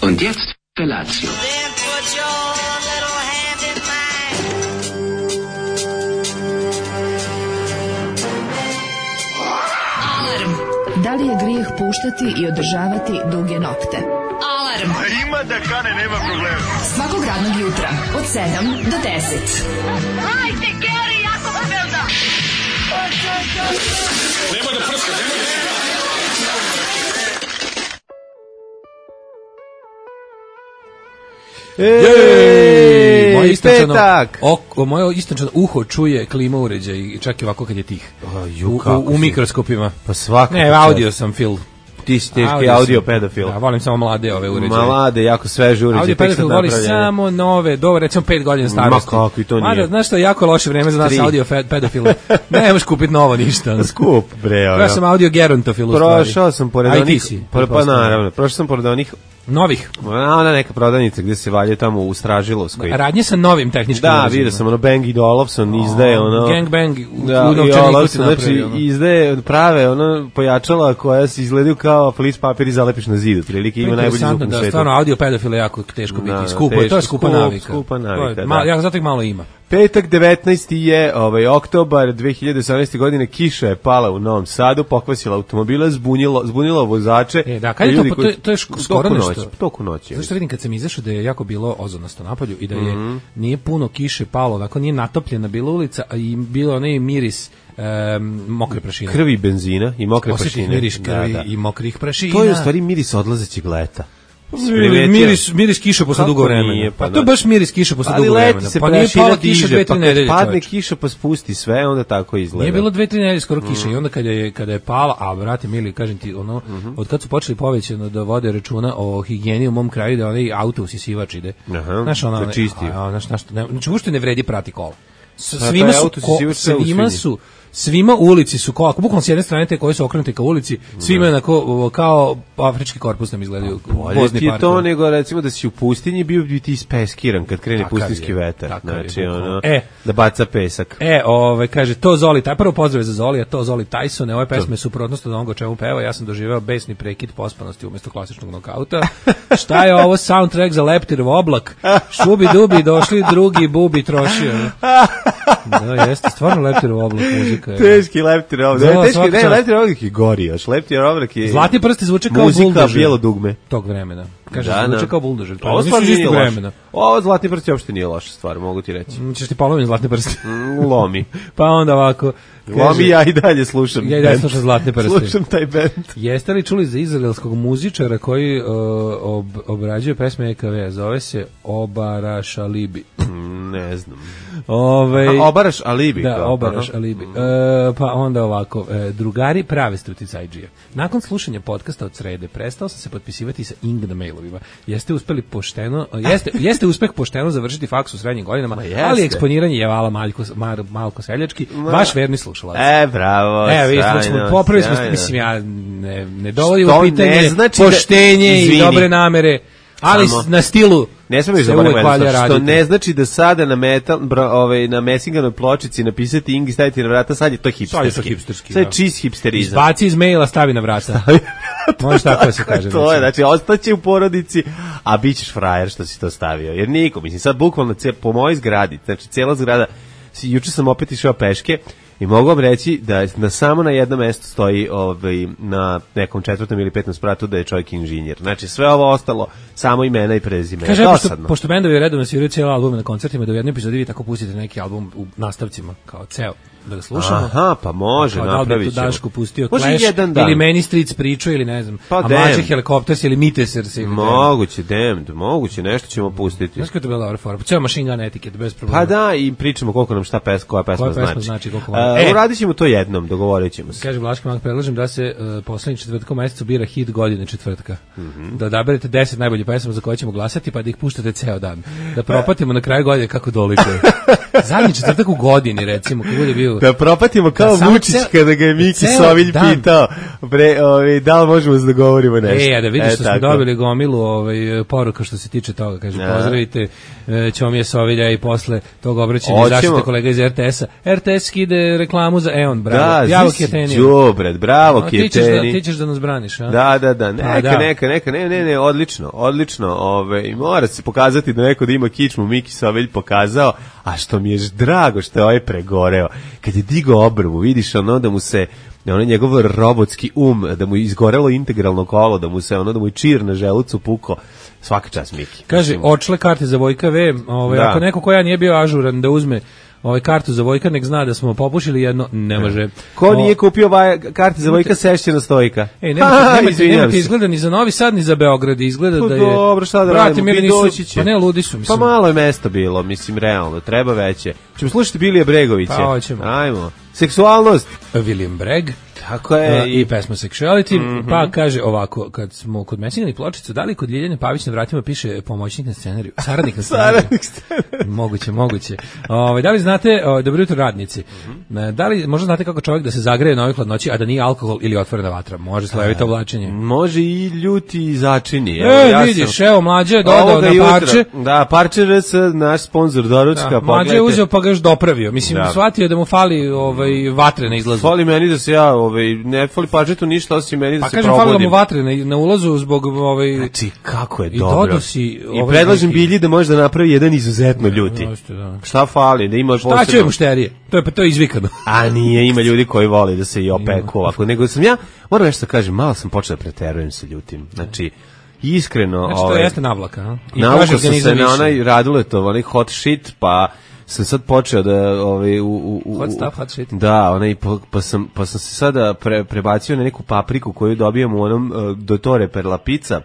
Und jetzt Felatio. Da li je grijeh puštati i održavati duge nokte? Alarm! Ima da kane, nema problema. Svakog radnog jutra, od 7 do 10. Hajde, Geri, jako se velda! Nema da prska, nema da prska. Moje istančano uho čuje klima uređaj i čak i ovako kad je tih. U mikroskopima. Pa svako. Ne, audio sam Phil. Ti si teški audio pedofil. Da, volim samo mlade ove uređaje. Mlade, jako sveže uređaje. Audio pedofil voli samo nove, dobro, recimo 5 godina starosti. Ma kako i to nije. Mada, znaš što je jako loše vreme za nas audio pedofile. Ne možeš kupiti novo ništa. Skup, bre. Ja sam audio gerontofil u stvari. Prošao sam pored onih. Pa naravno, prošao sam pored onih novih. Ona neka prodavnica gde se valje tamo u Stražilovskoj. Radnje sa novim tehničkim uređajima. Da, vidio sam ono Bang i Olufsen izdaje ono. Gang Bang u novčaniku se napravi. Znači izdaje prave ono pojačala koja se izgledaju kao flis papir i zalepiš na zidu. Prilike ima najbolji zvuk na svetu. Da, stvarno audio pedofile jako teško biti. Skupo je, to je skupa navika. Skupa navika, da. Ja zato ih malo ima. Petak 19. je oktobar 2018. godine, kiša je pala u Novom Sadu, pokvasila automobila, zbunila vozače. Da, kad je to je skoro nešto. Toku noći. Zašto vidim kad sam izašao da je jako bilo ozonasto napolju i da je nije puno kiše palo, onako nije natopljena bila ulica, a i bilo onaj miris mokre prašine. Krvi benzina i mokre prašine. Miris krvi i mokrih prašina. To je u stvari miris odlazećeg leta. Miris kiša posle dugo vremena. Pa to je baš miris kiša posle dugo vremena. Pa nije pala kiša 2-3 nedelje. Padne kiša pa spusti sve, onda tako izgleda. Nije bilo 2-3 nedelje skoro kiše i onda kada je pala, a brate mili, kažem ti, ono, od kad su počeli povećano da vode računa o higijeni u mom kraju, da onaj auto usisivač ide. Znaš, ono, da čisti. Znači, uopšte ne vredi prati kola. Svima ulici su ako bukvalno s jedne strane te koje su okrenute ka ulici, svima onako kao afrički korpus nam izgledaju. Bolje ti je to nego recimo da si u pustinji bio bi ti ispekiran kad krene pustinjski vetar. Znači ono, da baca pesak. Kaže to Zoli, prvo pozdrav za Zoli, a to Zoli Tyson, ove pesme su suprotnost od onoga o čemu peva, ja sam doživeo besni prekid pospanosti umjesto klasičnog nokauta. Šta je ovo soundtrack za Leptirov oblak? Šubi dubi, došli drugi bubi trošio. Da, jeste, stvarno Leptirov oblak muzika. Teški Leptirov oblak. Ne, Leptirov oblak je gori još. Leptirov oblak je Zlatni prsti zvuče kao muzika, buldožer. Bijelo dugme. Tog vremena. Kaže, zvuče kao buldožer. Ovo stvarno nije loše. Ovo Zlatni prsti uopšte nije loša stvar, mogu ti reći. Češ ti polovim Zlatni prsti? Lomi. Pa onda ovako. Lomi, ja i dalje slušam. Ja i dalje slušam Zlatne prsti. Slušam taj band. Jeste li čuli za izraelskog muzičara koji obrađuje pesme EKV? Zove se Obaraš Alibi. Ne znam. Obaraš Alibi. Da, Obaraš Alibi. Pa onda ovako, drugari prave struticajđije. Nakon slušanja podcasta od srede, prestao sam se potpisivati sa Ing na mailovima. Jeste uspeh pošteno završiti faks u srednjim godinama, ali eksponiranje je vala Malko Seljački, vaš verni slušalac. Bravo. Popravili smo, mislim, ja ne dovodim u pitanje poštenje i dobre namere, ali na stilu ne smemo što ne znači da sada na Messinganoj pločici napisati Ing i staviti na vrata, sad je to hipsterski. Sad je čist hipsterizam. Izbaci iz maila, stavi na vrata. Može tako da se kaže. To je, znači, ostaće u porodici, a bit ćeš frajer što si to stavio. Jer niko, mislim, sad bukvalno po mojoj zgradi, znači cijela zgrada, juče sam opet išao peške, i mogu vam reći da samo na jednom mjestu stoji na nekom 4. ili 5. spratu da je čovjek inženjer. Znači sve ovo ostalo samo imena i prezime. Kaže, pošto bendovi redovno sviraju cijelo albume na koncertima, da u jednoj epizodi vi tako pustite neki album u nastavcima kao ceo. Da ga slušamo. Aha, pa može, napravit ćemo. Da li bi tu Daško pustio Clash, ili Many Streets priču, ili ne znam, pa a Mlađe Helicopters ili Mitesers. Moguće, nešto ćemo pustiti. Znaš kako je to bila dobra forma? Ceo Machine Gun Etiquette, bez problema. Pa da, i pričamo koliko nam koja pesma znači. Uradit ćemo to jednom, dogovorit ćemo se. Kaže Vlaški Mag, predlažem da se poslednji četvrtkom mesecu bira hit godine četvrtka. Da odaberete 10 najboljih pesama za koje ćemo glasati, pa da ih puštate ceo dan. Da propatimo na kraju godine kako dolikuje. Zadnji četvrtak u godini, recimo, kad bude bio Da propatimo kao Vučić kada ga je Miki Sovilj pitao da li možemo se dogovorimo nešto. Da vidiš što smo dobili gomilu poruka što se tiče toga. Kaže, pozdravite Ćomija Sovilja i posle tog obraćanja zaštite kolega iz RTS-a. RTS skide reklamu za EON, bravo. Javo Kjetenija. Đubred, bravo Kjeteni. Ti ćeš da nas braniš, a? Da, neka, ne, odlično, mora se pokazati da neko da ima kičmu, Miki Sovilj pokazao, a što mi je drago što je ovaj pregoreo. Kad je digao obrvu, vidiš da mu se njegov robotski da mu je izgorelo integralno kolo, da mu je čir na želucu puko. Svaka čast Miki. Kaže, očle karte za Vojka V, ako neko ko ja nije bio ažuran da uzme kartu za Vojka, nek zna da smo popušili jedno, ne može. Ko nije kupio karte za Vojka, sešće na stojka. Nemate izgleda ni za Novi Sad, ni za Beograd, izgleda da je... Dobro, šta da radimo, doći će. Pa ne, ludi su, mislim. Pa malo je mesto bilo, mislim, realno, treba veće. Ćemo slušati Bilija Bregovića. Pa, hoćemo. Ajmo. Seksualnost. William Breg. Tako je. I pesma Sexuality, pa kaže ovako, kad smo kod Mesinjani pločicu, da li kod Ljiljane Pavić na vratima piše pomoćnik na scenariju? Saradnik na scenariju. Moguće. Da li znate, dobro jutro radnici, da li možda znate kako čovjek da se zagreje na ovoj hladnoći, a da nije alkohol ili otvorena vatra? Može slojevito oblačenje. Može i ljuti začini. Vidiš, evo Mlađe je dodao na parče. Da, parče RS, naš sponsor doručka. Mlađe je uzeo pa ga još dopravio. Mislim, shvatio da mu fali vatre na izlazu. Fali meni da se ja ne fali pažetu ništa osim meni da se probudim. Pa kažem, fali mu vatre na ulazu zbog Znači, kako je dobro. I predlažem Bilji da može da napravi jedan izuzetno ljuti. Šta fali? Da ima posebno... Šta će mušterije? To je izvikano. A nije, ima ljudi koji vole da se i opeku ovako. Nego sam ja, moram nešto da kažem, malo sam počeo da preterujem se ljutim. Znači, iskreno... Znači, to jeste navlaka, a? Navukao sam se na onaj Raduletov, onaj hot shit, pa... sam sad počeo da hot shit. Da, pa sam se sada prebacio na neku papriku koju dobijam u onom Dottore per la pizza.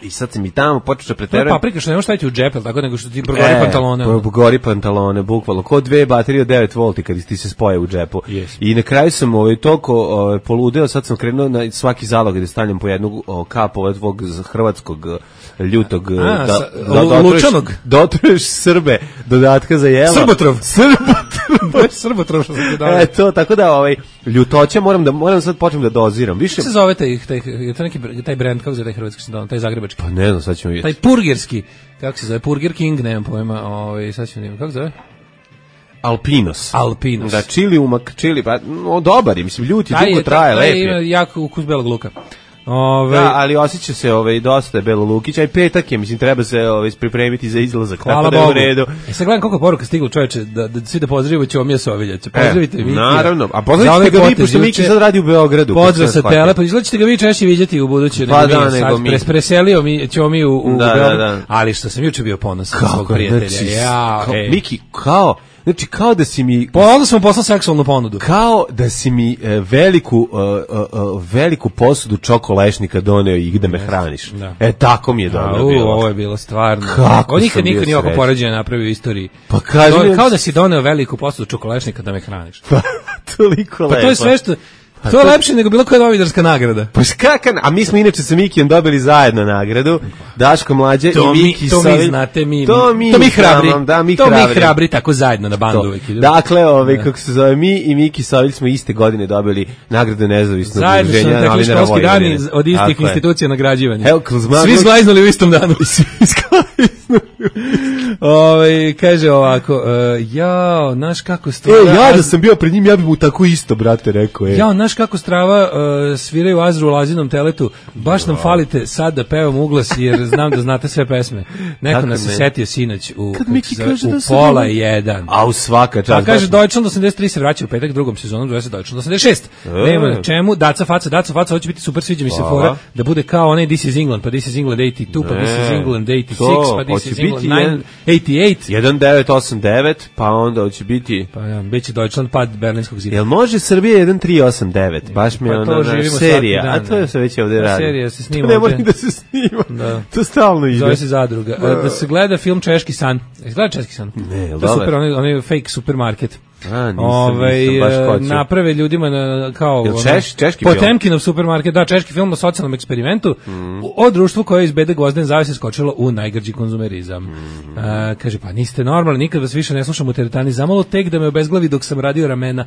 I sad sam i tamo počeo da preterujem. Paprika što ne možeš staviti u džep, tako nego što ti progori pantalone. Progori pantalone, bukvalno. Ko 2 baterije od 9 volti kad ti se spoje u džepu. Yes. I na kraju sam toliko poludeo, sad sam krenuo na svaki zalog gde stavljam po jednu kap ovog hrvatskog ljutog lučanog. Dotruješ Srbe, dodatka za jelo. Srbotrov što sam ti dao. To, tako da ljutoća moram sad počnem da doziram. Više se zove taj brend, kako se zove taj hrvatski, taj zagrebački? Pa ne znam, sad ćemo vidjeti. Taj purgerski, kako se zove, Burger King, nemam pojma, sad ćemo vidjeti, kako se zove? Alpinos. Da, čili umak, pa dobar je, mislim, ljuti, dugo traje, lep je. Ima jak ukus belog luka. Da, ali osjeća se dosta je Belo Lukić, a i petak je, mislim, treba se pripremiti za izlazak, tako da je u redu. Sad gledam koliko poruka stiglo, čoveče, da svi da pozdravimo Ćomija Sovilja. Pozdravite Miki. Naravno, a pozdravite ga vi, pošto Miki sad radi u Beogradu. Pozdrav sa tele, pa izgledate ga vi češće vidjeti u buduće. Pa da, nego mi. Preselio Ćomiju u Beogradu, ali što sam juče bio ponosan na svog prijatelja. Miki, kao da si mi... Onda sam poslao seksualnu ponudu. Kao da si mi veliku posudu čokolešnika doneo i da me hraniš. Tako mi je dobro bilo. Ovo je bilo stvarno. Kako nikad niko nije oko poređenja napravio u istoriji. Pa kaži kao da si doneo veliku posudu čokolešnika da me hraniš. Toliko lepo. Pa to je sve što... To je lepše nego bilo koja novinarska nagrada. Pa a mi smo inače sa Mikijem dobili zajedno nagradu. Daško Mlađe i Miki Sovilj. To mi znate, to mi hrabri. To mi hrabri tako zajedno na bandu uvijek. Dakle, kako se zove, mi i Miki Sovilj smo iste godine dobili nagradu nezavisnog udruženja novinara Vojvodine. Zajedno smo školski dani od istih institucija nagrađivanja. Svi zglajznuli u istom danu. Kaže ovako, jao, znaš kako strava... ja da sam bio pred njim, ja bih mu tako isto, brate, rekao. Jao, znaš kako strava sviraju Azru u Lazinom teletu, baš nam falite sad da pevam uglas, jer znam da znate sve pesme. Neko nas se setio sinoć u pola 1. A u svaka čast. Pa kaže, Deutschland 83 se vraća u petak, drugom sezonom, zove se Deutschland 86. Nema na čemu, daca faca, hoće biti super, sviđa mi se fora, da bude kao onaj This is England, pa This is England 82, pa This is England 86, pa This is England 88. 1989, pa onda hoće biti... Pa ja, bit će Deutschland pad Berlinskog zida. Jel može Srbija 1389? Baš mi je ona serija, a to se već ovdje radi. Serija se snima. To ne moram da se snima. To stalno ide. Zove se Zadruga. Da se gleda film Češki san. Gleda Češki san? Ne, to je super, onaj fake supermarket. Nisam baš hoću. Naprave ljudima kao češki film? Potemkinov supermarket, da, češki film o socijalnom eksperimentu o društvu koje iz bede gvozdene zavese skočilo u najgrđi konzumerizam. Kaže, pa niste normalni, nikad vas više ne slušam u teretani, zamalo tek da me obezglavi dok sam radio ramena.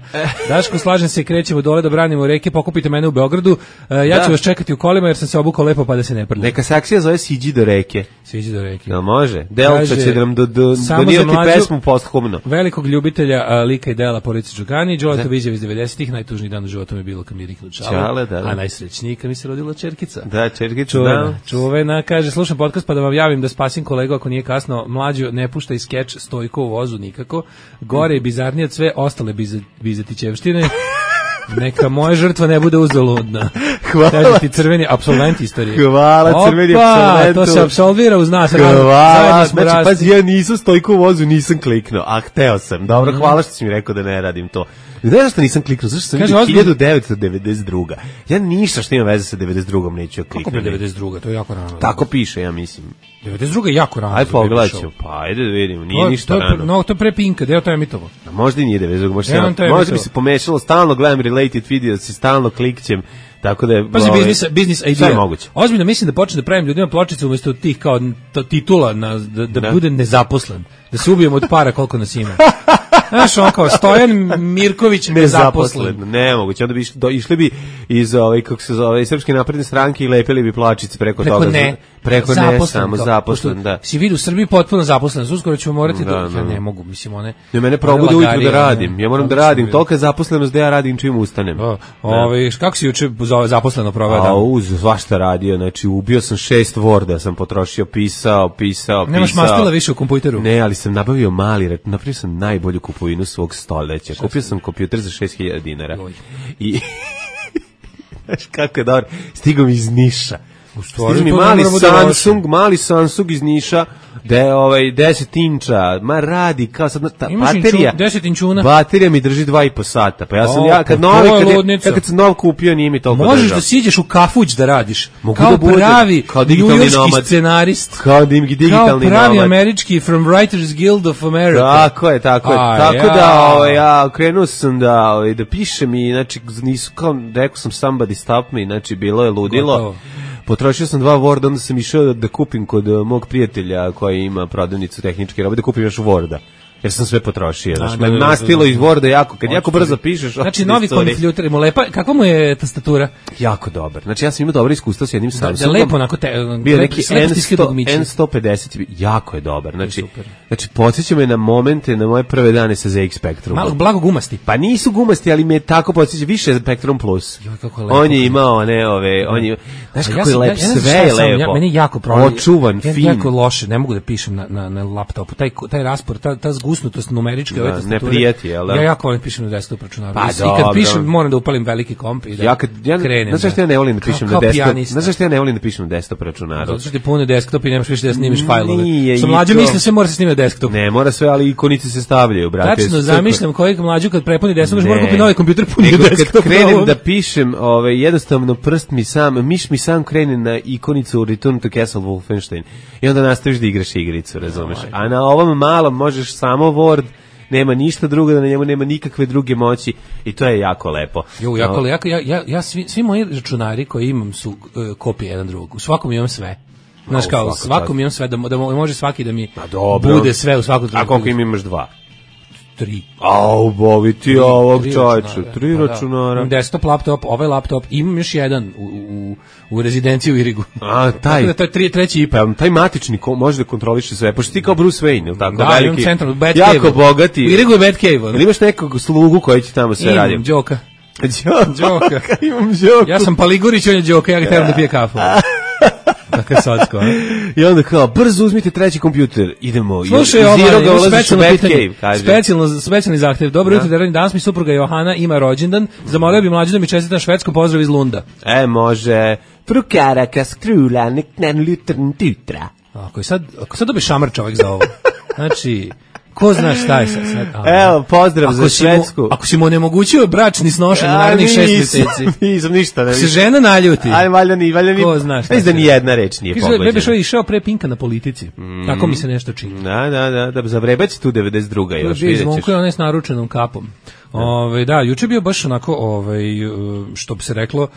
Daško, slažem se, krećemo dole da branimo reke, pokupite mene u Beogradu, ja ću vas čekati u kolima jer sam se obukao lepo pa da se ne prljam. Neka se akcija zove Siđi do reke. Siđi do reke. Ja, može. Delta će da nam donirati pesmu posthumno. Velikog ljubitelja lika i dela Porodice Đukani, Đoleta Viđev iz 90-ih, najtužniji dan u životu mi je bilo kad mi je Riknu Čale, a najsrećniji kad mi se rodila čerkica. Da, čerkica, čuvena, kaže, slušam podcast pa da vam javim da spasim kolegu ako nije kasno, mlađo, ne puštaj skeč Stojko u vozu nikako, gore i bizarnije od sve ostale bizetićevštine. Neka moja žrtva ne bude uzaludna. Hvala. Kaže ti crveni apsolvent istorije. Hvala, crveni apsolventu. To se apsolvira uz nas. Hvala. Znači, pazi, ja nisam Stojko u vozu, nisam kliknuo, a hteo sam. Dobro, hvala što si mi rekao da ne radim to. Ne znaš što nisam kliknuo, zašto sam vidio 1992. Ja ništa što ima veze sa 92. neću kliknuti. Kako bi 92. To je jako rano. Tako piše, ja mislim. 92. je jako rano. Ajde pogledaj ću, pa ajde da vidimo, nije ništa rano. No, to je pre Pinka, deo to je emitovo. Možda i nije 92. Možda bi se pomešalo, stalno gledam related video, stalno klikćem. Tako da je biznis idea. Ozbiljno mislim da počne da pravim ljudima pločice umesto tih kao titula da bude nezaposlen. Da se ubijemo od para koliko nas ima. Znaš, on kao Stojan Mirković nezaposlen. Nemoguće, onda bi išli bi iz kako se zove, Srpske napredne stranke i lepili bi plačice preko toga. Preko ne, samo zaposlen, da. Si vidi u Srbiji potpuno zaposlen, uskoro ćemo morati ja ne mogu, mislim, one. Ne, mene probude ujutro da radim. Ja moram da radim, tolika zaposlenost da ja radim čim ustanem. Kako si juče zaposleno proveo dan? Svašta radio, znači ubio sam 6 Worda, sam potrošio, pisao. Nemaš mastila više u kompjuteru? Ne, ali sam nabavio napravio sam najbolju kupovinu svog stoljeća. Kupio sam kompjuter za 6.000 dinara. I znaš kako je dobro, stigao mi iz Niša. Stigao mi mali Samsung iz Niša, da je 10 inča, ma radi kao sad baterija. 10 inčuna. Baterija mi drži 2,5 sata. Pa ja sam kad sam nov kupio, nije mi toliko držao. Možeš da siđeš u kafuć da radiš. Kao pravi njujorški scenarist. Kao digitalni nomad. Kao pravi američki From Writers Guild of America. Tako je. Tako da ja krenuo sam da pišem i znači nisu kao rekao sam somebody stop me, znači bilo je ludilo. Potrošio sam 2 Worda, onda sam išao da kupim kod mog prijatelja koji ima prodavnicu tehničke robe, da kupim još Worda. Jer sam sve potrošio. Znači, nastilo iz Worda jako, kad jako brzo pišeš... Znači, novi kompjuter mu lepa, kakva mu je tastatura? Jako dobar. Znači, ja sam imao dobro iskustvo s jednim Samsungom. Da lepo, onako bio neki N150, jako je dobar. Znači podsjeća me na momente, na moje prve dane sa ZX Spectrum. Malo blago gumasti. Pa nisu gumasti, ali me tako podsjeća, više Spectrum Plus. On je imao, znaš kako je lep, sve je lepo. Meni je jako problem. Očuvan, fin. Jako loše, ne mogu da pišem na laptopu. Taj raspor, ta zgusnutost numeričke ove tastature. Ne prijeti, jel da? Ja jako volim pišem na desktop računaru. I kad pišem, moram da upalim veliki komp i da krenem. Znaš što ja ne volim da pišem na desktop? Znaš što ja ne volim da pišem na desktop računaru? Zato što ti pune desktop i nemaš više da snimiš fajlove. Što mlađe misle sve mora se snimati na desktop. Ne, mora sve, ali ikonice se stavljaju, brate. Tačno, zamišljam kojeg mlađu kad prepuni desktop, mora kupiti novi kompjuter puni desktop. Kad krenem da pišem, jednostavno miš mi sam krene na ikonicu Return to Castle Wolfenstein i onda nastaviš da igraš igricu, razumeš? A na ovom malom možeš samo Word, nema ništa drugo, da na njemu nema nikakve druge moći i to je jako lepo. Ja svi moji računari koji imam su kopije jedan drugog. U svakom imam sve. Znaš kao, svakom imam sve, da može svaki da mi bude sve u svakom trenutku. A koliko imaš 2? 3. Au, bovi ti ovog čovječu, 3 računara. Desktop laptop, ovaj laptop, imam još jedan u rezidenciji u Irigu. A, taj. Tako da to je treći IP. Taj matični može da kontroliše sve, pošto ti kao Bruce Wayne, ili tako? Da, imam centralno, Batcave. Jako bogati. U Irigu je Batcave. Ili imaš nekog slugu koji će tamo sve raditi? Imam Đoka. Đoka. Imam Đoku. Ja sam Paligurić, on je Đoka, ja ga trebam da pije kafu. Tako je socko. I onda kao, brzo uzmite treći kompjuter, idemo. Slušaj, specijalni zahtev. Dobro jutro, danas mi supruga Johana ima rođendan. Zamolio bi mlađu da mi čestita švedskom pozdrav iz Lunda. Može. Frukara kaskrula, nek nan lutern tutra. Ako sad dobi šamar čovjek za ovo. Znači, Ko zna šta je sad? Evo, pozdrav za Švedsku. Ako si mu onemogućio bračni snošan u narednih 6 meseci. Nisam ništa. Ako se žena naljuti. Aj, valjda ni. Ko zna šta. Mislim da ni jedna reč nije pogođena. Bebe što je išao pre Pinka na Politici. Tako mi se nešto čini. Da, zavrebaće tu 92. još, vidjet ćeš. Zvonko je onaj s naručenom kapom. Da, juče bio baš onako, što bi se reklo,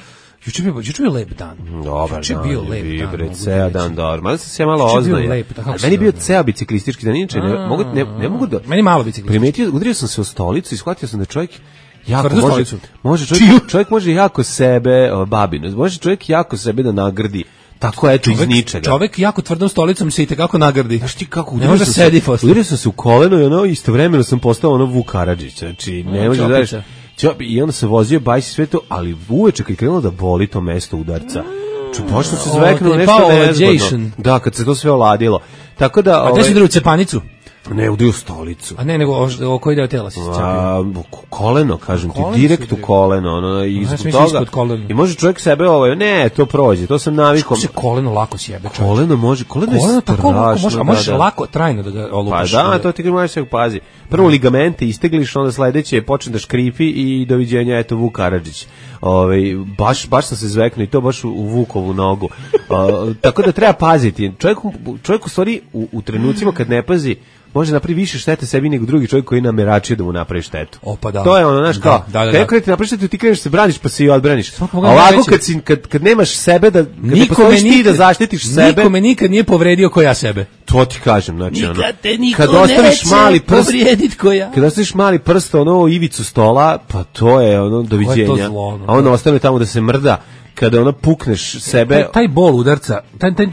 juče bio lep dan. Dobar juče dan, bio lep dan. Bre, ceo dan dobar. Malo sam se malo oznaje. Meni je bio ceo biciklistički dan, inače ne mogu da... Meni malo biciklistički. Primetio, udario sam se u stolicu i shvatio sam da čovjek jako čovjek može jako sebe, babino, može čovjek jako sebe da nagrdi. Tako eto iz ničega. Čovek jako tvrdom stolicom se i tekako nagrdi. Znaš ti kako ne može sedi posle. Udario sam se u koleno i ono istovremeno sam postao ono Vuk Karadžić. Znači ne može da i onda se vozio bajsi sve to, ali uveče kad krenulo da boli to mesto udarca. Počeo se zveknuo nešto nezgodno. Da, kad se to sve oladilo. Tako da... A gde si udario cepanicu? Ne, udario stolicu. A ne, nego o koji deo tela si cepio? Koleno, kažem ti, direkt u koleno. I zbog toga... I može čovjek sebe, ne, to prođe, to sam navikom. Što se koleno lako sjebe čovjek? Koleno može, koleno je strašno. A možeš lako, trajno da ga olupaš. Pa da, to ti možeš se pazi. Prvo ligamente istegliš, onda sledeće počne da škripi i doviđenja, eto, Vuk Karadžić. Baš sam se zveknuo i to baš u Vukovu nogu. Tako da treba paziti. Čovjek u stvari u trenucima kad ne pazi može napravi više štete sebi nego drugi čovjek koji nameračio da mu napravi štetu. To je ono, znaš, kao, kako ti napravi štetu, ti kreneš se braniš pa se i odbraniš. A ovako kad nemaš sebe, kad ne postojiš ti da zaštitiš sebe... Niko me nikad nije povredio ko ja sebe. To ti kažem, znači ono... Nikad te niko neće povrijedit ko ja. Kad ostaviš mali prst, ono, ivicu stola, pa to je ono, doviđenja. A ono ostane tamo da se mrda. Kada ona pukneš sebe... Taj bol udarca,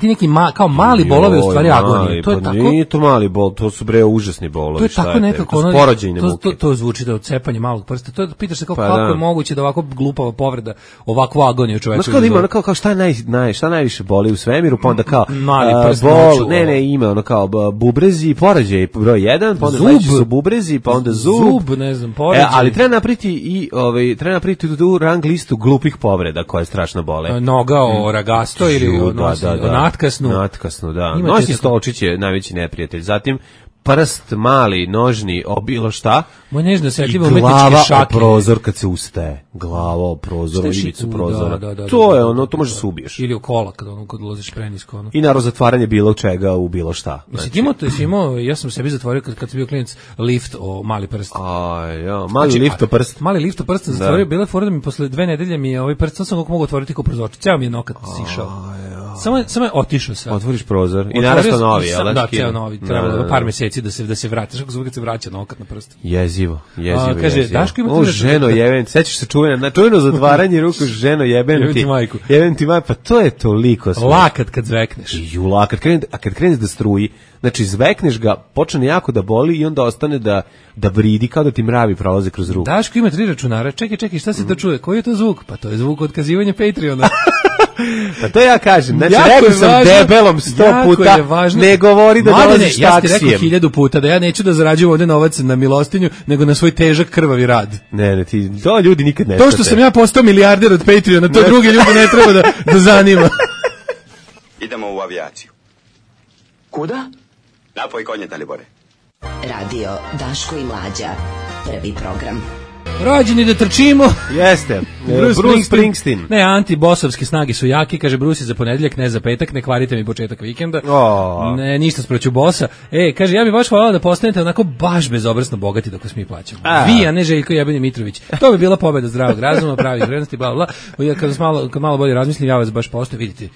ti neki kao mali bolovi u stvari agonije. To je tako... Nije to mali bol, to su užasni bolovi. To je tako nekako... To su porođajne muke. To zvuči da odcepanje malog prsta. To pitaš se kako je moguće da ovako glupava povreda, ovakvu agoniju čoveku. Znaš kao da ima ono kao šta najviše boli u svemiru, pa onda kao... Mali prst. Ne, ima ono kao bubrezi, porađaj broj 1, pa onda sledeći su bubrezi, pa onda zub. Ne znam, porađaj. Ali treba napraviti tu rang listu glupih povreda koja je strašna bole. Noga o ragasto ili o natkasnu. Natkasnu, da. Noćni stolčić je najveći neprijatelj. Zatim prst mali, nožni, bilo šta. Moj nežno osetljivo umetničke šake. I glava o prozor kad se ustaje. Glava o prozor, ivicu prozora. To je ono, to može se ubiješ. Ili u kola kad ulaziš prenisko. Ono. I naravno zatvaranje bilo čega u bilo šta. Ja sam sebi zatvorio kad sam bio klinac lift o mali prst. Mali lift o prst. Mali lift o prst sam zatvorio, bila je fora da mi posle 2 nedelje mi je ovaj prst, sam kako mogu otvoriti kao prozor. Ceo mi je nokat sišao. Samo je otišao sve. Otvoriš prozor i naravno novi, jel? Da, ceo novi. Treba par meseci da se vrati. Kako zvuči kad se vraća nokat na prst. Jezivo. Kaže, Daško ima tu ženo jeben, sećaš se čuveno zatvaranje ruku, ženo jeben ti majku. Jeben ti majku, pa to je toliko sve. Lakat kad zvekneš. Kad kreneš da struji, znači zvekneš ga, počne jako da boli i onda ostane da vridi kao da ti mravi prolaze kroz ruku. Daško ima 3 računara. Čekaj, šta se to čuje? Koji je to zvuk? Pa to je zvuk otkazivanja Patreona. Pa to ja kažem, znači rekao sam debelom 100 puta, ne govori da dolaziš taksijem. Ja ti rekao 1000 puta da ja neću da zarađujem ovde novac na milostinju, nego na svoj težak krvavi rad. Ne, to ljudi nikad ne shvate. To što sam ja postao milijarder od Patreona, to drugi ljudi ne treba da zanima. Idemo u avijaciju. Kuda? Napoj konje, Dalibore. Radio Daško i Mlađa. Prvi program. Rođeni da trčimo. Jeste. Bruce Springsteen. Ne, antibosovske snage su jaki, kaže Bruce za ponedeljak, ne za petak, ne kvarite mi početak vikenda. Ne, ništa sproću bosa. Kaže, ja bih baš hvala da postanete onako baš bezobrazno bogati dok vas mi plaćamo. Vi, a ne Željko Jebeni Mitrović. To bi bila pobeda zdravog razuma, pravih vrednosti, bla, bla. Ja kad malo bolje razmislim, ja vas baš postoje, vidite.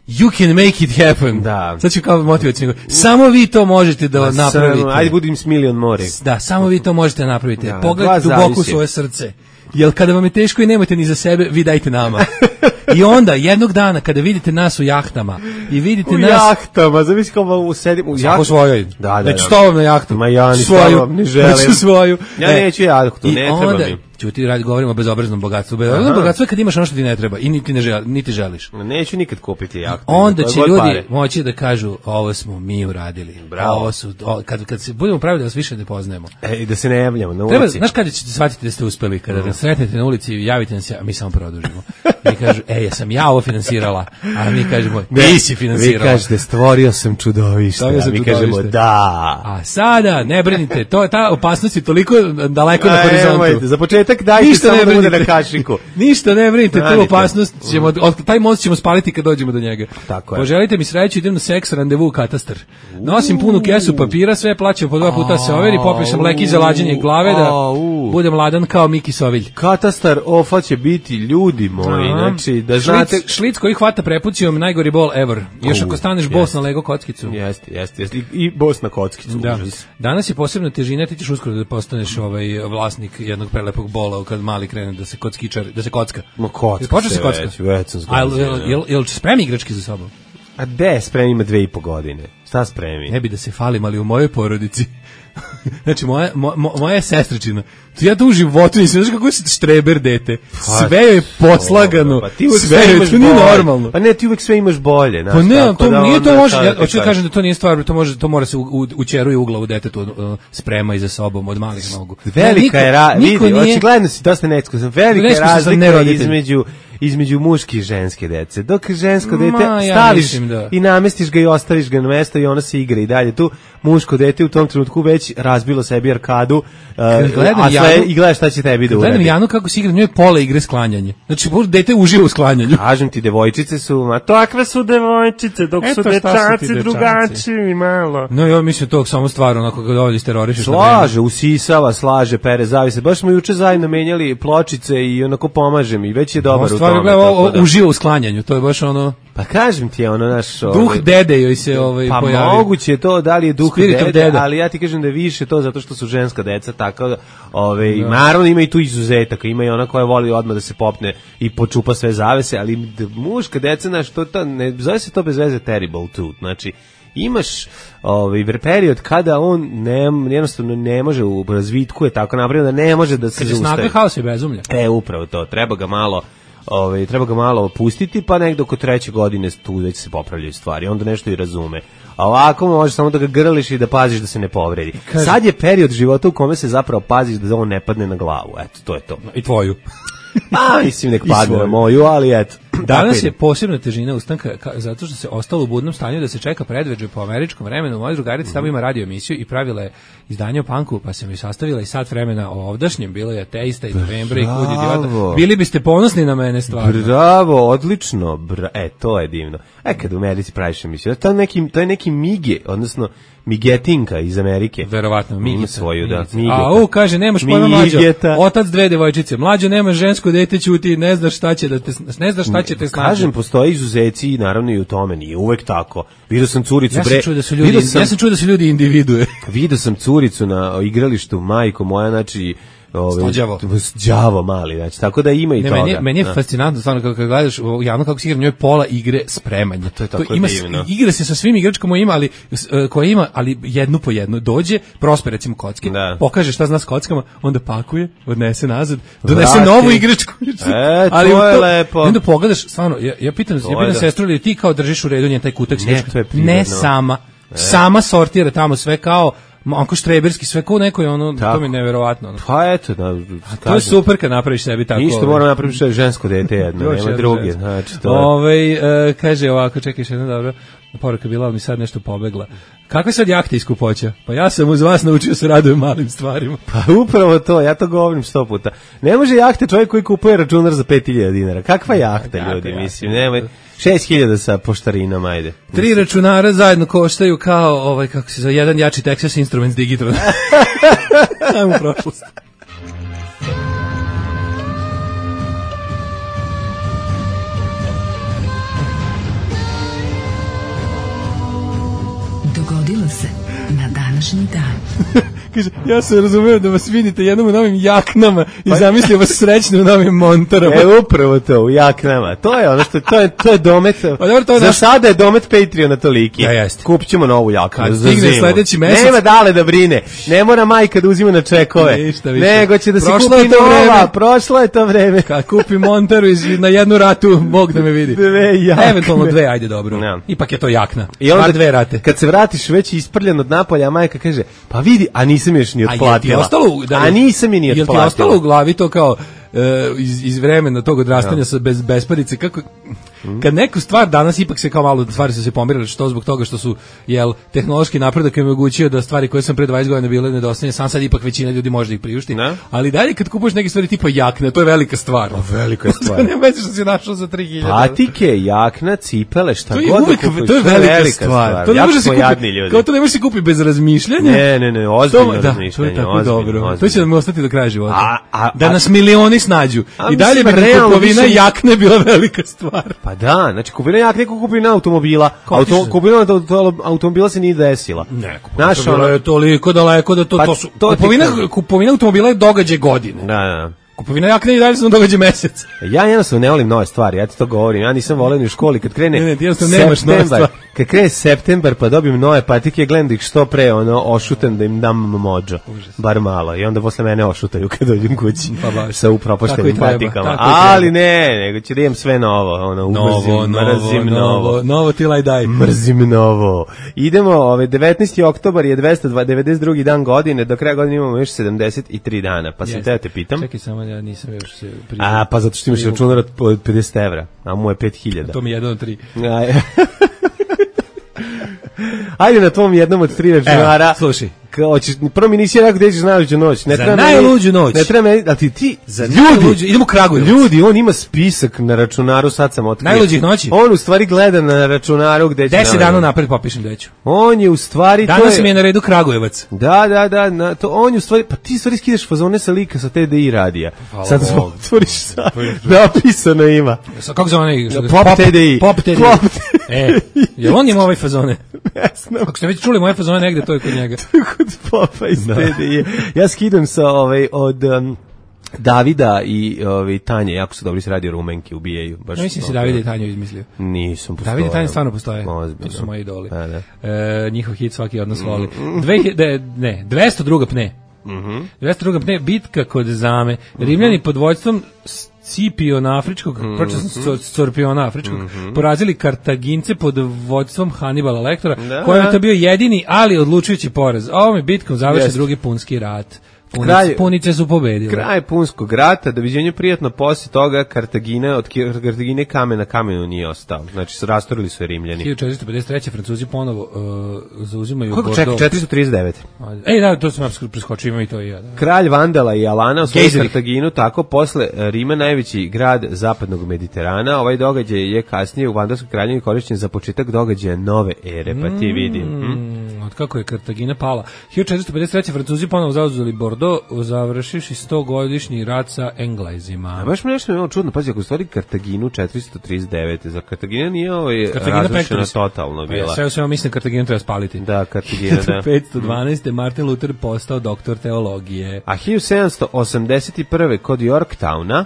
You can make it happen. Da. Sad ću kao motivacijno. Samo vi to možete da napravite. Ajde budim s milion more. Da, samo vi to možete napraviti. Da, pogledajte duboko u svoje srce. Jer kada vam je teško i nemate ni za sebe, vi dajte nama. I onda, jednog dana, kada vidite nas u jahtama i vidite nas... U jahtama, zavisi kao sedim u jahtama. Svojoj. Da. Neću s tobom na jahtu. Ma ja ni s tobom ne želim. Neću svoju. Ja neću jahtu, ne treba mi. Ćuti, govorimo o bezobraznom bogatstvu. Bezobrazno bogatstvo je kad imaš ono što ti ne treba i niti želiš. Neću nikad kupiti jahtu. Onda će ljudi moći da kažu, ovo smo mi uradili. Bravo. Kad se budemo pravili da vas više ne poznajemo. I da se ne javljamo na ulici. Znaš kada ćete shvatiti da ste uspeli? Kada nas sretnete na ulici i javite nam se, a mi samo produžimo. I kažu, jesam ja ovo finansirala, a mi kažemo, nisi finansirala. Vi kažete, stvorio sam čudovište, a mi kažemo, da. A sada, ne brinite, ta opasnost je toliko daleko na horizontu. Za početak dajte samo da bude na kašiku. Ništa ne brinite, tu opasnost ćemo, taj most ćemo spaliti kad dođemo do njega. Tako je. Poželite mi sreću, idem na seks randevu u katastar. Nosim punu kesu papira, sve plaćam po 2 puta se overi, popio sam leki za lađenje glave da budem ladan kao Miki Sovilj. Katastar ofa će biti, ljudi moji, znači da znate... Šlic koji hvata prepucijom, najgori bol ever. Još ako staneš bos na Lego kockicu. Jeste. I bos na kockicu. Da. Danas je posebna težina, ti ćeš uskoro da postaneš vlasnik jednog prelepog bola kad mali krene da se kocka. Ma kocka se kocka. Već sam zgledao. Jel spremi igračke za sobom? A de, spremi ima 2,5 godine. Šta spremi? Ne bi da se falim, ali u mojoj porodici. Znači, moja je sestričina. Ja to u životu nisam, znaš kako je štreber dete. Sve je poslagano. Sve je, to nije normalno. Pa ne, ti uvek sve imaš bolje. Pa ne, to nije to može. Ja hoću da kažem da to nije stvar, to mora se učeruje u glavu detetu, sprema i za sobom od malih nogu. Velika je vidi, očigledno si dosta neiskusan. Velika je razlika između muške i ženske dece. Dok žensko dete staviš i namestiš ga i ostaviš ga na mesto i ona se igra i dalje tu, muško dete u tom trenutku već razbilo sebi arkadu i gledaš šta će tebi da uradi. Gledam Janu kako se igra, njoj je pola igre sklanjanje. Znači, dete uživa u sklanjanju. Kažem ti, devojčice su, takve su devojčice, dok su dečaci drugačiji malo. No, ja mislim tog samo stvar, onako kad ovdje terorišeš. Slaže, usisava, slaže, pere, zavise. Baš smo juče zajedno menjali pločice i onako pomažem i već je dobar u tome. Uživa u sklanjanju, to je baš ono... Pa kažem ti je ono naš... Duh dede joj se pojavio. Pa moguće je to, da li je duh dede, ali ja ti kažem da je više to zato što su ženska deca, tako da, naravno ima i tu izuzetaka, ima i ona koja voli odmah da se popne i počupa sve zavese, ali muška deca, znaš, ne zove se to bez veze terrible too, znači, imaš period kada on jednostavno ne može u razvitku je tako napravio da ne može da se zaustavi. Kad je snaga haos i bezumlja. Upravo to, treba ga malo opustiti, pa nekdo oko 3. godine tu već se popravljaju stvari, onda nešto i razume. A ovako možeš samo da ga grliš i da paziš da se ne povredi. Sad je period života u kome se zapravo paziš da on ne padne na glavu, eto, to je to. I tvoju. Mislim nek padne na moju, ali eto. Danas je posebna težina ustanka zato što se ostalo u budnom stanju da se čeka predveđe po američkom vremenu. Moja drugarica tamo ima radio emisiju i pravila je izdanje o punku, pa sam joj sastavila i sat vremena o ovdašnjem, bilo je ateista i novembra i kud idiota. Bili biste ponosni na mene stvarno. Bravo, odlično. To je divno. Kad u Americi praviš emisiju, to je neki mige, odnosno migetinka iz Amerike. Verovatno, Migi svoju, da. Kaže, nemaš pojma mlađo. Otac 2 devojčice. Mlađo, nemaš žensko dete, ćuti, ne znaš šta će te snaći. Kažem, postoje izuzeci i naravno i u tome, nije uvek tako. Vidio sam curicu, ja sam čuo da su ljudi individue. Vidio sam curicu na igralištu, majko moja, znači, đavo mali, znači, tako da ima i toga. Meni je fascinantno, stvarno, kako gledaš javno kako se igra, njoj pola igre spremanja. To je tako divno. Igra se sa svim igračkama koje ima, ali jednu po jednu. Dođe, prospe recimo kocke, pokaže šta zna s kockama, onda pakuje, odnese nazad, donese novu igračku. To je lepo. Onda pogledaš, stvarno, ja pitam sestru, ili ti kao držiš u redu njen taj kutak? Ne, sama sortira tamo sve kao onko štreberski, sve kao nekoj, to mi je neverovatno. Pa eto, to je super kad napraviš sebi tako. Ništa, moram napraviti žensko dete jedno, nema druge. Kaže ovako, čekaj, jedna dobra poruka bila, ali mi sad nešto pobegla. Kakve sad jahte iz Kupoća? Pa ja sam uz vas naučio se radujem malim stvarima. Pa upravo to, ja to govorim 100 puta. Ne može jahte čovjek koji kupuje računar za 5.000 dinara. Kakva jahta, ljudi, mislim, nemoj. 6.000 sa poštarinama, ajde. 3 računara zajedno koštaju kao, kako se zove, jedan jači Texas Instruments Digitron. Ajmo u prošlost. Dogodilo se na današnji dan. Kaže, ja sam razumeo da vas vidite jednom u novim jaknama i zamislio vas srećno u novim montarama. Upravo to, u jaknama. To je ono što, to je domet. Za sada je domet Patreona toliki. Kupit ćemo novu jaknu za zimu. Sledeći mesec. Nema dale da brine. Ne mora majka da uzima na čekove. Nego će da se kupi nova. Prošlo je to vreme. Kad kupi montaru na jednu ratu, Bog da me vidi. 2 jakne. Eventualno 2, ajde dobro. Ipak je to jakna. I onda 2 rate. Kad se vratiš već isprljen od napolja, a majka kaže, pa vidi, a nisam još ni otplatila. A nisam je ni otplatila. Jel ti ostalo u glavi to kao, iz vremena tog odrastanja sa besparice, kako kad neku stvar danas ipak se kao malo stvari su se pomerile, što zbog toga što su tehnološki napredak im omogućio da stvari koje sam pre 20 godina bile nedostatne, sad ipak većina ljudi može da ih priušti. Ali dalje kad kupuješ neke stvari tipa jakne, to je velika stvar. Velika je stvar. Ne već što si našao za 3000. Patike, jakna, cipele, šta to god. To je velika stvar. To ne može se kupiti. Kao to ne može se kupiti bez razmišljanja. Ne, ozbiljno razmišljanje. To je tako dobro. To će nam ostati do kraja života. Da nas milioni snađu. I dalje bi kupovina jakne bila velika stvar. Pa da, znači kupovina jakne kako kupovina automobila. Kupovina automobila se nije desila. Ne, kupovina je toliko daleko da to su... Kupovina automobila je događaj godine. Da. Kupovina jakne i dalje se događa mesec. Ja jednostavno ne volim nove stvari, ja ti to govorim. Ja nisam voleo ni u školi kad krene septembar. Kad krene septembar pa dobijem nove patike, gledam da ih što pre ošutem da im dam mođo. Bar malo. I onda posle mene ošutaju kad dođem kući sa upropaštenim patikama. Ali ne, nego ću da imam sve novo. Mrzim novo. Novo till I die. Mrzim novo. Idemo, 19. oktobar je 292. dan godine, do kraja godine imamo još 73 dana. Pa sam te pitam. Čekaj samo, ja nisam još se priznao. Pa zato što imaš računar od 50 evra, a mu je 5000. To mi je jedan od 3. Ajde na tvom jednom od 3 računara. Slušaj. Prvo mi nisi rekao gde ćeš najluđu noć. Za najluđu noć. Ne treba meni, ali ti za najluđu, idemo u Kragujevac. Ljudi, on ima spisak na računaru, sad sam otkrio. Najluđih noći? On u stvari gleda na računaru gde će... 10 dana napred popišem gde ću. On je u stvari... Danas mi je na redu Kragujevac. Da, on je u stvari... Pa ti stvari skidaš fazone sa lika sa TDI radija. Sad otvoriš sad. Napisano ima. Kako zove onaj... Pop TDI. Pop TDI. Jel on ima ovaj fazone? Ako ste već čuli moje fazone negde, to je kod njega. Popa iz TDI. Ja skidam sa od Davida i Tanje, jako su dobri se radio Rumenki, ubijaju. Mislim si Davida i Tanju izmislio. Nisam postoje. Davida i Tanja stvarno postoje. To su moji idoli. Njihov hit svaki od nas voli. 202. pne. 202. pne, bitka kod Zame. Rimljani pod vođstvom Scipiona Afričkog, Scorpiona Afričkog, porazili Kartagince pod vođstvom Hanibala Lektora, koji je to bio jedini, ali odlučujući poraz. Ovom bitkom završen drugi punski rat. Punice su pobedile. Kraj punskog rata, doviđenje prijatno, posle toga od Kartagine kamen na kamenu nije ostao. Znači, rastorili su je Rimljani. 1453. Francuzi ponovo zauzimaju Bordeaux. Čekaj, 439. Da, to sam preskočio, imam i to i ja. Kralj Vandala i Alana osvojili Kartaginu, tako posle Rima najveći grad zapadnog Mediterana. Ovaj događaj je kasnije u Vandalskoj kraljevini korišćen za početak događaja nove ere, pa ti vidi. Od kako je Kartagina pala. 1453. Francuzi ponovo zauzeli Bordeaux, završivši 100-godišnji rat sa Englezima. Baš mi nešto je čudno, pazi, ako stvari Kartaginu 439. Za Kartagina nije razrušena totalno bila. Sve mislim Kartaginu treba spaliti. Da, Kartagina, da. 1512. Martin Luther postao doktor teologije. A 1781. kod Yorktowna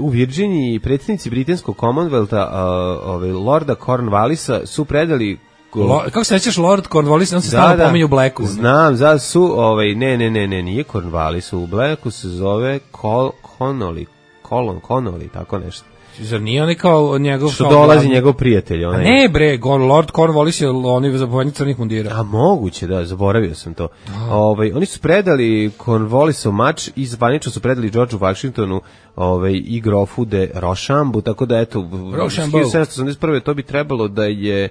u Virginiji predsjednici britanskog Commonwealtha Lorda Cornwallisa su predali kako se nećeš Lord Cornwallis, on se stalno pominje u Blacku. Znam, ne, nije Cornwallis, u Blacku se zove Connolly, tako nešto. Zar nije on kao njegov... Što dolazi njegov prijatelj. Ne bre, Lord Cornwallis je on zapovednik crnih mundira. A moguće, da, zaboravio sam to. Oni su predali Cornwallisov mač i zvanično su predali Georgeu Washingtonu i grofu de Rochambeau, tako da eto, 1781. to bi trebalo da je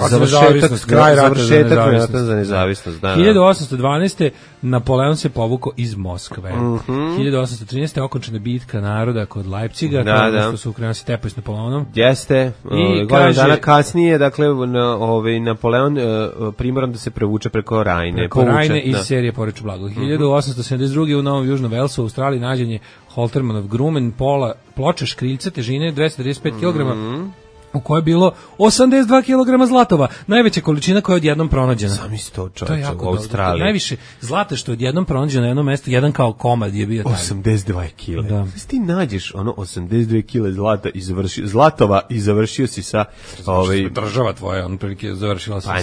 završetak rata za nezavisnost. 1812. Napoleon se povukao iz Moskve. 1813. okončena bitka naroda kod Leipciga, što su Ukrajinci tepaju s Napoleonom. Jeste. Godinu dana kasnije, dakle, Napoleon primoran da se prevuče preko Rajne. Preko Rajne iz serije Poreču blago. 1872. u Novom Južnom Velsu u Australiji nađen je Holtermanov grumen, ploča škriljca težine 235 kg, u kojoj je bilo 82 kg zlatova, najveća količina koja je odjednom pronađena. Sami si to čovječe u Australiji. Najviše zlata što je odjednom pronađeno na jednom mestu, jedan kao komad je bio taj. 82 kg. Da. Ti nađeš 82 kg zlata zlatova i završio si sa... Država tvoja, prilike završila sa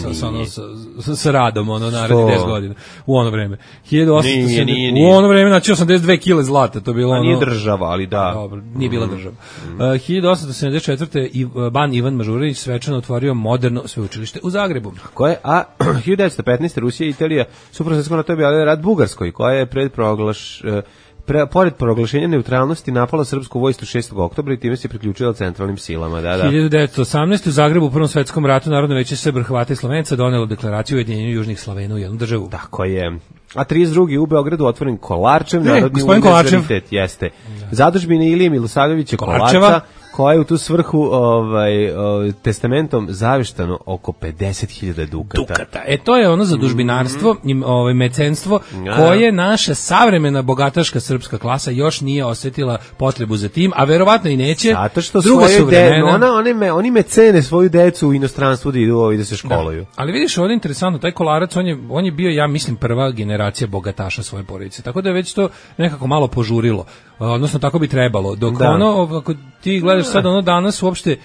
radom, narednih 10 godina. U ono vreme. 1870. U ono vreme, znači 82 kg zlata, to je bilo ono... A nije država, ali da. Dobro, nije bila država. 1874. Ban Ivan Mažurinić svečano otvorio moderno sveučilište u Zagrebu. A 1915. Rusija i Italija su prosvjetsko na to objavili rat Bugarskoj, koja je pored proglašenja neutralnosti napala srpsku vojsku 6. oktobra i time se priključila centralnim silama. Da. 1918. u Zagrebu u Prvom svetskom ratu Narodno veće Srba, Hrvata i Slovenaca donelo deklaraciju o ujedinjenju južnih Slovena u jednu državu. Tako je. A 32. u Beogradu otvoren Kolarčev, Narodni univerzitet, jeste. Zadužbine Ilije Milosavljevića Kolarčeva, koja je u tu svrhu testamentom zaveštano oko 50.000 dukata. To je ono zadužbinarstvo i mecenstvo koje naša savremena bogataška srpska klasa još nije osetila potrebu za tim, a verovatno i neće. Zato što oni mecene svoju decu u inostranstvu da idu i da se školuju. Da. Ali vidiš, ovdje je interesantno, taj Kolarac, on je bio, ja mislim, prva generacija bogataša svoje porodice, tako da je već to nekako malo požurilo, odnosno tako bi trebalo, dok ako ti gledaš sad danas uopšte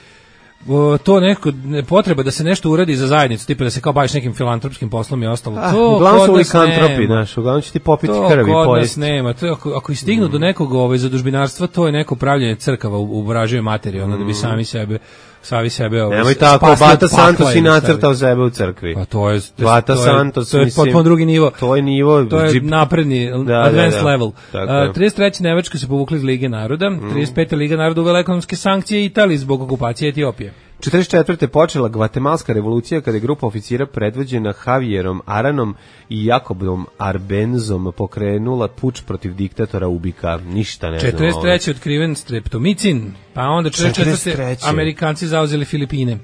to neko potreba da se nešto uradi za zajednicu, tipa da se kao baviš nekim filantropskim poslom i ostalo. To uglavnom su likantropi, uglavnom će ti popiti krv i pojesti. To kod nas nema. To ako i stignu do nekog zadužbinarstva, to je neko pravljenje crkava u vraživoj materiji, da bi sami sebe nemoj tako, Bata Santos i nacrtao sebe u crkvi. Pa to je Bata Santos, to je potpuno drugi nivo. To je nivo, to je napredni, advanced level. 33. Nemačka se povukla iz Lige naroda, 35. Liga naroda uvela ekonomske sankcije Italiji zbog okupacije Etiopije. 44. počela Gvatemalska revolucija kada je grupa oficira predvođena Javierom Aranom i Jakobom Arbenzom pokrenula puč protiv diktatora Ubika. Ništa ne znam. 43. otkriven streptomicin, pa onda 44. Amerikanci zauzeli Filipine.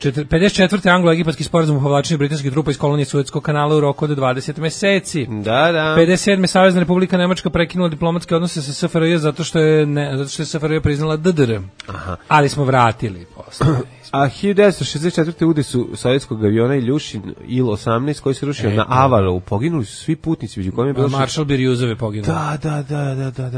54. anglo-egipatski sporazum o povlačenju britanskih trupa iz kolonije Suetskog kanala u roku od 20 meseci. Da. 57. Savezna Republika Nemačka prekinula diplomatske odnose sa SFRJ zato što je SFRJ priznala DDR. Ali smo vratili posle. A 1964. udesu sovjetskog aviona Iljušin Il-18 koji se rušio na Avalu. Poginuli su svi putnici, među kojima je bilo... Maršal Birjuzov je poginuo. Da,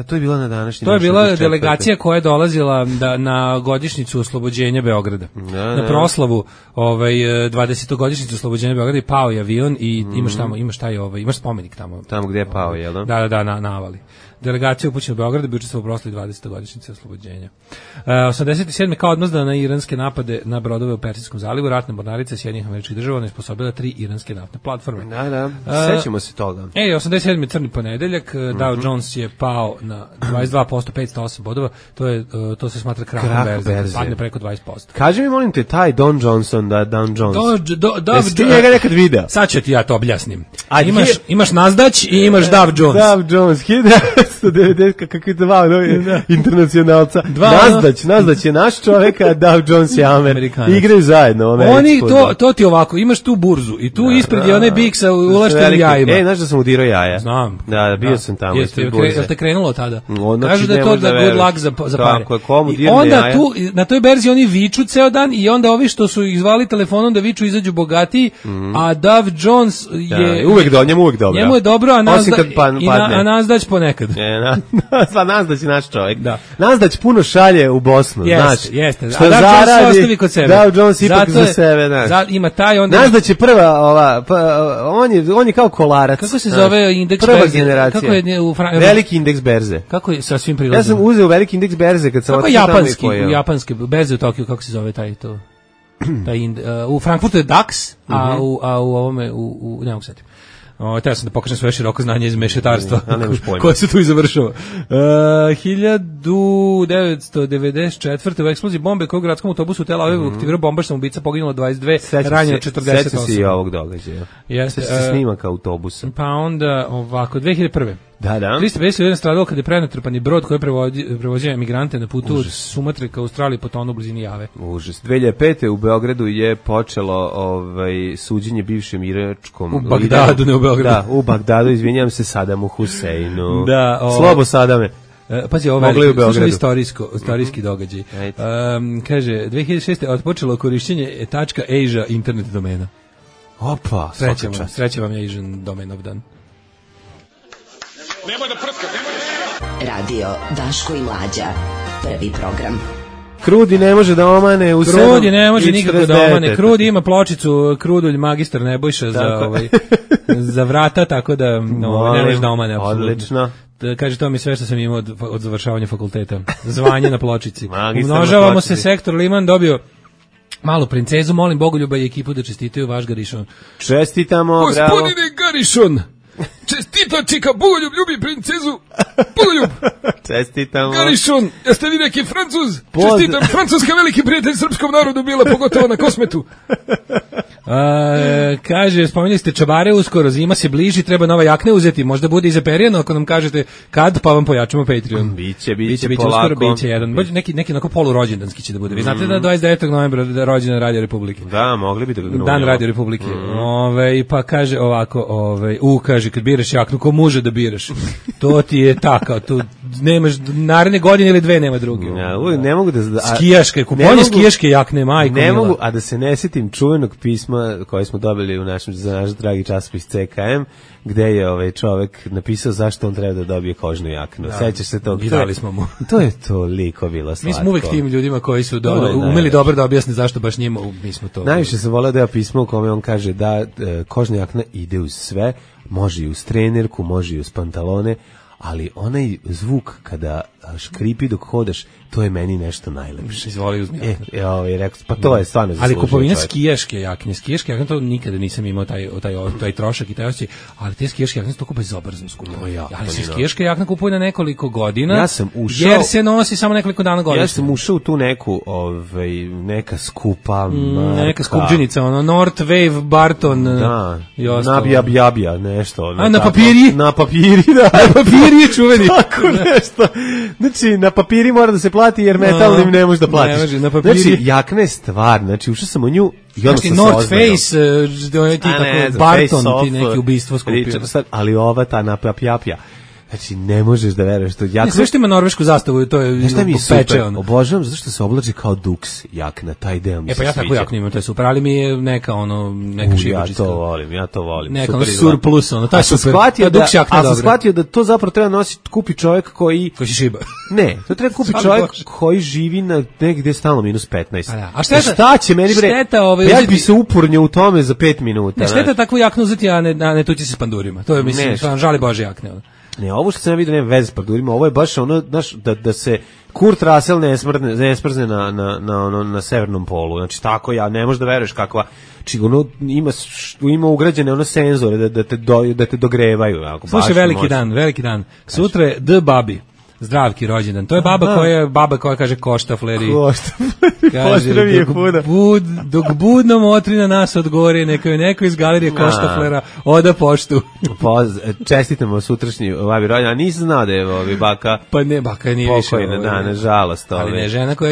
to je bila na današnji... To je bila delegacija koja je dolazila na godišnjicu oslobođenja Beograda. Na proslavu 20-godišnjicu oslobođenja Beograda i pao je avion i imaš spomenik tamo. Tamo gdje je pao, jel da? Da, na Avali. Delegacija upućena u Beograd bi učestvovao u proslavi 20-godišnjice oslobođenja. 87. kao odmazda na iranske napade na brodove u Persijskom zalivu, ratne mornarice Sjedinjenih Američkih Država nesposobila 3 iranske naftne platforme. Da, sećamo se toga. 87. crni ponedeljak, Dow Jones je pao na 22%, 508 bodova, to se smatra krahom berze, padne preko 20%. Kaži mi, molim te, taj Don Johnson, Dow Jones. Jesi ti njega nekad video? Sad ću ti ja to objasnim. Imaš Nasdaq i imaš Dow Jones. Dow Jones, 1990, kakvi dva internacionalca. Nasdaq je naš čovjek, a Dow Jones je Amerikan. Igraju zajedno. Oni, to ti ovako, imaš tu burzu i tu ispred je onaj bik sa ulaštenim jajima. Znaš da sam udirao jaja? Znam. Da, bio sam tamo. Jel te krenulo tada? Kažu da je to good luck za pare. I onda tu, na toj berzi oni viču ceo dan i onda ovi što su ih zvali telefonom da viču izađu bogatiji, a Dow Jones je... Njemu uvek dobro. Njemu je dobro, a Nasdaq ponekad. Nasdaq je naš čovjek. Nasdaq puno šalje u Bosnu, znaš. Jeste. Što zaradi, Dow Jones ipak za sebe, znaš. Ima taj onda... Nasdaq je prva, on je kao Kolarac. Kako se zove indeks berze? Prva generacija. Kako je veliki indeks berze. Kako je sa svim prilazima? Ja sam uzeo veliki indeks berze kad sam otišao tamo i japanski berze u Tokiju, kako se zove taj to? U Frankfurtu je DAX, a u ovome, ne mogu setiti. Teo sam da pokažem svoje široko znanje iz mešetarstva koje se tu i završava. 1994. u eksploziji bombe koju u gradskom autobusu u Tel Avivu aktivirao bombaš samoubica, poginulo 22, ranjeno 48. Sećam se i ovog događaja. Sećam se snimaka autobusa. Pa onda ovako, 2001. Da. 351 stradalo kada je prenatrpani brod koji je prevozio emigrante na putu od Sumatre ka Australiji potonu u blizini Jave. Užas. 2005. u Beogradu je počelo suđenje bivšem iračkom u Bagdadu, ne u Beogradu. Da, u Bagdadu, izvinjam se, Sadamu Huseinu. Da, Slobo Sadame. Pazi, ovo je istorijski događaj. Kaže, 2006. otpočelo korišćenje .asia internet domena. Opa, sreće vam je Asian domain of dan. Nemoj da prska, Radio Daško i Mlađa, prvi program. Krudi ne može da omane u 7. Krudi ne može nikako da omane. Krudi ima pločicu, Krudulj magistar Nebojša za vrata, tako da ne može da omane. Odlično. Kaže, to mi sve što sam imao od završavanja fakulteta. Zvanje na pločici. Umnožavamo se, sektor Liman dobio malu princezu, molim Bogoljuba i ekipu da čestitaju vaš Garišon. Čestitamo, bravo. Gospodine Garišon! Čestita čika, Bogoljub ljubi princezu. Bogoljub. Čestitamo. Garišon, jeste vi neki Francuz? Čestitam, Francuska veliki prijatelj srpskom narodu bila, pogotovo na Kosmetu. Kaže, spomenuli ste čabare uskoro, zima se bliži, treba nova jakne uzeti, možda bude i zaperijeno ako nam kažete kad, pa vam pojačamo Patreon. Biće uskoro, polako. biće jedan, neki onako polurođendanski će da bude. Vi znate da 29. novembra da je rođena Radio Republike. Da, mogli bi da ga grunjamo. Dan Radio Republike. Pa kaže ovako, kaže, kad biraš jaknu, ko može da biraš? To ti je tako, tu nemaš naredne godine ili dve, nema druge. Ja, ne mogu da... Skijaške, kupovanje skijaške jakne, majko ne mila. mogu, a da se ne sjetim čuvenog pisma koje smo dobili za naš dragi časopis CKM, gde je čovek napisao zašto on treba da dobije kožnu jaknu. Sećaš se toga? Vidali smo mu. To je toliko bilo slatko. Mi smo uvek tim ljudima koji su umeli dobro da objasne zašto baš njima, mi smo to. Najviše sam voleo da je pismo u kome on kaže da kožna jakna ide uz sve, može i uz trenerku, može i uz pantalone, ali onaj zvuk kada škripi dok hodaš, to je meni nešto najlepše. Izvoli uzmi jaknu. Rekao, pa to je stvarno ali kupovina skijaške jakne, to nikada nisam imao taj trošak i taj osjećaj, ali te skijaške jakne su toliko bezobrazno skupe. Ali se skijaška jakna kupuje na nekoliko godina, ja sam ušao, jer se nosi samo nekoliko dana godišnje. Ja sam ušao u tu neku, neka skupa marka. Neka skupđenica, North Wave, Barton i ostalo. Nabija, nešto. Na papiri? Na papiri, da. Na papiri je čuveni. Tako nešto. Znači, na papiri mora da se plati jer metalnim ne možeš da platiš. Ne može, na papiri. Znači, jakna je stvar. Znači, ušao sam u nju i onda sam North Face, ti tako, Barton, ti neki ubistvo skupio. Ali ova ta na papjapja. Znači, ne možeš da veruješ to. Ne, sve što ima norvešku zastavu, to je šta mi je super, obožavam zato što se oblači kao duks jakna, taj deo mi se sviđa. Pa ja tako jaknu imam, to je super, ali mi je neka šibačiska. Ja to volim. Neka surplus, to je super. A sam shvatio da to zapravo treba nositi, kupi čovjek koji se šiba. Ne, to treba kupi čovjek koji živi na negde stalno -15. A šta će meni bre? Ja bi se upurnio u tome za 5 minuta. Ne, šteta takvu jaknu uzeti, a ne tući se s pandurima. To je, mislim, žali Bože jakne. Ne, ovo što sam vidio nema veze s pandurima, ovo je baš znaš, da se Kurt Russell ne smrzne na severnom polu. Znači, tako ne možeš da veruješ kakva. Znači, ima ugrađene senzore da te dogrevaju. Slušaj, veliki dan. Sutra je The Babi. Zdravki rođendan. To je baba koja kaže koštafleri. Kaže, dok budno motri na nas od gore, neko iz galerije koštaflera oda poštu. Čestitamo sutrašnji babi rođendan. A nisam znao da je baka. Pa ne, baka nije više. Pokojna, nažalost. Ali ne, žena koja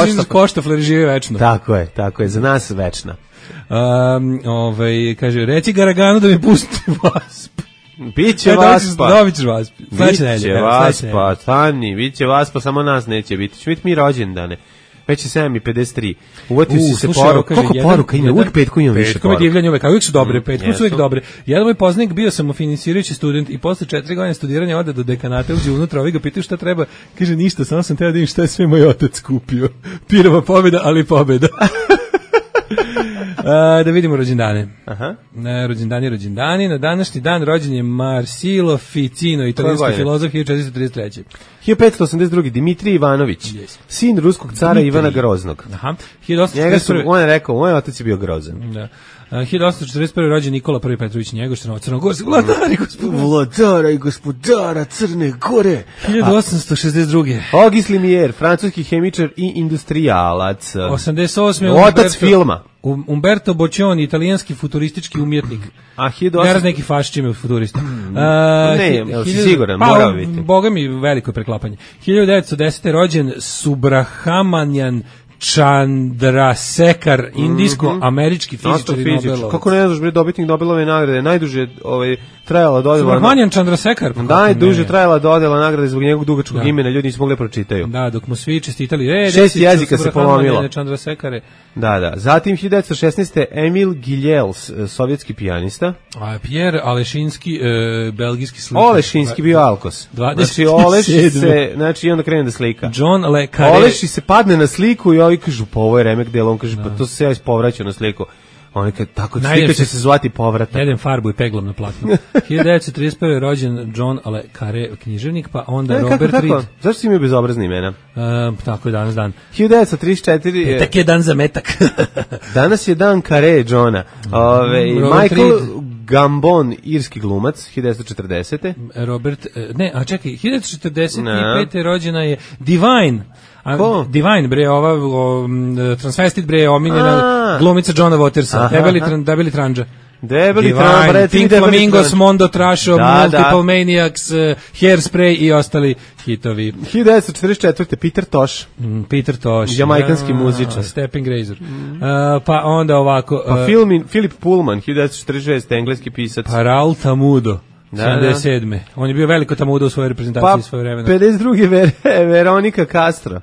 je koštafleri živi večno. Tako je, za nas večna. Kaže, reci Garaganu da mi pusti Vasp. Biće Vaspa. Dobit ćeš Vasp. Biće Vaspa, stani, biće Vaspa, samo nas neće biti. Će biti mi rođendane. Već je 7:53. Uvatio si se poruka. Koliko poruka ima? Uvijek petku imam više poruka. Petkom je divljanje uvijek, a uvijek su dobre. Petkom su uvijek dobre. Jedan moj poznanik, bio sam finansirajući student i posle 4 godine studiranja ode do dekanata, uđe unutra, ovi ga pitaju šta treba. Kaže, ništa, samo sam teo da vidim šta je sve moj otac kupio. Pirova pobjeda, ali pobjeda. Da vidimo rođendane. Rođendani. Na današnji dan rođen je Marsilo Ficino, italijanski filozof, 1433. 1582. Dimitrij Ivanović, sin ruskog cara Ivana Groznog. On je rekao, moj otac je bio grozan. Da. 1841. rođen Nikola I Petrović Njegoš, crnogorski vladara i gospodara Crne Gore. 1862. Auguste Lumière, francuski hemičar i industrijalac. 88. Otac filma. Umberto Boccioni, italijanski futuristički umjetnik. Ne raz neki fašičime u futurista. Ne, si siguran, mora biti. Boga mi veliko preklapanje. 1910. rođen Subrahmanyan Chandrasekhar, indijsko-američki fizičar i Nobelov. Kako ne znaš, dobitnik Nobelove nagrade, najduže trajala dodjela. Subrahmanyan Chandrasekhar. Najduže trajala dodjela nagrade zbog njegovog dugačkog imena, ljudi nisu mogli pročitaju. Da, dok mu svi čestitali. 6 jezika se polomilo. Chandrasekhare. Da. Zatim 1916. Emil Giljels, sovjetski pijanista. Pierre Alešinski, belgijski slikar. Olešinski bio Alkos. Znači, Oleši se, znači, i onda krene da slika. John Le Carré. Oleši se padne na sliku i ovi kažu, pa ovo je remek delo, on kaže, pa to se ja ispovraćao na sliku. Oni kad tako slika će se zvati povratak. Jedem farbu i peglom na platnu. 1931. rođen John Le Carré, književnik, pa onda Robert Reed. Zašto si imao bezobrazne imena? Tako je danas dan. 1934. Petak je dan za metak. Danas je dan Carré Johna. Michael Gambon, irski glumac, 1940. Robert, čekaj, 1945. rođena je Divine. Ko? Divine, bre, transvestit, bre, omiljena glumica Johna Watersa, debeli tranđa. Debeli Divine, Pink Flamingos, Mondo Trasho, Multiple Maniacs, Hairspray i ostali hitovi. 1944. Peter Tosh. Peter Tosh. Jamajkanski muzičar. Stepping Razor. Pa onda ovako... Pa Philip Pullman, 1946. engleski pisac. Pa Raul Tamudo. 77. On je bio veliko Tamudo u svojoj reprezentaciji svoje vremena. 52. Veronika Castro.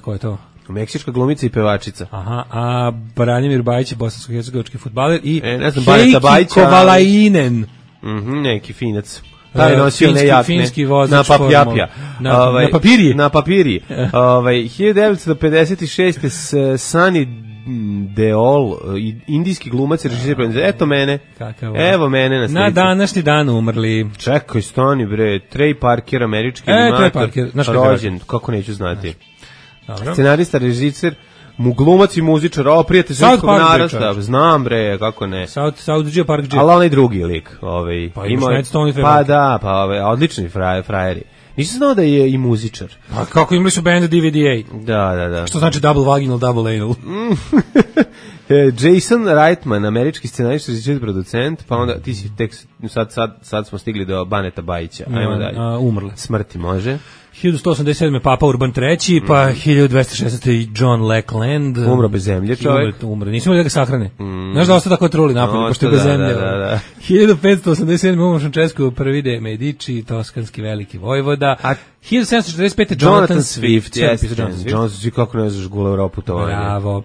Ko je to? Meksička glumica i pevačica. Aha, a Branimir Bajić je bosansko-hercegovački fudbaler i Heiki Kovalainen. Neki finac. Taj nosio finski vozač na papjapja. Na papiriji. Na papiriji. 1956. Sunny Deol, indijski glumac i režiser. Eto mene. Evo mene na slici. Na današnji dan umrli. Čekaj, stani bre. Trey Parker, američki animator. Rođen, kako neću znati. Dobro. Scenarista, režiser, glumac i muzičar, prijatelj srpskog narasta. Znam bre, kako ne. South Park J. Ali onaj drugi lik. Pa imaš Night Stone i Pa da, odlični frajeri. Nisam znao da je i muzičar. Pa kako imali su band DVDA? Da. Što znači double vaginal, double anal? Jason Reitman, američki scenarista, režiser, producent, pa onda ti si tek, sad smo stigli do Baneta Bajića. Ajmo dalje. Umrle. Smrti može. 1187. Papa Urban III, pa 1216. John Lackland. Umro bez zemlje čovjek. Umro. Nismo da ga sahrane. Znaš da ostao tako truli napolje, pošto je bez zemlje. Da. 1587. umro Francesco I de Medici, toskanski veliki vojvoda. A 1745. Jonathan Swift. Jonathan Swift, kako ne znaš gula Europu to. Bravo.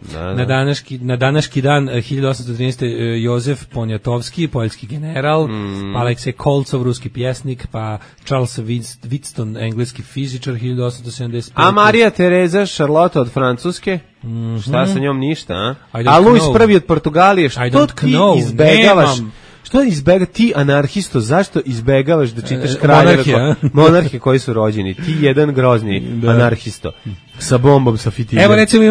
Na današnji dan 1813. Jozef Poniatovski, poljski general, pa Aleksej Kolcov, ruski pjesnik, pa Charles Wheatstone, engleski fizičar, 1875. A Marija Tereza Charlotte od Francuske? Šta sa njom ništa, a Louis I od Portugalije, što ti izbegavaš? Što izbega ti anarhisto, zašto izbegavaš da čitaš kraljeve monarhije koji su rođeni? Ti jedan grozni anarhisto sa bombom, sa fitiljem. Evo recimo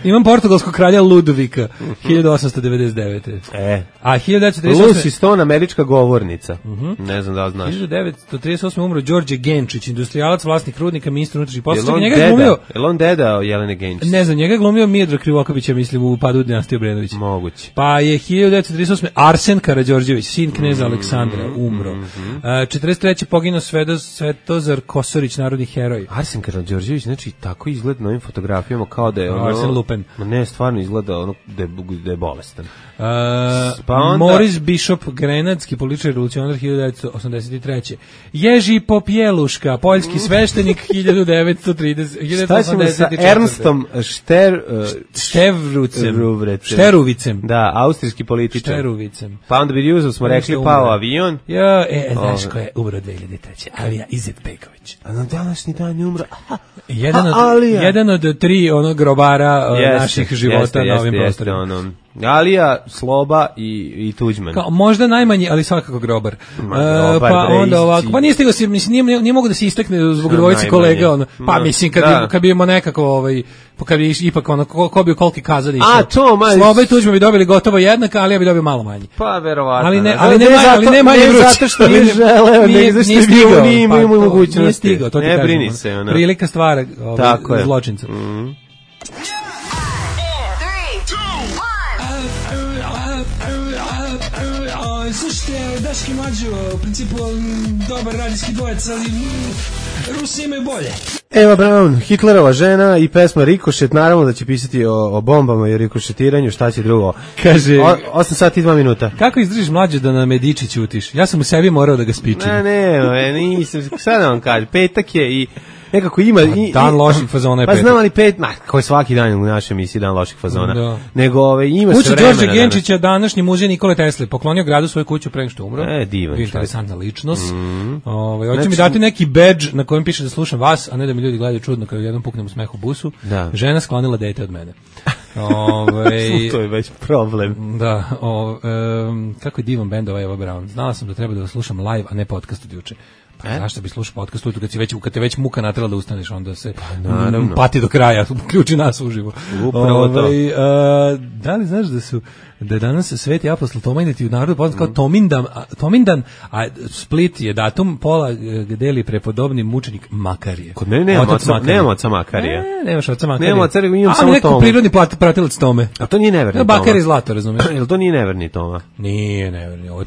imam portugalskog kralja Ludovika 1899. A 1938. Lucy Stone, američka govornica. Ne znam da li znaš. 1938. umro Đorđe Genčić, industrijalac, vlasnik rudnika, ministar unutrašnjih poslova. Je on deda Jelene Genčić? Ne znam, njega je glumio Miodrag Krivokapić, ja mislim, u Padu dinastije Obrenović. Moguće. Pa je 1938. Arsen Karađorđević, sin kneza Aleksandra, umro. 43. poginuo Svetozar Kosorić, narodni heroj. Arsen Karađorđević, znači tako izgleda na ovim fotografijama kao da je ono... Arsen Lupin. Ne, stvarno izgleda ono da je bolestan. Pa onda... Moris Bishop, grenadski političar revolucionar 1983. Ježi Popjeluška, poljski sveštenik 1930. Šta ćemo sa Ernstom Šteruvicem? Da, austrijski političar. Šteruvicem. Pa onda bi Juzov smo rekli pao avion. Znaš ko je umro 2003. Alija Izetbegović. A na današnji dan je umro. Jedan od tri onog grobara naših života na ovim prostorima. Alija, Sloba i Tuđman. Možda najmanji, ali svakako grobar. Pa onda ovako, pa nije stigao, mislim, nije mogu da se istakne zbog dvojice kolega, pa mislim, kad bi imao nekako, kad bi ipak, ko bi u koliki kazali. Sloba i Tuđman bi dobili gotovo jednaka, ali ja bi dobio malo manje. Pa, verovatno. Ali ne manje vruć. Zato što nije želeo, nego zašto nije imao mogućnosti. Nije stigao, to ti kažem. Ne brini se, ono. Prilika stvara zločinca. Slušajte, Daški Mađo, u principu dobar radijski dvojec, ali Rusi imaju bolje. Eva Braun, Hitlerova žena i pesma Rikošet, naravno da će pisati o bombama i rikošetiranju, šta će drugo. Kaže, 8 sati i 2 minuta. Kako izdržiš mlađe da na Mediči ćutiš? Ja sam u sebi morao da ga spičim. Nisam, sad vam kažem, petak je i nekako ima dan loših fazona je petak. Pa znam ali koji svaki dan u našoj emisiji dan loših fazona. Da. Nego ima se vremena. Kuća Đorđe Genčića, današnji muzej Nikole Tesle, poklonio gradu svoju kuću pre nego što umro. Divan. Interesantna ličnost. Hoće mi dati neki badge na kojem piše da slušam vas, a ne da mi ljudi gledaju čudno kada jednom puknem u smeh u busu. Da. Žena sklonila dete od mene. To je već problem. Da, kako je divan bend Eva Braun. Znala sam da treba da ga slušam live, a ne podcast od juče. Pa zašto bi slušao podcast ujutru kad te već muka natrela da ustaneš, onda se pati do kraja, uključi nas uživo. Upravo to. Da li znaš da je danas Sveti apostol Tomindan u narodu poznat kao Tomindan, a Split je datum pola deli prepodobni mučenik Makarije. Kod mene nema oca Makarije. Nemaš oca Makarije. Nema oca, imam samo neko Tomu. prirodni pratilac Tome. A to nije neverni Toma. Bakar i zlato, razumiješ? Jel to nije neverni Toma? Nije neverni, ovo je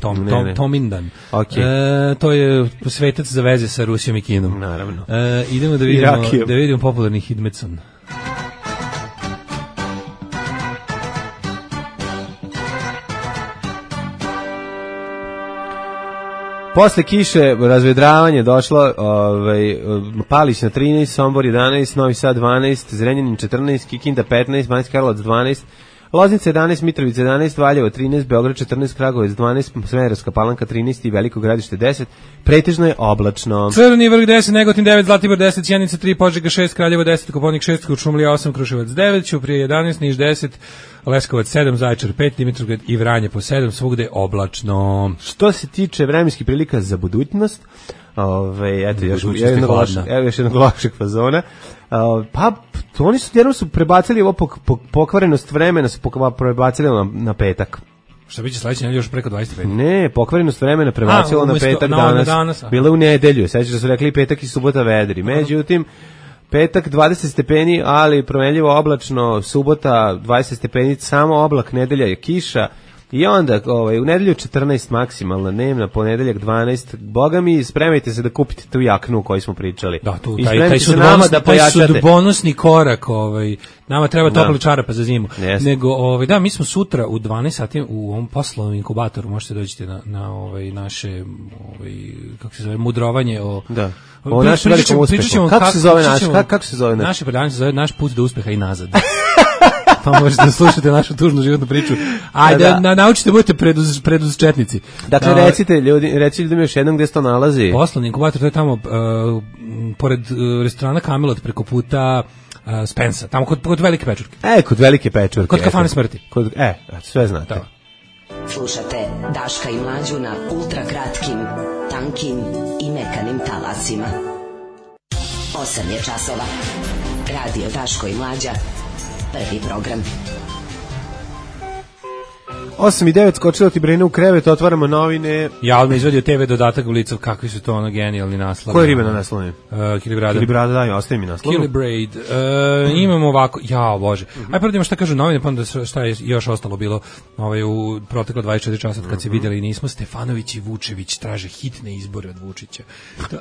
Tomindan. Okay. To je svetac za veze sa Rusijom i Kinom. Naravno. Idemo da vidimo popularni Hidmetson. Posle kiše razvedravanje došlo, Palić na 13, Sombor 11, Novi Sad 12, Zrenjanin 14, Kikinda 15, Banjski Karlovac 12, Loznica 11, Mitrovica 11, Valjevo 13, Beograd 14, Kragujevac 12, Smederevska Palanka 13 i Veliko Gradište 10. Pretežno je oblačno. Crni vrh 10, Negotin 9, Zlatibor 10, Sjenica 3, Požega 6, Kraljevo 10, Koponik 6, Kuršumlija 8, Kruševac 9, Ćuprije 11, Niš 10, Leskovac 7, Zaječar 5, Dimitrovgrad i Vranje po 7, svugde je oblačno. Što se tiče vremenskih prilika za budućnost, eto još jednog lošeg fazona. Pa oni su prebacili ovo pokvarenost vremena, su prebacili na petak. Šta biće sledeće nedelje još preko 25? Ne, pokvarenost vremena prebacilo na petak danas. Bilo u nedelju, sećaš da su rekli petak i subota vedri. Međutim, petak 20 stepeni, ali promenljivo oblačno, subota 20 stepeni, samo oblak, nedelja je kiša. I onda u nedelju 14 maksimalna dnevna, ponedeljak 12. Boga mi, spremajte se da kupite tu jaknu o kojoj smo pričali. Da, tu taj sudbonosni korak, nama treba topli čarapa za zimu. Yes. Nego mi smo sutra u 12 sati u ovom poslovnom inkubatoru, možete doći na naše kako se zove mudrovanje o da. O našem velikom uspehu. Kako se zove naš? Naše predavanje se zove Naš put do uspeha i nazad. Pa možete da slušate našu tužnu životnu priču. Ajde, naučite, budete preduzčetnici. Dakle, recite ljudima još jednom gde se to nalazi. Poslovni inkubator, to je tamo pored restorana Camelot preko puta Spensa, tamo kod Velike Pečurke. Kod Velike Pečurke. Kod kafane smrti. Sve znate. Da. Slušate Daška i Mlađu na ultra kratkim, tankim i mekanim talasima. 8 je časova. Radio Daško i Mlađa. Prvi program. 8 i 9, skočilo ti Brine u krevet, otvaramo novine. Ja odmah izvadio TV dodatak u licu, kakvi su to genijalni naslovi. Koje ribe na naslovima? Kilibrada. Kilibrada, da, ostavi mi naslov. Kilibrade. Imamo ovako, jao bože. Aj prvo šta kažu novine, pa onda šta je još ostalo bilo u proteklo 24 časa kad se vidjeli i nismo. Stefanović i Vučević traže hitne izbore od Vučića.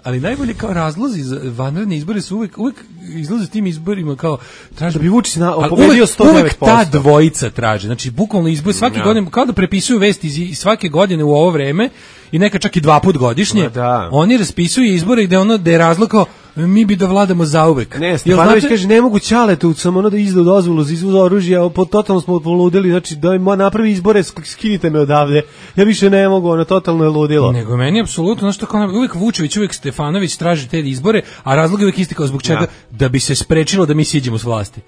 Ali najbolje kao razlozi za vanredne izbore su uvek izlaze tim izborima kao traže da bi Vučić pobedio 109%. Uvek ta dvojica traže. Znači bukvalno izbor svake godine kao da prepisuju vesti iz svake godine u ovo vreme i neka čak i 2 puta godišnje. Oni raspisuju izbore gde je razlog kao mi bi da vladamo zauvek. Ne, Stefanović kaže ne mogu Ćaletu samo da izda dozvolu za izvoz oružja, totalno smo poludeli, znači da napravi izbore, skinite me odavde. Ja više ne mogu, totalno je ludilo. Nego meni apsolutno, znači tako uvek Vučević, uvek Stefanović traži te izbore, a razlog je uvek isti kao zbog čega da bi se sprečilo da mi siđemo s vlasti.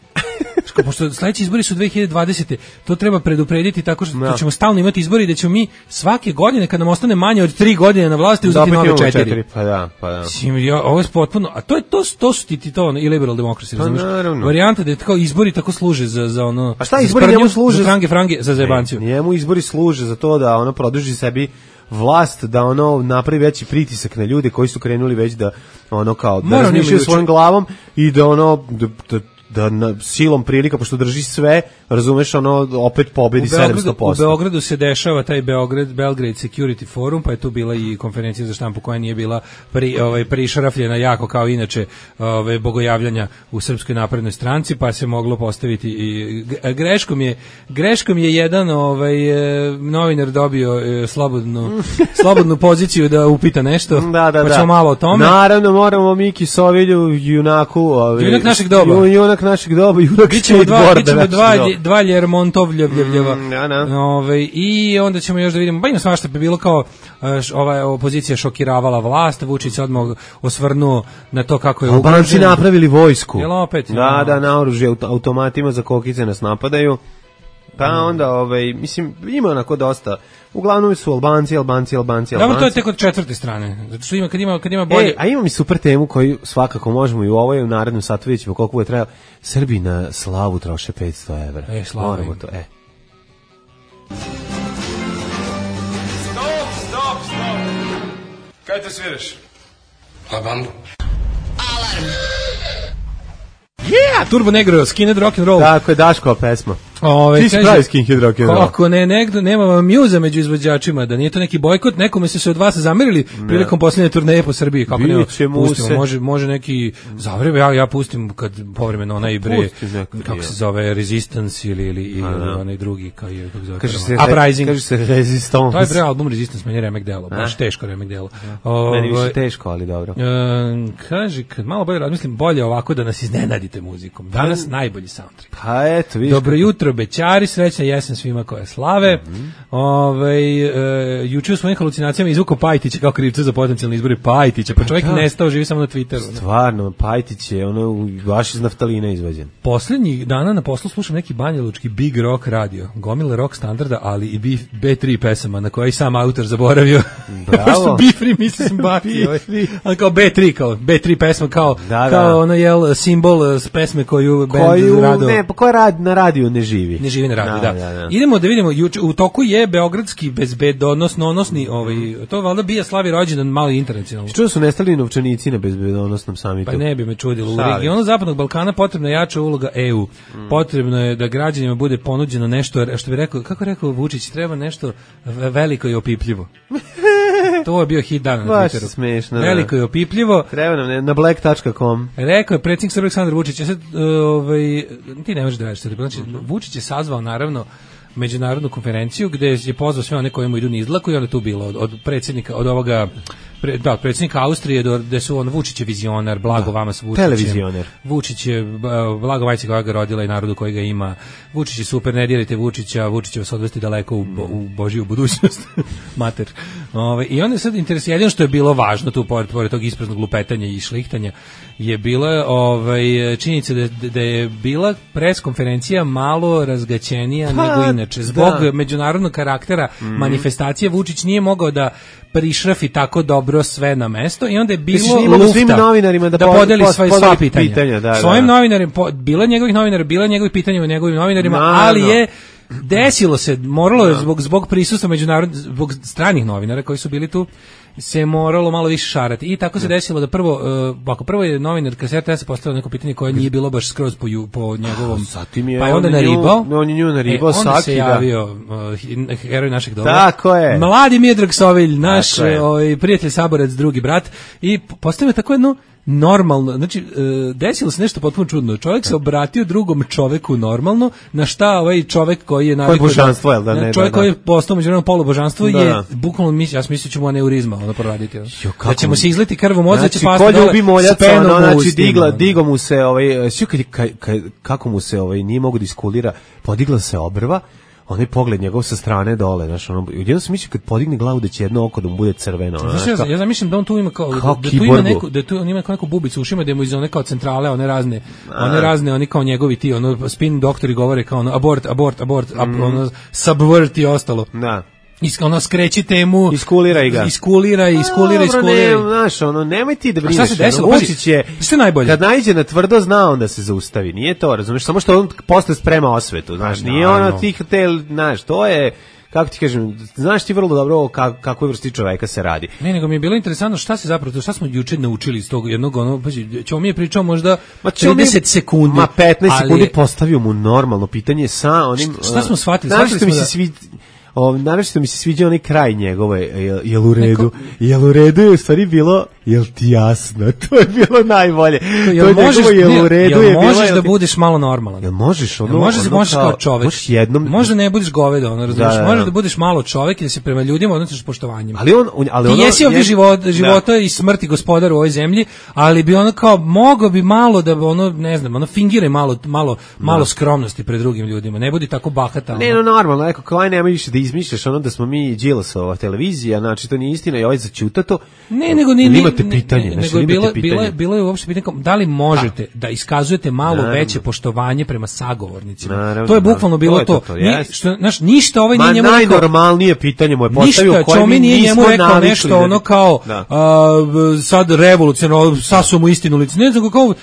Pošto sledeći izbori su 2020. To treba preduprediti tako što ćemo stalno imati izbori i da ćemo mi svake godine kad nam ostane manje od 3 godine na vlasti uzeti nove 4. Pa da. Ovo je potpuno, a to su ti to i liberal demokrasi, razumiješ? Varijanta da je tako izbori tako služe za ono. A šta izbori njemu služe? Za frange, za zajebanciju. Njemu izbori služe za to da produži sebi vlast, da napravi veći pritisak na ljude koji su krenuli već da kao da razmišljaju svojom glavom i da da silom prilika, pošto drži sve, razumeš, opet pobedi 700%. U Beogradu se dešava taj Belgrade Security Forum, pa je tu bila i konferencija za štampu koja nije bila prišarafljena jako kao inače bogojavljanja u Srpskoj naprednoj stranci, pa se moglo postaviti i greškom je jedan novinar dobio slobodnu poziciju da upita nešto, pa ćemo malo o tome. Naravno, moramo Miki Sovilju, junaku, junak našeg doba, junak dva Ljermontovljevljeva. I onda ćemo još da vidimo, ima svašta bi bilo kao ova opozicija šokiravala vlast, Vučić se odmah osvrnuo na to kako je ugrožen. Albanci napravili vojsku. Jel opet? Da, na oružje automatima za kokice nas napadaju. Pa onda, mislim, ima onako dosta. Uglavnom su Albanci. Dobro, to je tek od četvrte strane. Zato što kad ima bolje... A imam i super temu koju svakako možemo i u ovoj u narednom satu vidjet ćemo koliko bude trajalo. Srbi na slavu troše 500 evra. Slava im. To, Stop. Kaj te sviraš? La bambu. Alarm. Yeah, Turbo Negro, Skinhead Rock and Roll. Tako je Daškova pesma. Ti si pravi Skinhead Rock and Roll. Kako nema vam mjuza među izvođačima, da nije to neki bojkot, nekome se od vas zamerili prilikom posljednje turneje po Srbiji. Kako nema, pustimo, može neki zavrebe, ja pustim kad povremeno onaj bre, kako se zove, Resistance ili onaj drugi, kako se zove, Uprising. Kaže se Resistance. To je bre album Resistance, meni je remek delo, baš teško remek delo. Meni više teško, ali dobro. Kaže, kad malo bolje razmislim, bolje ovako da nas iznenadite muzikom. Danas najbolji soundtrack. Pa eto, vidiš. Dobro jutro, bećari, srećna jesen svima koje slave. Juče u svojim halucinacijama izvukao Pajtića kao krivca za potencijalne izbore Pajtića, pa čovjek nestao, živi samo na Twitteru. Stvarno, Pajtić je baš iz naftalina izvađen. Poslednjih dana na poslu slušam neki banjalučki Big Rock radio, gomile rock standarda, ali i B3 pesama na koje i sam autor zaboravio. Bravo. Što B3 mislim baki. Ali kao B3 pesma kao ono jel simbol pesme koju bend rado. Ne, pa koja na radiju ne živi. Ne živi na radiju, da. Idemo da vidimo, u toku je beogradski bezbedonosni, to valjda bija slavi rođendan malo internacionalno. Što su nestali novčanici na bezbedonosnom samitu? Pa ne bi me čudilo. U regionu Zapadnog Balkana potrebna je jača uloga EU. Potrebno je da građanima bude ponuđeno nešto, što bi rekao, kako rekao Vučić, treba nešto veliko i opipljivo. To je bio hit dana na Twitteru. Baš smešno. Veliko i opipljivo. Treba nam na black.com. Rekao je predsjednik Srbije Aleksandar Vučić, ti ne možeš da veriš, znači Vučić je sazvao naravno međunarodnu konferenciju gde je pozvao sve one koji mu idu nizlaku i onda tu bilo od predsjednika, od ovoga od predsjednika Austrije gde su Vučić je vizionar, blago vama s Vučićem. Televizioner. Vučić je blago majci koja ga rodila i narodu koji ga ima. Vučić je super, ne dirajte Vučića, Vučić će vas odvesti daleko u Božiju budućnost. Mater. I onda je sad interesantno što je bilo važno tu pored tog ispraznog lupetanja i šlihtanja je bila činjenica da je bila preskonferencija malo razgaćenija nego inače. Zbog međunarodnog karaktera manifestacije Vučić nije mogao da prišrafi tako dobro sve na mesto i onda je bilo lufta da podeli svoje pitanja. Svojim novinarima, bila njegovih novinara, bila njegovih pitanja o njegovim novinarima, ali je desilo se, moralo je zbog prisustva zbog stranih novinara koji su bili tu, se moralo malo više šarati. I tako se desilo da prvo je novinar RTS postavio neko pitanje koje nije bilo baš skroz po njegovom. Pa je onda naribao. On je nju naribao Saki. Onda se javio heroj našeg dobra. Tako je. Mladi Miodrag Sovilj, naš prijatelj, saborac, drugi brat. I postavio tako jednu normalno, znači desilo se nešto potpuno čudno. Čovjek se obratio drugom čoveku normalno, na šta ovaj čovjek koji je navikao čovjek koji je postao međunarodno polubožanstvo je bukvalno ja sam mislio ćemo aneurizma ono proraditi. Da ćemo se izliti krv u mozak, da će pasti dole s penom u ustima. Digo mu se kako mu se nije mogu da iskulira, podigla se obrva. Onaj pogled njegov sa strane dole, znaš, jedno sam mislio kad podigne glavu da će jedno oko da mu bude crveno. Znaš, ja zamišljam da on tu ima da tu ima neku bubicu u ušima, da mu iz one kao centrale, one razne, oni kao njegovi ti, spin doktori govore kao abort, subvert i ostalo. Da. Skreći temu, iskulira ga. Iskulira. Znaš, nemoj ti da brineš. Šta se desilo? Vučić je, kad naiđe na tvrdo, zna on da se zaustavi. Nije to, razumiješ, samo što on posle sprema osvetu. Znaš, nije ono tih, znaš, to je, kako ti kažem, znaš ti vrlo dobro kakvoj vrsti čoveka se radi. Ne, nego mi je bilo interesantno šta smo juče naučili iz tog jednog, ćemo mi je pričao možda 30 sekundi. 15 sekundi postavio mu normalno pitanje sa onim... Šta smo shvatili? Naravno mi se sviđa onaj kraj njegove, jel u redu? Jel u redu je u stvari bilo, jel ti jasno? To je bilo najbolje. Jel možeš da budeš malo normalan? Jel možeš možeš kao čovek. Možda ne budeš govedo, razumiješ? Možeš da budeš malo čovek i da se prema ljudima odnosiš s poštovanjem. Ti jesi ovdje života i smrti gospodar u ovoj zemlji, ali bi ono kao, mogo bi malo da ne znam, fingiraj malo skromnosti pred drugim ljudima. Ne budi tako bahata. Ne, normalno, neko kao nema više da izmišljaš da smo mi Đilasova televizija, znači to nije istina i ovaj začuta to. Ne, nego imate pitanje, nego bilo je uopšte pitanje da li možete da iskazujete malo veće poštovanje prema sagovornicima. Naravno, to je bukvalno bilo to. Znaš, ništa ovaj nije njemu rekao. Najnormalnije pitanje mu je postavio koje mi nije nismo njemu rekao navikli. Nešto ono kao sad revolucionarno, sasu mu istinu lice. Ne znam kako,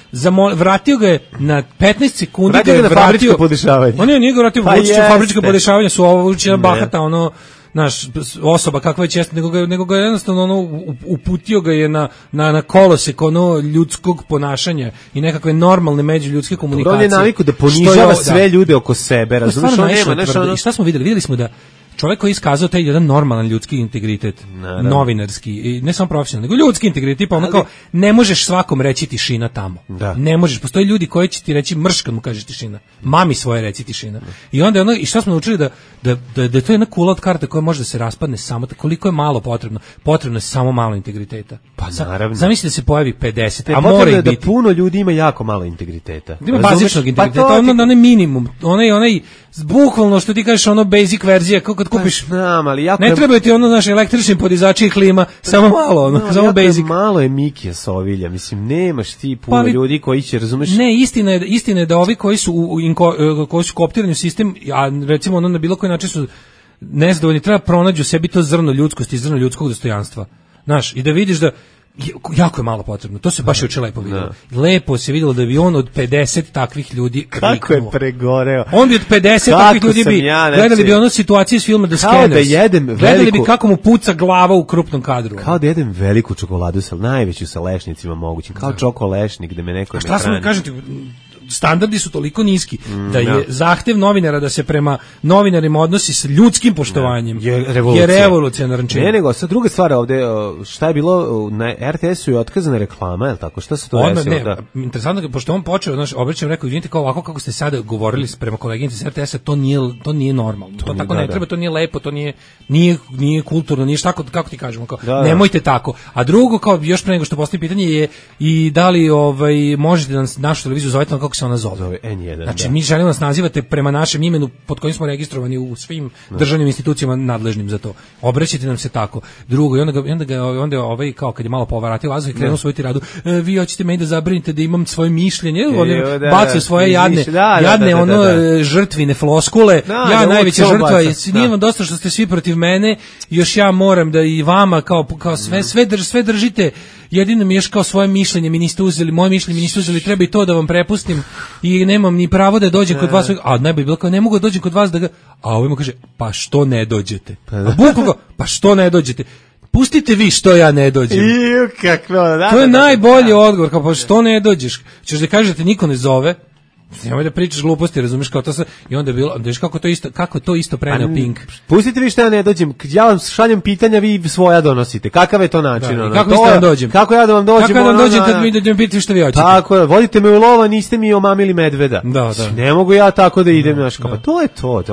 vratio ga je na 15 sekundi ga je vratio. Fabričko podešavanje. On nije ga vratio fabričko podešavanje, su ovo učina bahata, ono, naš osoba kakva je često, nego ga jednostavno ono, uputio ga je na kolosek ono ljudskog ponašanja i nekakve normalne međuljudske komunikacije. On je naviku da ponižava sve ljude oko sebe, razumiješ? I šta smo videli? Videli smo da čovjek koji je iskazao taj jedan normalan ljudski integritet, novinarski, i ne samo profesionalni, nego ljudski integritet, tipa ono kao, ne možeš svakom reći tišina tamo. Da. Ne možeš, postoji ljudi koji će ti reći mrš kad mu kažeš tišina. Mami svoje reci tišina. I onda ono, i šta smo naučili da je to jedna kula od karta koja može da se raspadne samo, koliko je malo potrebno. Potrebno je samo malo integriteta. Pa naravno. Zamisli da se pojavi 50, a mora ih biti. Da puno ljudi ima jako malo integriteta. Ima bazičnog integriteta, onaj minimum, onaj bukvalno što ti kažeš, ono basic verzija, kako kad kupiš. Znam, ali jako ne treba ti ono naš električni podizači i klima, samo malo, ono, samo basic. Malo je Mikija Sovilja, mislim, nemaš ti puno ljudi koji će, razumeš? Ne, istina je da ovi koji su koji su kooptirani u sistem, a recimo ono na bilo koji način su nezadovoljni, treba pronađu sebi to zrno ljudskosti, zrno ljudskog dostojanstva. Znaš, i da vidiš da jako je malo potrebno. To se baš juče lepo videlo. Lepo se videlo da bi on od 50 takvih ljudi kriknuo. Kako je pregoreo. On bi od 50 takvih ljudi bi gledali bi ono situacije iz filma The Scanners. Gledali bi kako mu puca glava u krupnom kadru. Kao da jedem veliku čokoladu sa najveću sa lešnicima mogućim. Kao čokolešnik da me neko ne hrani. A šta sam kažem ti, standardi su toliko niski da je zahtev novinara da se prema novinarima odnosi s ljudskim poštovanjem je revolucionaran čin. Ne, nego sad druga stvar ovde, šta je bilo na RTS-u je otkazana reklama, je li tako? Šta se to desilo? Interesantno, pošto on počeo, znaš, obraćam, rekao, izvinite, kao ovako kako ste sada govorili prema koleginici s RTS-a, to nije normalno. To tako ne treba, to nije lepo, to nije kulturno, nije šta, kako ti kažemo, kao, nemojte tako. A drugo, kao još pre nego što postoji pitanje je i da li možete da našu televiziju zovete kako se ona zove. N1. Znači, mi želimo nas nazivate prema našem imenu pod kojim smo registrovani u svim državnim institucijama nadležnim za to. Obraćajte nam se tako. Drugo, i onda ovaj kao kad je malo povaratio vazduh i krenuo svoju tiradu, vi hoćete meni da zabranite da imam svoje mišljenje, bacaju svoje jadne žrtvine floskule, ja najveća žrtva, nije vam dosta što ste svi protiv mene, još ja moram da i vama kao sve držite, jedino mi još kao svoje mišljenje mi niste uzeli, moje mišljenje mi niste uzeli, treba i to da vam prepustim i nemam ni pravo da dođem kod vas, a najbolje bilo kao ne mogu da dođem kod vas da ga, a ovaj mu kaže pa što ne dođete, pa što ne dođete, pustite vi što ja ne dođem. To je najbolji odgovor, kao pa što ne dođeš, ćeš da kažete niko ne zove, nemoj da pričaš gluposti, razumiješ, kao to sa, i onda je bilo, vidiš kako to isto preneo Pink. Pustite vi što ja ne dođem, ja vam šaljem pitanja, vi svoja donosite. Kakav je to način? Kako vi ste vam dođem? Kako ja da vam dođem? Kako ja da vam dođem kad mi dođem pitati što vi hoćete? Tako je, vodite me u lova, niste mi omamili medveda. Da. Ne mogu ja tako da idem, znaš, pa to je to.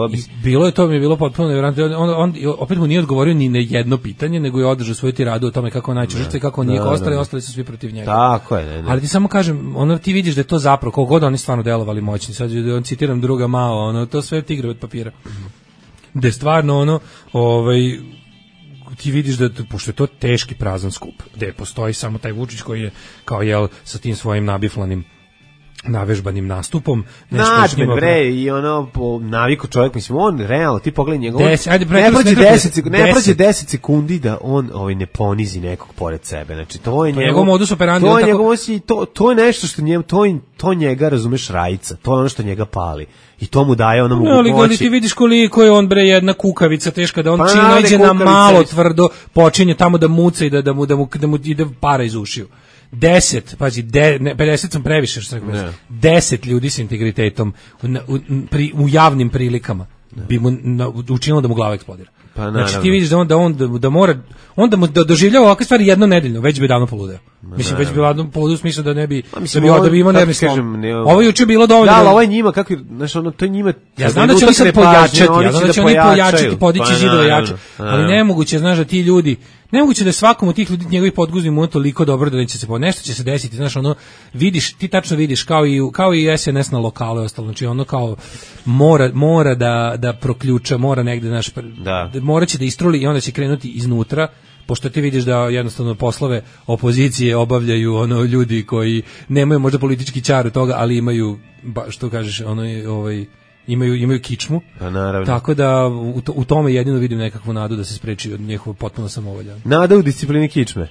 Mi je bilo potpuno nevjerojatno. On opet mu nije odgovorio ni na jedno pitanje, nego je održao svoju tiradu o tome kako najčešće žrtve, kako nije ostali su svi protiv njega. Tako je, ali ti samo kažem, ti vidiš da je to zapravo koliko god oni stvarno delovali moćni. Sad on citiram druga Mao, to sve tigre od papira. Da je stvarno ti vidiš da, pošto je to teški prazan skup, gde postoji samo taj Vučić koji je kao sa tim svojim nabiflanim navežbanim nastupom, nešto i po naviku čovjek, mislim, on realno, ti pogledaj njegov, ne prođe 10 sekundi da on ne ponizi nekog pored sebe, znači to je njegov modus operandi, to je nešto što to njega, razumeš, rajica, to je ono što njega pali i to mu daje ono mogućnosti. Ali ti vidiš koliko je on jedna kukavica teška, da on čim nađe na malo tvrdo počinje tamo da muca i da mu ide para iz ušiju. 50 sam previše, što rekao, 10 ljudi s integritetom u javnim prilikama bi mu učinilo da mu glava eksplodira. Znači ti vidiš da mora, onda mu doživljava ovakve stvari jednonedeljno, već bi davno poludeo. Mislim, već bi davno poludeo u smislu da ne bi, da bi imao nervni slom. Ovo je juče bilo dovoljno. Da, ovo je njima, to je njima... Ja znam da će oni sad pojačati, podići zidove jače, ali nemoguće, znaš, da ti ljudi, nemoguće da svakom od tih ljudi njegovih podguznih mu toliko dobro da neće se nešto će se desiti, znaš, vidiš, ti tačno vidiš kao i SNS na lokalu i ostalo, znači kao mora da proključa, mora negde, znaš, morat će da istruli i onda će krenuti iznutra pošto ti vidiš da jednostavno poslove opozicije obavljaju ono ljudi koji nemaju možda politički ćar od toga, ali imaju, što kažeš, imaju kičmu. Pa naravno. Tako da u tome jedino vidim nekakvu nadu da se spreči od njihova potpuno samovolja. Nada u disciplini kičme.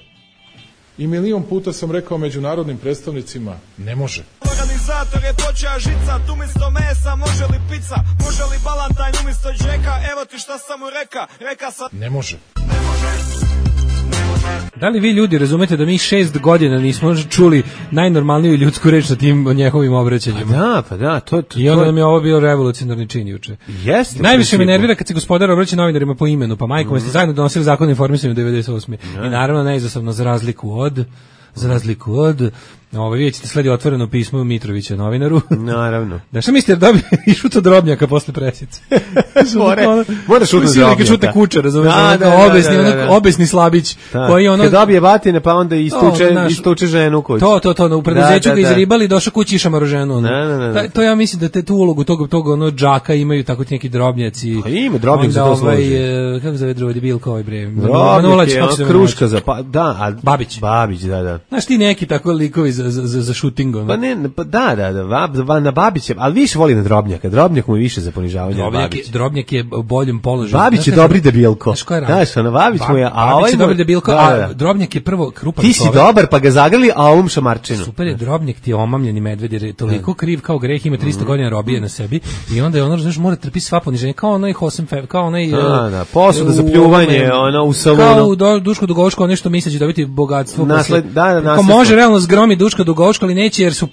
I milion puta sam rekao međunarodnim predstavnicima, ne može. Organizator je počeo žicat, umjesto mesa može li pizza, može li balantajn umjesto džeka, evo ti šta sam mu reka sam... Ne može. Da li vi ljudi razumete da mi 6 godina nismo čuli najnormalniju ljudsku reč na tim njegovim obraćanjima? Pa da, to I onda nam je ovo bio revolucionarni čin juče. Jeste. Najviše me nervira kad se gospodar obraća novinarima po imenu, pa majkom ste zajedno donosili zakon o informisanju 98. I naravno neizostavno za razliku od vidjet ćete sledi otvoreno pismo Mitrovića novinaru. Naravno. Da šta mislite da dobije i šuta Drobnjaka posle presice? Mora šuta Drobnjaka. Šuta kuća, razumiješ? Obesni slabić. Koji kad dobije batine pa onda istuče ženu u kući. To, u preduzeću ga izribali, došao kući i šamaro ženu. To ja mislim da tu ulogu tog džaka imaju tako ti neki Drobnjaci. Ima Drobnjak za to služi. Kako zove drugi debilko ovaj bre? Drobnjak je kruška za... Babić, da. Znaš ti neki tako likovi za shootingom. Pa ne, na Babića, ali više voli na Drobnjaka. Drobnjak mu je više za ponižavanje od Babića. Drobnjak je u boljem položaju. Babić je dobri debilko. Znaš, na Babić mu je... Babić je dobri debilko, a Drobnjak je prvo krupan. Ti si dobar, pa ga zagrli, a ovom šamarčinu. Super je, Drobnjak ti je omamljeni medved, jer je toliko kriv kao greh, ima 300 godina robije na sebi i onda je ono, znaš, mora trpi sva poniženja, kao onaj Hosenfeld, kao onaj... posuda za pljuvanje, u salonu. Kao u Duško Dugovško, nešto misleći dobiti bogatstvo. Ko može realno zgromi Duška Dugovško, ali neće jer su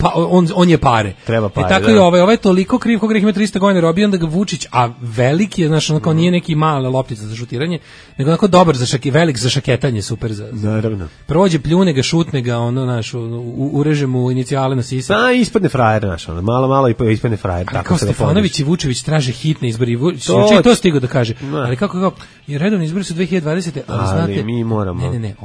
on je pare. Treba pare. Tako i ovaj je toliko kriv kao greh, ima 300 godina robije, onda ga Vučić, a veliki je, znaš, kao nije neki mala loptica za šutiranje, nego onako dobar velik za šaketanje, super za. Naravno. Prođe, pljune ga, šutne ga, ono naš, ureže mu inicijale na sisa. Pa ispadne frajer naš, malo i ispadne frajer. Tako kao Stefanović i Vučević traže hitne izbore. Vučić je to stigao da kaže. Ali kako i redovni izbori su 2020. Ali znate, mi moramo. Ne,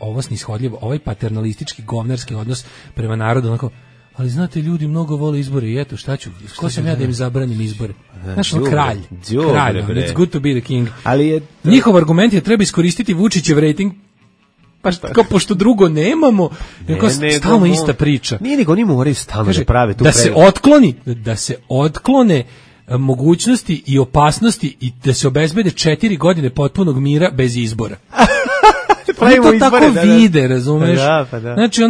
ovo snishodljivo, ovaj paternalistički govnarski odnos prema narodu, onako, ali znate, ljudi mnogo vole izbore i eto, šta ću, ko sam ja da im zabranim izbore? Znaš, kralj, it's good to be the king. Njihov argument je treba iskoristiti Vučićev rating, pa kao pošto drugo nemamo, stalno ista priča. Nije nego oni moraju stalno da prave tu da se otklone mogućnosti i opasnosti i da se obezbede 4 godine potpunog mira bez izbora. Oni to tako vide, razumeš? Da. Znači,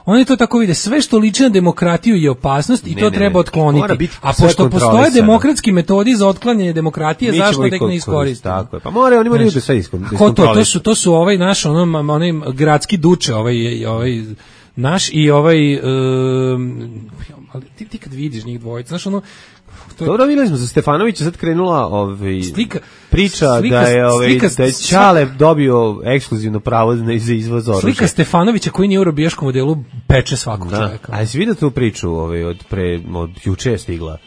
oni to tako vide. Sve što liči na demokratiju je opasnost i to treba otkloniti. A pošto postoje demokratski metodi za otklanjanje demokratije, zašto da ih ne iskoristiti? Tako je. Pa oni moraju da sve iskontrolišu. To su ovaj naš, onaj gradski duče, ovaj naš i ali ti kad vidiš njih dvojica, znaš Dobro, videli smo za Stefanovića, sad krenula priča da je Ćale dobio ekskluzivno pravo za izvoz oružja. Slika Stefanovića koji nije u robijaškom modelu peče svakog čovjeka. A jesi vidio tu priču od juče je stigla?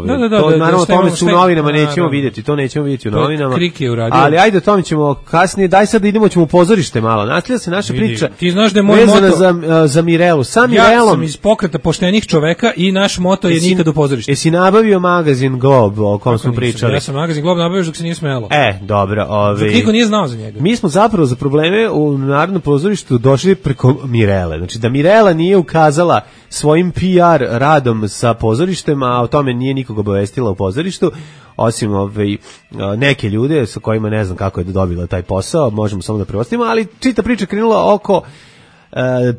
Naravno, tome su u novinama nećemo vidjeti, to nećemo vidjeti u novinama. Krik je uradio. Ali ajde, o tome ćemo kasnije, daj sad idemo ćemo u pozorište malo. Nastavlja se naša priča. Ti znaš da je moj moto za Mirelu. Ja sam iz pokreta poštenih čoveka i naš moto je nikad u pozorište. Jesi nabavio magazin Glob o kom smo pričali? Ja sam magazin Glob nabavio dok se nije smelo. Dobro. Niko nije znao za njega. Mi smo zapravo za probleme u Narodnom pozorištu došli preko Mirele. Znači da Mirela nije ukazala svojim PR radom sa pozorištem, a o tome nije nikog obavestila u pozorištu, osim neke ljude sa kojima ne znam kako je dobila taj posao, možemo samo da preostimo, ali čita priča krenula oko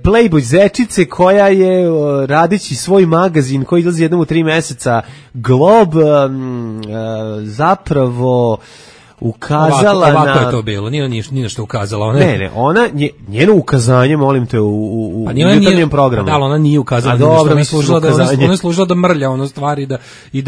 Playboy zečice koja je radići svoj magazin koji izlazi jednom u 3 meseca Glob zapravo ukazala ovako je to bilo, nije na što ukazala. Ona, njeno ukazanje, molim te, u jutarnjem programu. Da, ona nije ukazala ništa, ona je služila da mrlja stvari i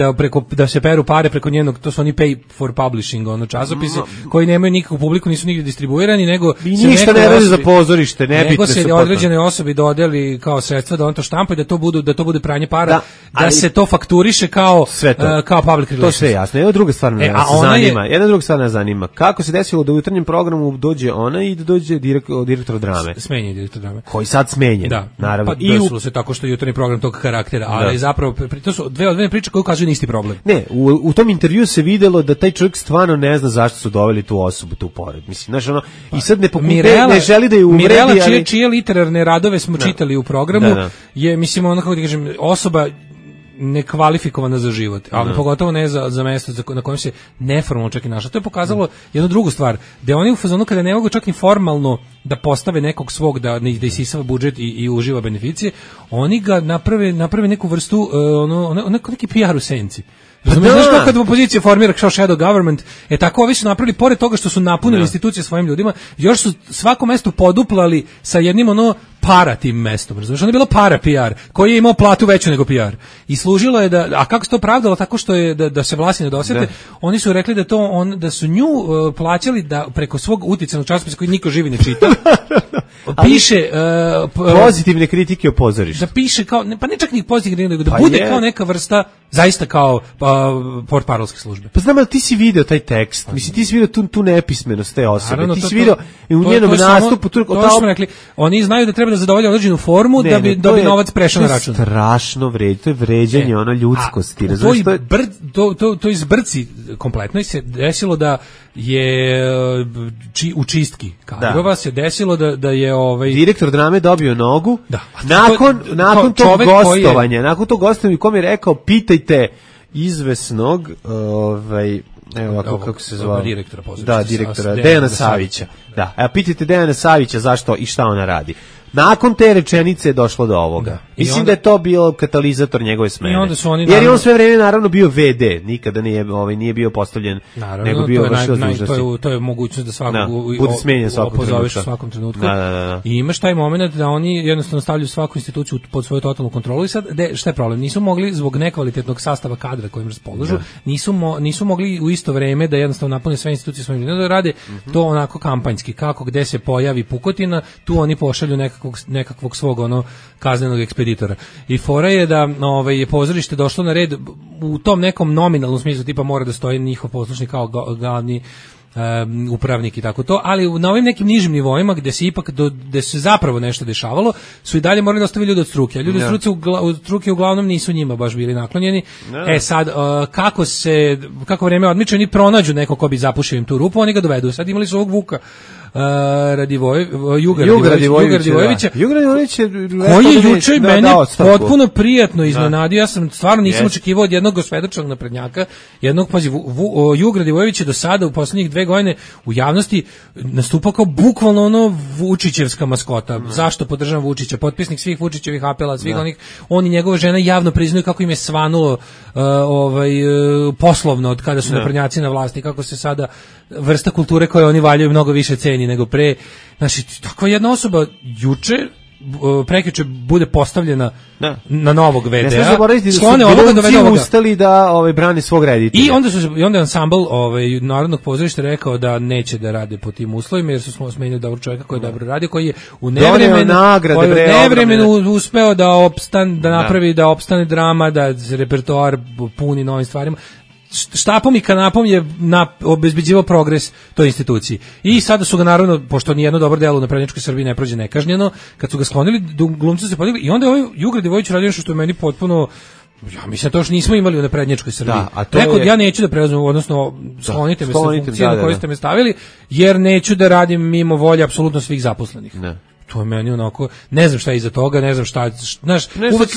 da se peru pare preko njenog, to su oni pay for publishing, časopisi, koji nemaju nikakvu publiku, nisu nigdje distribuirani, nego se ništa ne radi za pozorište, nego se određene osobi dodeli kao sredstva da on to štampa i da to bude pranje para, da se to fakturiše kao public relations. To sve jasno. Jedna druga stvar me zanima. nas zanima. Kako se desilo da u jutarnjem programu dođe ona i da dođe direktor drame? Smenjen je direktor drame. Koji sad smenjen, da. naravno. Pa i desilo se tako što je jutarnji program tog karaktera, ali zapravo to su dve odvojene priče koje ukazuju na isti problem. Ne, u tom intervju se videlo da taj čovjek stvarno ne zna zašto su doveli tu osobu tu pored. Mislim, znaš, ono, i sad ne želi da je uvredi, Mirela, čije literarne radove smo čitali u programu, je, mislim, ono, kako da kažem, osoba nekvalifikovana za život, ali pogotovo ne za mesto na kojem se neformalno čak i našla. To je pokazalo jednu drugu stvar, da oni u fazonu kada ne mogu čak ni formalno da postave nekog svog da isisava budžet i uživa beneficije, oni ga naprave neku vrstu neki PR u senci. Znaš kako kad opozicija formira kao shadow government, tako ovi su napravili, pored toga što su napunili institucije svojim ljudima, još su svako mesto poduplali sa jednim para tim mestom. Razumiješ, ono je bilo para PR, koji je imao platu veću nego PR. I služilo je a kako se to pravdalo, tako što je da se vlasti ne dosete, oni su rekli da su nju plaćali da preko svog uticajnog časopisa koji niko živi ne čita, piše pozitivne kritike o pozorištu. Da piše kao, pa ne čak ni pozitivne, nego da bude kao neka vrsta, zaista kao portparolske službe. Pa znam, ali ti si video taj tekst, mislim, ti si video tu nepismenost te osobe, naravno, ti si video u njenom nastupu, to smo rekli, oni znaju da treba da zadovolje određenu formu da bi novac prešao na račun. To je strašno to je vređanje ljudskosti. To izbrci kompletno i se desilo da je u čistki kadrova se desilo da je direktor drame dobio nogu nakon tog gostovanja u kom je rekao pitajte izvesnog evo kako se zvao direktora Dejana Savića. Pitajte Dejana Savića zašto i šta ona radi. Nakon te rečenice je došlo do ovoga. Mislim da je to bio katalizator njegove smene. Jer je on sve vreme naravno bio VD, nikada nije bio postavljen, nego bio vršilac dužnosti. To je mogućnost da svakog bude smenjen u svakom trenutku. I imaš taj moment da oni jednostavno stavljaju svaku instituciju pod svoju totalnu kontrolu i sad, šta je problem? Nisu mogli zbog nekvalitetnog sastava kadra kojim raspolažu, nisu mogli u isto vreme da jednostavno napune sve institucije svojim ljudima, da rade to onako kampanjski, kako gde se pojavi pukotina, tu oni pošalju nekakvog svog kaznenog ekspeditora. I fora je da je pozorište došlo na red u tom nekom nominalnom smislu, tipa mora da stoji njihov poslušnik kao glavni upravnik i tako to, ali na ovim nekim nižim nivoima gde se zapravo nešto dešavalo, su i dalje morali da ostave ljudi od struke. Ljudi od struke uglavnom nisu njima baš bili naklonjeni. Sad, kako vreme odmiče, oni pronađu neko ko bi zapušio im tu rupu, oni ga dovedu. Sad imali su ovog Vuka Juga Radivojevića, koji je juče meni potpuno prijatno iznenadio. Ja sam stvarno nisam očekivao od jednog svedočnog naprednjaka, Juga Radivojević je do sada u poslednjih 2 godine u javnosti nastupao kao bukvalno Vučićevska maskota. Zašto podržavam Vučića? Potpisnik svih Vučićevih apela, svih onih, on i njegova žena javno priznaju kako im je svanulo poslovno od kada su naprednjaci na vlasti, kako se sada vrsta kulture koje oni valjaju mnogo više ceni nego pre. Znači, takva jedna osoba prekjuče bude postavljena na novog VD-a. Ne smiješ zaboraviti da su glumci ustali da brane svog reditelja. I onda je ansambl Narodnog pozorišta rekao da neće da rade po tim uslovima, jer su smenili dobrog čovjeka koji je dobro radio, koji je u nevremenu uspeo da napravi da opstane drama, da se repertoar puni novim stvarima. Štapom i kanapom je obezbeđivao progres toj instituciji. I sada su ga naravno, pošto nijedno dobro delo na prednjačkoj Srbiji ne prođe nekažnjeno, kad su ga sklonili, glumci su se podigli i onda je Juga Radivojević radio nešto što je meni potpuno, ja mislim to što nismo imali u naprednjačkoj Srbiji. Rekao, ja neću da preuzmem, odnosno sklonite me sa funkcije na koje ste me stavili, jer neću da radim mimo volje apsolutno svih zaposlenih. To je meni onako, ne znam šta je iza toga, ne znam šta, znaš,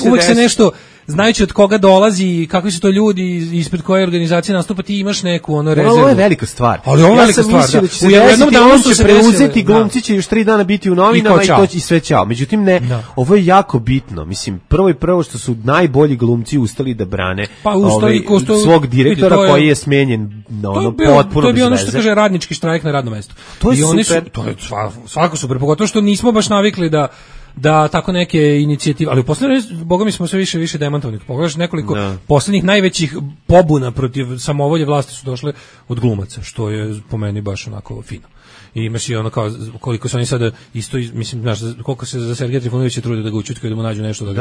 uvek se nešto, znajući od koga dolazi i kakvi su to ljudi ispred koje organizacije nastupa, ti imaš neku rezervu. Ovo je velika stvar. Ali ovo je velika stvar, da. U jednom danu će preuzeti, glumci će još 3 dana biti u novinama i sve ćao. Međutim, ne, ovo je jako bitno. Mislim, prvo što su najbolji glumci ustali da brane svog direktora koji je smenjen potpuno bez veze. To je bio ono što kaže radnički štrajk na radnom mestu. To je super. To je svako super, pogotovo što nismo baš navikli da tako neke inicijative, ali u poslednje, boga mi smo sve više demantovnih. Pogledaš nekoliko poslednjih najvećih pobuna protiv samovolje vlasti su došle od glumaca, što je po meni baš onako fino. I imaš i ono kao koliko su oni sada isto mislim znaš koliko se za Sergeja Trifunovića trude da ga ućutkaju da mu nađu nešto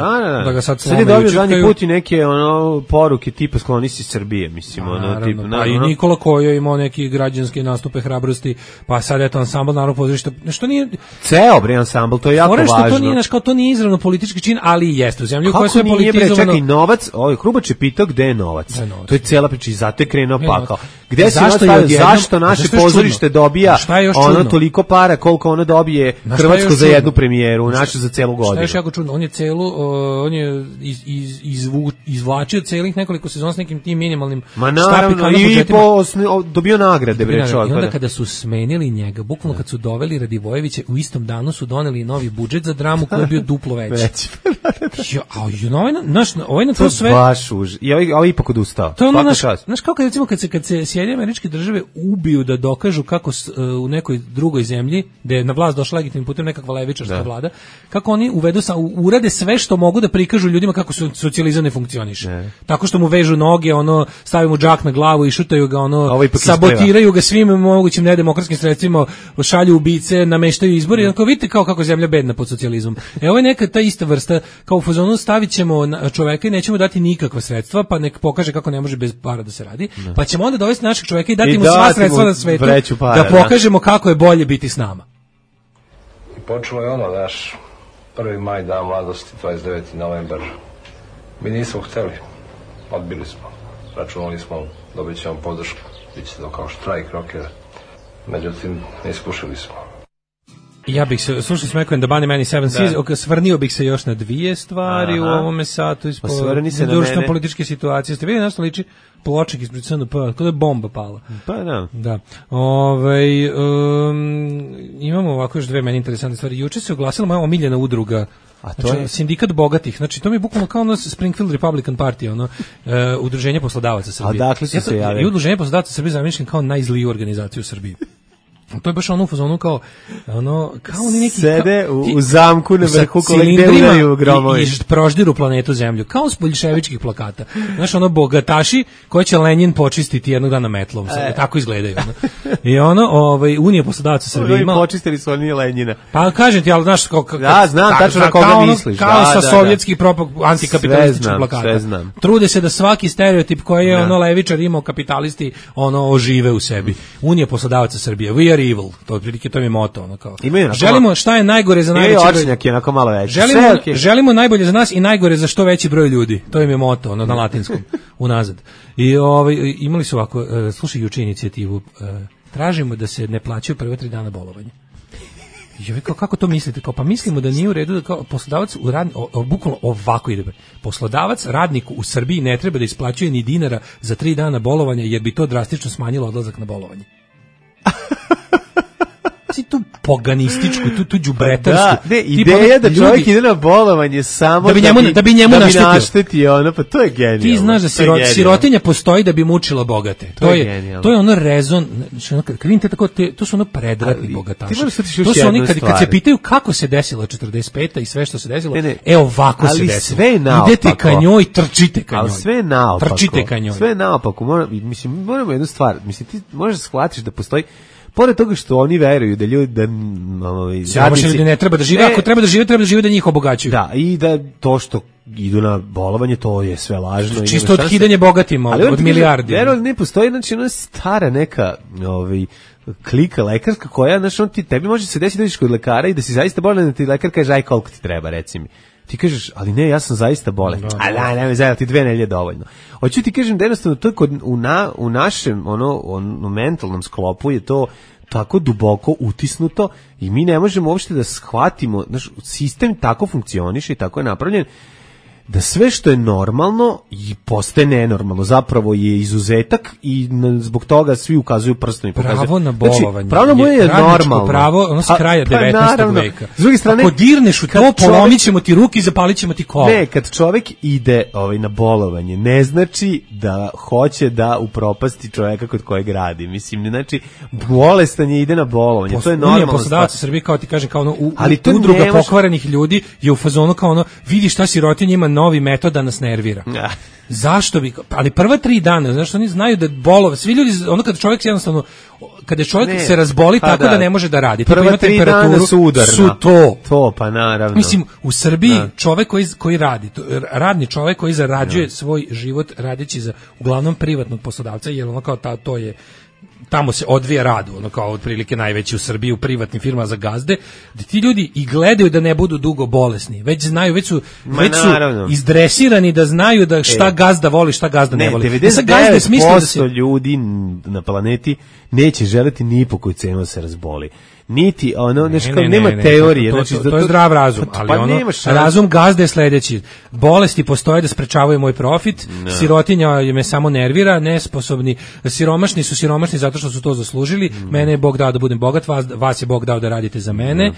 da ga sad je dobio zadnji put i neke ono poruke tipa skloni si Srbije, mislim ono tipa pa i Nikola Kojo imao neki građanske nastupe hrabrosti, pa sad eto ansambl Narodnog pozorišta, što nije ceo bre ansambl, to je jako važno. To nije naš kao to nije izravno politički čin, ali jeste u zemlji u kojoj sve politizovano. Čekaj, novac, Hrubač je pitao gde je novac. To je cela priča i zato je krenuo pakao. Gde se zašto naše pozorište dobija ono toliko para koliko ono dobije Hrvatsko za jednu premijeru, naše za celu godinu. Šta je još jako čudno, on je izvlačio celih nekoliko sezona s nekim tim minimalnim štapikama i dobio nagrade bre čovjek. I onda kada su smenili njega, bukvalno kad su doveli Radivojevića, u istom danu su doneli novi budžet za dramu koji je bio duplo veći. Ovaj na to sve baš i ovaj ipak odustao. To je ono, znaš kako recimo kad se Sjedinjene Američke Države ubiju da dokažu kako u nekoj drugoj zemlji, gde je na vlast došla legitimnim putem nekakva levičarska vlada, kako oni urade sve što mogu da prikažu ljudima kako socijalizam ne funkcioniše. Tako što mu vežu noge, stavimo džak na glavu i šutaju ga, sabotiraju ga svim mogućim nedemokratskim sredstvima, šalju ubice, nameštaju izbore, i vidite kako zemlja bedna pod socijalizmom. Ovo je neka ta ista vrsta, kao u fazonu stavit ćemo čoveka i nećemo dati nikakva sredstva, pa nek pokaže kako ne može bez para da se radi, pa ćemo onda dovesti našeg čoveka i dati mu sva sredstva na svetu, da pokažemo kako je bolje biti s nama. I počelo je naš 1. maj, dan mladosti, 29. novembar. Mi nismo hteli, odbili smo, računali smo, dobit ćemo podršku, bit će to kao štrajk rokera, međutim, ne ispušili smo. Ja bih se, slušali smo Echo and the Bunnymen 7 Seas, svrnio bih se još na dvije stvari u ovome satu ispod društveno-političke situacije. Ste vidjeli nešto liči pločnik ispred SNP, kada je bomba pala. Pa da. Imamo ovako još dve meni interesantne stvari. Juče se oglasila moja omiljena udruga, znači, sindikat bogatih, znači to mi je bukvalno kao ono Springfield Republican Party, udruženje poslodavaca Srbije. A dakle su se javili? I udruženje poslodavaca Srbije zamišljam kao najzliju organizaciju u Srbiji. To je baš ono u fazonu kao oni neki sede u zamku na vrhu gde udaraju gromovi i proždiru planetu Zemlju, kao s boljševičkih plakata. Znaš, bogataši koje će Lenin počistiti jednog dana metlom, tako izgledaju. I Unija poslodavaca Srbije ima... Počistili su oni Lenjina. Pa kažem ti, ali znaš... znam tačno na koga misliš. Kao sa sovjetskih antikapitalističkih plakata. Trude se da svaki stereotip koji je levičar imao kapitalisti ožive u sebi. Unija poslodavaca Srbije, we are evil, to otprilike to mi je moto, kao. Želimo šta je najgore za najveći broj. Očnjak je onako malo veći. Želimo najbolje za nas i najgore za što veći broj ljudi. To im je moto, na latinskom, unazad. I imali su ovako, slušaj juče inicijativu, tražimo da se ne plaćaju prve 3 dana bolovanja. Kako to mislite? Pa mislimo da nije u redu da kao poslodavac bukvalno ovako ide. Poslodavac radniku u Srbiji ne treba da isplaćuje ni dinara za 3 dana bolovanja, jer bi to drastično smanjilo odlazak na bolovanje. Tu poganističku, tu đubretarsku. Ideja da čovjek ide na bolovanje samo da bi njemu naštetio, pa to je genijalno. Ti znaš da sirotinja postoji da bi mučila bogate. To je ono rezon, to su predratni bogataši. To su oni kad se pitaju kako se desilo 45. i sve što se desilo, ovako se desilo. Idete ka njoj, trčite ka njoj. Ali sve naopako. Trčite ka njoj. Sve naopako. Mislim, moramo jednu stvar. Mislim, ti možeš da shvatiš da postoji pored toga što oni veruju da ljudi ljudi ne treba da žive, ako treba da žive da njih obogaćuju. Da, i da to što idu na bolovanje, to je sve lažno. Čisto otkidanje bogatima od milijardi. Verujem, ne postoji, znači ona stara neka klika lekarska koja, znači tebi može se desiti da ideš kod lekara i da si zaista bolan, da ti lekar kaže aj koliko ti treba, reci mi. Ti kažeš, ali ne, ja sam zaista bolan. Ne, ti 2 nedelje dovoljno. Hoću ti kažem da jednostavno to u našem mentalnom sklopu je to tako duboko utisnuto i mi ne možemo uopšte da shvatimo, znaš, sistem tako funkcioniše i tako je napravljen da sve što je normalno i postaje nenormalno, zapravo je izuzetak i zbog toga svi ukazuju prstom i pokazuju. Pravo na bolovanje. Pravo na je normalno. Pravo, ono s kraja 19. veka. S druge strane, ako dirneš u to, polomit ćemo ti ruke i zapalit ćemo ti kola. Ne, kad čovjek ide na bolovanje, ne znači da hoće da upropasti čovjeka kod kojeg radi. Mislim, ne znači, bolestan je ide na bolovanje. To je normalno. Poslodavac u Srbiji, kao ti kažem, kao udruga pokvarenih ljudi je u fazonu kao vidi šta sirotinja ima novi metod da nas nervira. Zašto bi, ali prva 3 dana, znaš, oni znaju da bolove, svi ljudi, ono kada čovjek jednostavno, kada čovjek se razboli tako da ne može da radi, prva 3 dana su udarna. Su to, pa naravno. Mislim, u Srbiji čovjek koji radi, radni čovjek koji zarađuje svoj život radeći za uglavnom privatnog poslodavca, jer ono kao to je, tamo se odvija rad, ono kao otprilike najveći u Srbiji u privatnim firmama za gazde, da ti ljudi i gledaju da ne budu dugo bolesni. Već znaju, već su izdresirani da znaju da šta gazda voli, šta gazda ne voli. 99% ljudi na planeti neće želeti ni po koju cenu da se razboli. Niti ono, nema teorije. To je zdrav razum, ali ono, razum gazde je sledeći. Bolesti postoje da sprečavaju moj profit, sirotinja me samo nervira, nesposobni, siromašni su siromašni zato što su to zaslužili, mene je Bog dao da budem bogat, vas je Bog dao da radite za mene,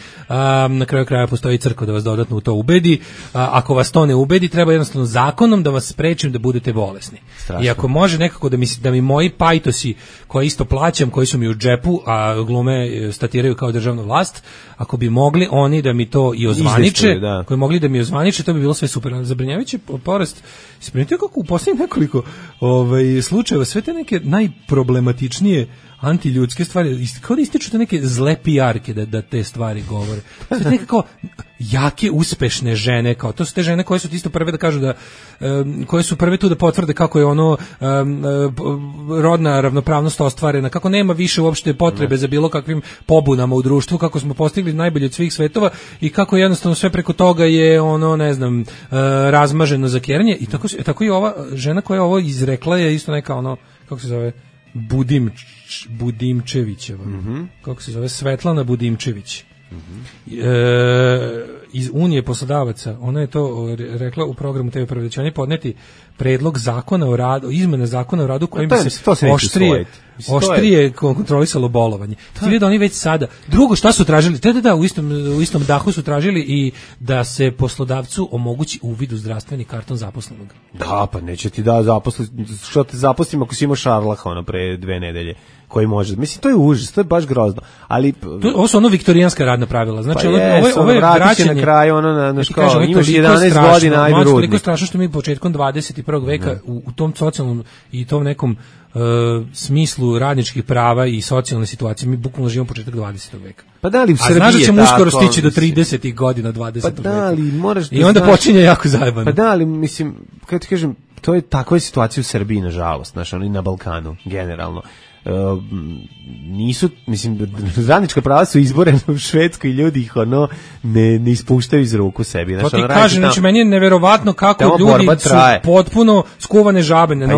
na kraju kraja postoji crkva da vas dodatno u to ubedi, ako vas to ne ubedi, treba jednostavno zakonom da vas sprečim da budete bolesni. Strašno. I ako može nekako da mi moji pajtosi, koje isto plaćam, koji su mi u džepu, a glume statiraju kao državna vlast, ako bi mogli oni da mi to i ozvaniče, koji mogli da mi ozvaniče, to bi bilo sve super. Zabrinjavajući porast. Ispričajte kako u posljednjih nekoliko slučajeva sve te neke najproblematičnije antiljudske stvari, kao da ističu te neke zle pijarke da te stvari govore. Sve neke kao jake, uspešne žene, kao to su te žene koje su isto prve da kažu da, koje su prve tu da potvrde kako je ono rodna ravnopravnost ostvarena, kako nema više uopšte potrebe za bilo kakvim pobunama u društvu, kako smo postigli najbolje od svih svetova i kako jednostavno sve preko toga je ono, ne znam, razmaženo za keranje i tako i ova žena koja ovo izrekla je isto neka ono, kako se zove, Budimčevićeva. Kako se zove? Svetlana Budimčević. Iz Unije poslodavaca. Ona je to rekla u programu TV Prvo da će oni podneti predlog zakona o radu, izmene zakona o radu kojim bi se oštrije kontrolisalo bolovanje. Ti vidi da oni već sada. Drugo, šta su tražili? U istom dahu su tražili i da se poslodavcu omogući uvid u zdravstveni karton zaposlenog. Da, pa neće ti da zaposli, što te zaposlim ako si imao šarlaha ono pre 2 nedelje. Koji može. Mislim, to je užas, to je baš grozno. Ali ovo su ono viktorijanska radna pravila. Znači, pa ovo je vraćanje na kraju, ono na školu. Imaš 11 godina, ajde rudnik. Toliko strašno što mi početkom 21. veka u tom socijalnom i tom nekom smislu radničkih prava i socijalne situacije, mi bukvalno živimo početak 20. veka. Pa da li u Srbiji znaš da ćemo uskoro stići do 30. godina 20. Pa da li moraš da i onda počinje jako zajebano. Pa da li, mislim, kako ti kažem, to je takva je situacija u Srbiji, nažalost, znaš, ono i na Balkanu, generalno. Nisu, mislim, radnička prava su izborene u Švedskoj i ljudi ih ono ne ispuštaju iz ruku sebi. To ti kažem, znači meni je neverovatno kako ljudi su potpuno skuvane žabe na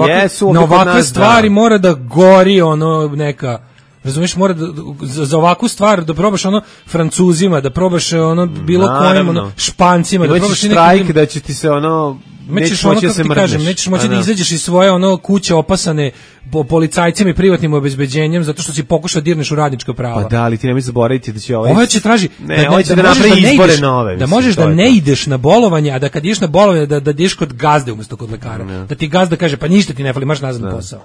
ovakve stvari mora da gori ono neka, razumiješ, mora da, za ovakvu stvar da probaš ono Francuzima, da probaš ono bilo kojim ono Špancima, da probaš štrajk da će ti se ono nećeš moći da se mrzneš. Nećeš moći da izađeš iz svoje ono kuće opasane policajcima i privatnim obezbeđenjem zato što si pokušao dirneš u radnička prava. Pa da, ali ti nemoj zaboraviti da će ovo će traži da možeš da ne ideš na bolovanje, a da kad ideš na bolovanje da ideš kod gazde umjesto kod lekara. Da ti gazda kaže pa ništa ti ne fali, marš nazad na posao.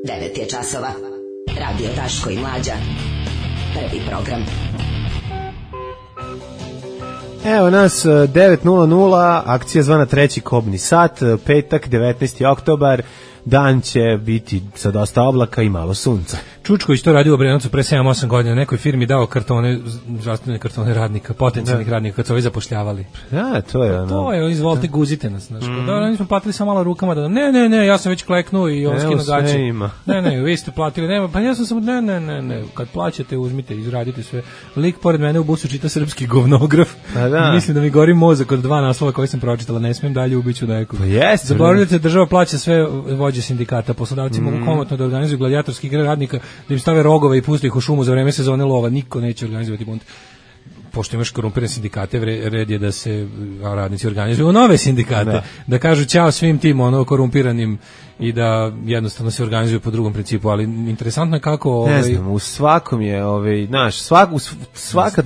9 je časova. Radio Daško i Mlađa. Prvi program. Evo nas 9:00, akcija zvana Treći kobni sat, petak 19. oktobar, dan će biti sa dosta oblaka i malo sunca. Čučković to radio u Obrenovcu pre 7-8 godina, nekoj firmi dao kartone, zdravstvene kartone radnika, potencijalnih radnika kad su ovi zapošljavali. Da, to je ono. To je, izvolite, guzite nas. Znači, mi smo platili samo malo rukama da ne, ja sam već kleknuo i on skino gaće. Ne, vi ste platili, nema, pa ja sam samo, ne, kad plaćate, uzmite, izradite sve. Lik pored mene u busu čita srpski govnograf. Mislim da mi gori mozak od 2 naslova koje sam pročitala, ne smijem dalje ubiću nekog. Zaboravljate, država plaća sve vođe sindikata, poslodavci mogu komotno da organizuju gladijatorske igre radnika, da im stave rogove i puste ih u šumu za vreme sezone lova, niko neće organizovati bunt. Pošto imaš korumpirane sindikate, red je da se radnici organizuju u nove sindikate, da kažu ćao svim tim korumpiranim i da jednostavno se organizuju po drugom principu, ali interesantno je kako ne znam, u svakom je svaka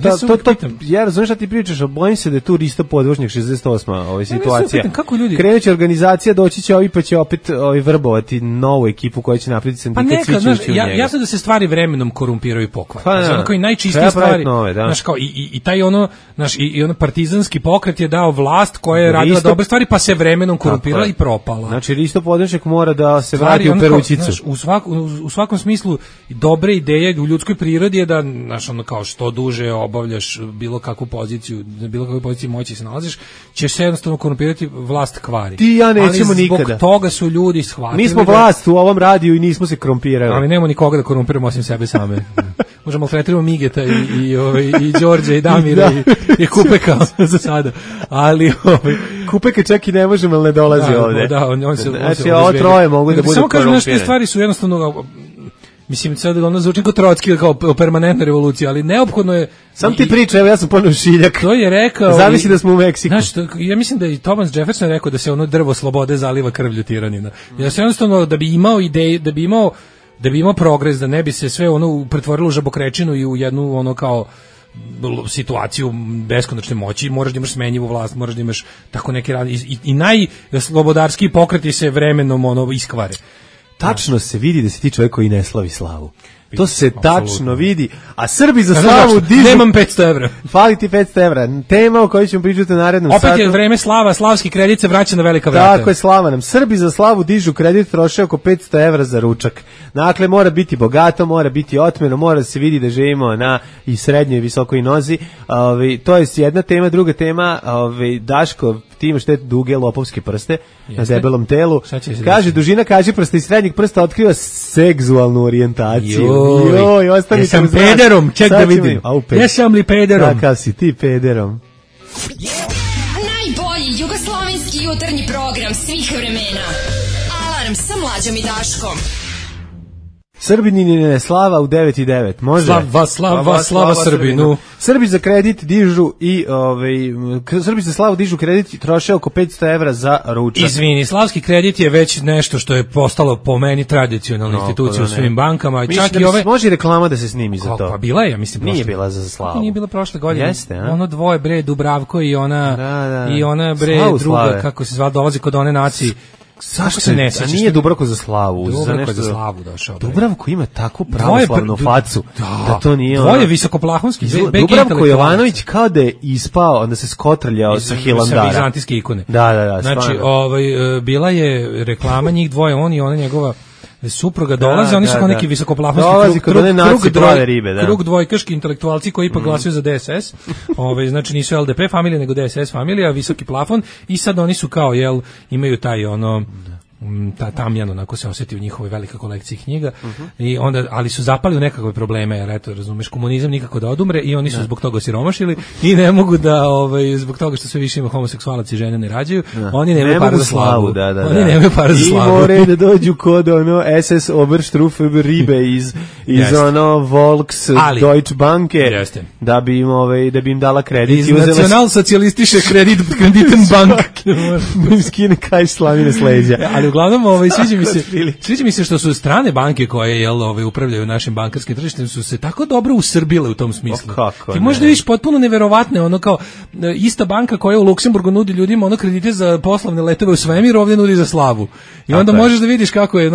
ja razumem šta ti pričaš, a bojim se da je tu Risto Podvožnjak 68. situacija. Kako ljudi krenuće organizacija, doći će ovi pa će opet vrbovati novu ekipu koja će napraviti sindikat, svi će ući u njega. Jasno da se stvari vremenom korumpiraju i pokvare. Znači, ono kao i najčistije stvari, znaš, kao i taj ono, znaš, i ono partizanski pokret je dao vlast koja je radila dobre stvari, pa se vremenom korumpirala i propala. Znači, Risto Podvožnjak mora da se vrati u perućicu. Znaš, u svakom smislu dobre ideje u ljudskoj prirodi je da, znaš, ono kao što duže obavljaš bilo kakvu poziciju, na bilo kakvoj poziciji moći se nalaziš, ćeš se jednostavno korumpirati, vlast kvari. Ti ja nećemo ali nikada. Zbog toga su ljudi shvatili. Mi smo vlast u ovom radiju i nismo se korumpirali. Ali nemamo nikoga da korumpiramo osim sebe same. Možemo tretiramo Migeta i Đorđa i Damira i Kupeka za sada. Ali Kupeka čak i ne možemo, ali ne dolazi ovde. Da, on se znači, ovo troje mogu da budu samo kažem, nešto stvari su jednostavno, mislim, sad ono zvuči kao Trotski, kao permanentna revolucija, ali neophodno je. Sam ti priča, evo ja sam ponovno Šiljak. To je rekao. Zavisi da smo u Meksiku. Znaš, ja mislim da i Thomas Jefferson rekao da se ono drvo slobode zaliva krvlju tiranina. Ja se jednostavno da bi imao ideje, da bi imao progres, da ne bi se sve ono pretvorilo u žabokrečinu i u jednu ono kao situaciju beskonačne moći, moraš da imaš smenjivu vlast, moraš da imaš tako neke radi i najslobodarskiji pokreti se vremenom ono iskvare. Tačno se vidi da si ti čovjek koji ne slavi slavu. To se tačno vidi. A Srbi za slavu dižu... Nemam 500 evra. Fali ti 500 evra. Tema o kojoj ćemo pričati u narednom satu. Opet je vreme slava, slavski kredit se vraća na velika vrata. Tako je, slava nam. Srbi za slavu dižu kredit, troše oko 500 evra za ručak. Dakle, mora biti bogato, mora biti otmeno, mora se vidi da živimo na i srednjoj i visokoj nozi. To je jedna tema. Druga tema, Daško, ti imaš te duge lopovske prste na debelom telu. Kaže, dužina kažiprsta i srednjeg prsta otkriva seksualnu orijentaciju. Joj, jesam pederom, ček da vidim. Jesam li pederom? Kakav si ti pederom? Najbolji jugoslovenski jutarnji program svih vremena. Alarm sa Mlađom i Daškom. Srbinine slava u 9:09. Može? Slava Srbinu. Srbi za kredit dižu i Srbi za slavu dižu kredit i troše oko 500 evra za ručak. Izvini, slavski kredit je već nešto što je postalo po meni tradicionalna institucija u svim bankama. Čak i ove može reklama da se snimi za to. Pa bila je, ja mislim, nije bila za slavu. Nije bila prošle godine. Jeste, a? Ono dvoje bre Dubravko i ona i ona bre druga, kako se zvala, dolazi kod one nacije. Zašto se ne sećaš? Nije Dubravko za slavu, za nešto za slavu došao. Dubravko ima takvu pravoslavnu facu da to nije. Dvoje visokoplahonski. Dubravko Jovanović kao da je ispao, onda se skotrljao sa Hilandara. Sa vizantijske ikone. Da. Znači, bila je reklama njih dvoje, on i ona njegova supruga dolaze, oni su kao neki visokoplahonski krug dvojkaški intelektualci koji ipak glasuju za DSS. Znači nisu LDP familija, nego DSS familija, visoki plafon, i sad oni su kao, imaju taj ta tamjan, onako se osjeti u njihovoj velikoj kolekciji knjiga, i onda, ali su zapali u nekakve probleme, jer eto, razumeš, komunizam nikako da odumre i oni su zbog toga osiromašili i ne mogu da, zbog toga što sve više ima homoseksualac i žene ne rađaju, oni nemaju para za slavu. Oni nemaju para za slavu. I more da dođu kod SS Oberstrufe Ribe iz Volks Deutsche Banke, da bi im dala kredit. Iz nacionalsocijalistiše Kreditenbank. Da im skine kaj slavine s leđa. Ali uglavnom sviđa mi se što su strane banke koje upravljaju našim bankarskim tržištem su se tako dobro usrbile u tom smislu. Ti možda vidiš potpuno neverovatne, ono kao ista banka koja u Luksemburgu nudi ljudima kredite za poslovne letove u svemir, ovdje nudi za slavu. I onda možeš da vidiš kako je,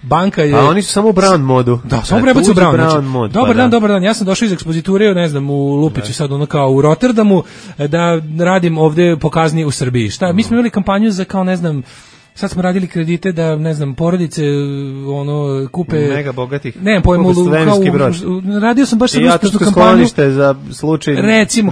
banka je. A oni su samo u brown modu. Da, samo prebacu u brown mod. Dobar dan. Ja sam došao iz ekspoziture, ne znam, u Lupiću sad, kao u Rotterdamu, da radim ovdje po kazni u Srbiji. Šta? Mi smo imali kampanju za kao, ne znam, sad smo radili kredite da, ne znam, porodice kupe mega bogatih. Ne, pojmu radio sam baš jednu kampanju za slučaj, recimo,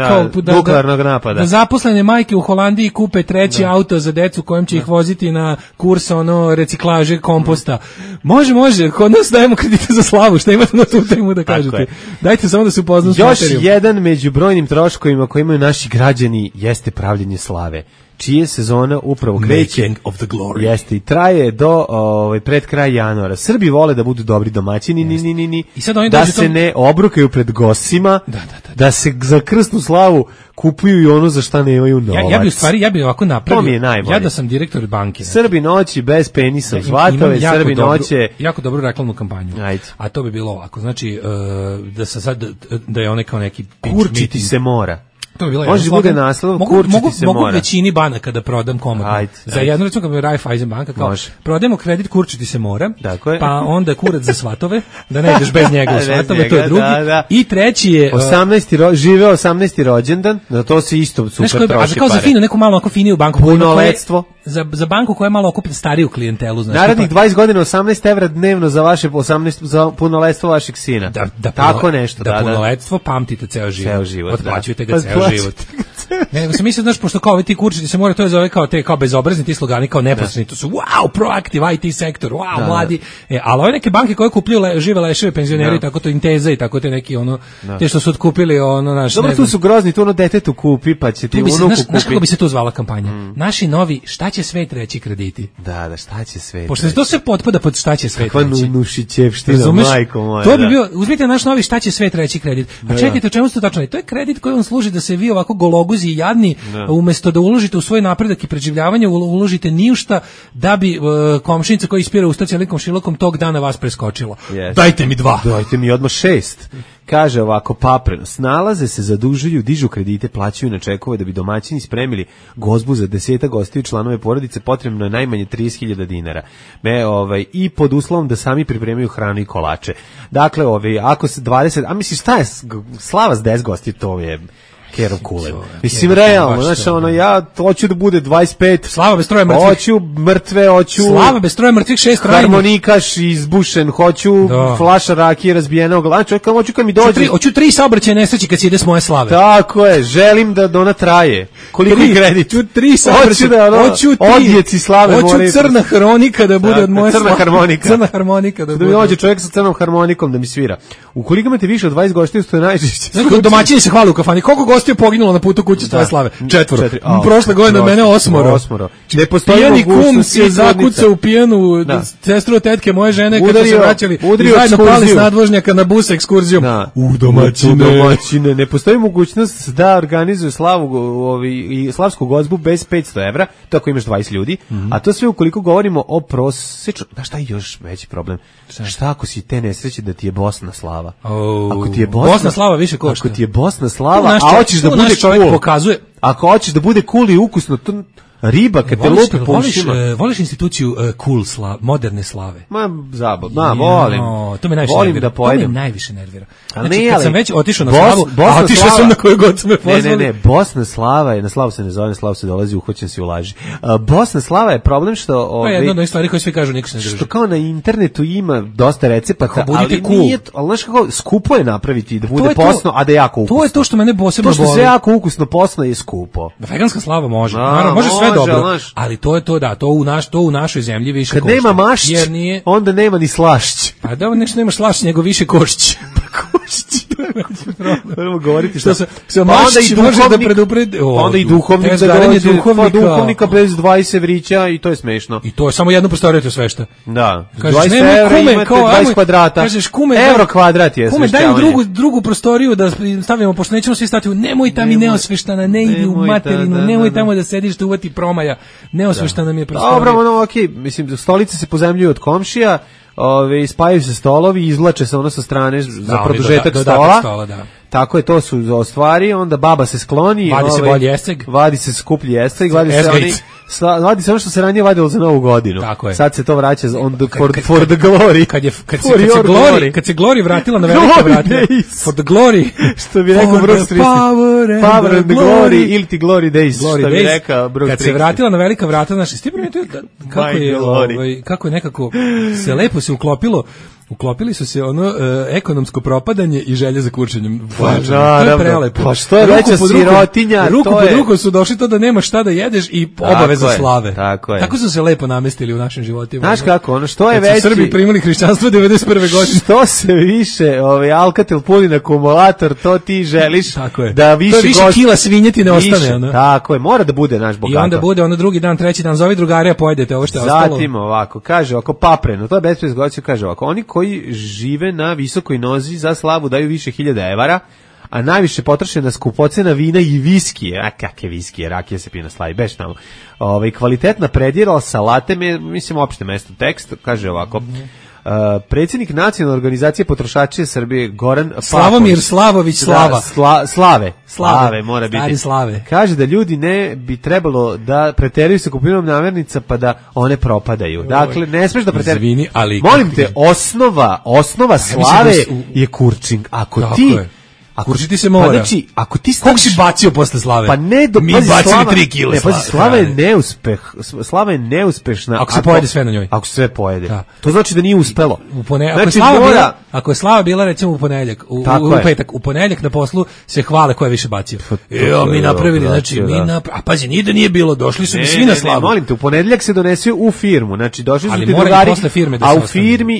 nuklearnog napada. Da zaposlene majke u Holandiji kupe treći auto za decu kojem će ih voziti na kurs reciklaže komposta. Može, kod nas dajemo kredite za slavu, šta imate na tu temu da kažete? Dajte samo da se upoznam s materijom. Još jedan među brojnim troškovima koje imaju naši građani jeste pravljenje slave. čije sezona upravo kreće. Making of the glory. Jeste, i traje do pred kraj januara. Srbi vole da budu dobri domaćini, I sad oni da dođu se ne obrukaju pred gostima, da se za krsnu slavu kupuju i ono za šta nemaju novac. Ja bi ovako napravio. To mi je najbolje. Ja da sam direktor banke. Srbi noći bez penisa u Zvatove, Srbi noće. Jako dobru reklamnu kampanju. Ajde. A to bi bilo ovako. Znači, da se sad, da je onaj kao neki kurčiti se mora. To bi bilo može bude naslov, kurčiti se mora. Mogu većini banaka da prodam komotno. Za jednu recimo kad mi Raiffeisen banka kao prodajemo kredit, kurčiti se mora, pa onda kurac za svatove, da ne ideš bez njega u svatove, to je drugi. I treći je 18. rođendan, za to se isto super troši pare. A kao za finu, neku malo ako finiju banku. Punoletstvo. Za banku koja malo okupi stariju klijentelu. Znači, narednih 20 godina 18 evra dnevno za vaše 18 za punoletstvo vašeg sina. Tako nešto. Da punoletstvo pamtite ceo život. Otplaćujete ga ceo život. Ne, nego sam mislio, znaš, pošto kao ovi ti kurčiti se more, to je zove kao te kao bezobrazni ti slogani, kao neposredni, to su wow, proactive IT sektor, wow, mladi. Ali ove neke banke koje kupuju žive leševe penzioneri, tako to Inteza i tako te neki ono, te što su otkupili ono naš. Dobro, tu su grozni, tu ono detetu kupi, pa će ti unuku kupi. Znaš kako bi se to zvala kampanja? Naši novi šta će svet reći krediti. Da, šta će svet. Pošto to se potpada pod šta će svet reći. Kakva nušićevština, majko moja. To bi bio, uzmite naš novi šta će svet reći kredit. A čekajte, o čemu ste tačno? To je kredit koji vam služi da se vi ovako gologuzi i jadni, umesto da uložite u svoj napredak i preživljavanje, uložite ni u šta da bi komšinica koja ispira usta cijelim komšilukom tog dana vas preskočila. Dajte mi 2. Dajte mi odmah 6. Kaže ovako, Papreno, snalaze se, zadužuju, dižu kredite, plaćaju na čekove da bi domaćini spremili gozbu za 10 gostiju članove porodice, potrebno je najmanje 30.000 dinara. I pod uslovom da sami pripremaju hranu i kolače. Dakle, ako se 20, a misliš šta je slava s 10 gostiju, to je Kerov kulen. Mislim, realno, znači, ja hoću da bude 25. Slava bez troje mrtvih. Hoću mrtve, hoću... Slava bez troje mrtvih, 6 trajnih. Harmonikaš izbušen, hoću flaša rakije razbijena u glavu. Hoću kad mi dođe... Hoću 3 saobraćajne nesreće kad se ide s moje slave. Tako je, želim da ona traje. Koliko je kredit? Hoću 3 saobraćajne. Hoću odjeci slave. Hoću crna harmonika da bude od moje slave. Crna harmonika da bude. Da mi dođe čovjek sa crnom harmonikom da mi svira. Ukoliko imate više od 20 gostiju, to je najčešće. Domaćini se hvale u kafani. Koliko gostiju poginulo na putu kuće tvoje slave? 4. Prošle godine mene 8. Ne postoji pijani kum se zakucao u pijanu sestru od tetke moje žene kada se vraćali i zajedno pali s nadvožnjaka na bus ekskurzijom. U domaćine. Ne postoji mogućnost da organizuju slavu i slavsku gozbu bez 500 evra, to ako imaš 20 ljudi, a to sve ukoliko govorimo o prosečno. Da, šta je još veći problem? Šta ako si te nesreće da ti je Bosna slava? Ako ti je Bosna slava više košta. Ako ti je Bosna slava, a hoćeš da bude čovjek pokazuje. Ako hoćeš da bude cool i ukusno, to riba kad te lupi po ušima. Voliš instituciju cool moderne slave? Volim. To me najviše volim nervira. Da pojedem. To me najviše nervira. Znači, kad sam već otišao na slavu, otišao sam na koju god su me pozvali. Ne, Bosna slava je, na slavu se ne zove, na slavu se dolazi, uhoćen si u laži. Bosna slava je problem što... jedna od onih stvari koje svi kažu, niko se ne drži. Što kao na internetu ima dosta recepata, ali nije, ali znaš kako, skupo je napraviti da bude posno, a da je jako ukusno. To je to što mene posebno boli. To što se jako ukusno posno je skupo. Veganska slava može, naravno, može sve dobro, ali to je to, da, to u našoj zemlji više košta. Kad nema mašć, onda nema ni slašć. Pa da, nešto nema slašć, nego više košć. Moramo govoriti što se mašć može da predupredi. Onda i duhovnik da dođe, duhovnika bez 20 evrića i to je smešno. I to je samo jedno prostorije sve što. Da, 20 evra imate 20 kvadrata. Kažeš kume, evro kvadrat je kume, daj drugu prostoriju da stavimo, pošto nećemo svi stati, nemoj tamo i neosveštana, ne idi u materinu, nemoj tamo da sediš da uvati promaja, neosveštana mi je prostorija. Dobro, okej, mislim, stolice se pozemljuju od komšija, spajaju se stolovi, izvlače se ono sa strane za produžetak stola. Tako je, to su stvari, onda baba se skloni, vadi se bolji eseg, vadi se skuplji eseg, vadi se ono što se ranije vadilo za Novu godinu. Sad se to vraća for the glory. Kad se Glory vratila na velika vrata. For the glory. Što bi rekao Bruce Springsteen. Power and the glory ili ti glory days. Što bi rekao Bruce Springsteen. Kad se vratila na velika vrata, znači, kako je nekako se lepo se uklopilo Uklopili su se ekonomsko propadanje i želje za kurčenjem. Pa, to je prelepo. Pa što je veća sirotinja, ruku pod ruku su došli to da nema šta da jedeš i obaveza slave. Tako je. Tako su se lepo namestili u našim životima. Znaš kako, što je veći... Srbi primili hrišćanstvo 91. godine. Što se više Alcatel puni na akumulator, to ti želiš da više... To je više kila svinjetine ostane. Tako je, mora da bude naš bogato. I onda bude drugi dan, treći dan, zovi drugari, a pojedete ovo što je ostalo. Zatim ovako, kaže ovako, papreno, to je bespriječ goću, kaže ovako, oni koji žive na visokoj nozi za slavu daju više 1000 evara, a najviše potroše na skupocena vina i viskije. A kakve viskije, rakija se pije na slavi, beš tamo. Kvalitetna predjela, salate, mislim opšte mesto tekst, kaže ovako, predsjednik nacionalne organizacije potrošača Srbije Goran Slavomir Slavović Slava. Slave mora biti. Slave. Kaže da ljudi ne bi trebalo da preteruju sa kupovinom namirnica pa da one propadaju. Dakle, ne smeš da preteruješ. Izvini, ali molim te, osnova slave je kurčing. Ako ti kurčiti se mora. Pa znači, ako ti koliko si bacio posle slave? Pa ne, mi bacili 3 kg. Ne, pazi, slava je neuspeh. Slava je neuspešna ako se pojede sve na njoj. Ako se sve pojede. Da. To znači da nije uspelo. Znači, ako je slava bila recimo u ponedeljak, u petak, u ponedeljak na poslu se hvale ko je više bacio. Mi napravili, znači a pazi, nije bilo, došli su svi na slavu. Ne, molim te, u ponedeljak se donesu u firmu. Znači došli su ti drugari, a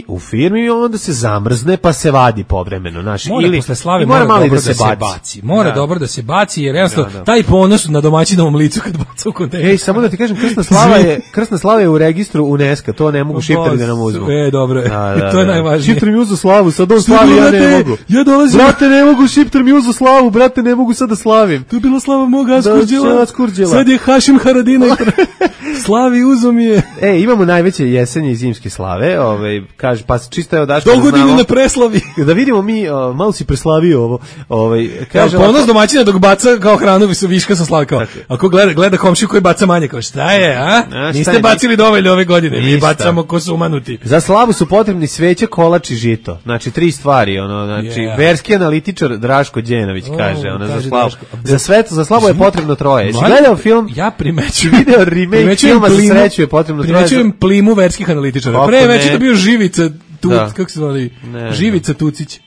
u firmi onda se zamrzne pa se vadi povremeno, znači ili posle slave mora da se baci. Mora dobro da se baci, jer jednostavno taj ponos na domaćinovom licu kad baca u kontejner. Ej, samo da ti kažem, krstna slava je u registru UNESCO, to ne mogu šiptari da nam uzmu. Dobro, to je najvažnije. Šiptari mi uzu slavu, sad on slavi, ja ne mogu. Ja dolazim. Brate, ne mogu, šiptar mi uzu slavu, brate, ne mogu sad da slavim. To je bila slava moga Askurđela. Sad je Hašim Haradina. Slavi uzo mi je. Imamo najveće jesenje i zimske slave, kaže, pa čisto je odaško. Dogodine na preslavi. Da vidimo mi, malo si preslavio ovo. Kaže ponos domaćina dok baca kao hranu viška sa slave kao. Ako gleda komšiju koji baca manje, kao šta je, a? Niste bacili dovoljno ove godine, mi bacamo ko su umanuti. Za slavu su potrebni sveće, kolač i žito. Znači 3 stvari, znači verski analitičar Draško Đenović kaže, za slavu. Za slavu je potrebno 3. Jesi gledao film? Ja primećujem. Video remake filma Za sreću je potrebno 3. Primećujem plimu verskih analitičara. Pre već je to bio Živica kako se zvali? Živica Tucić.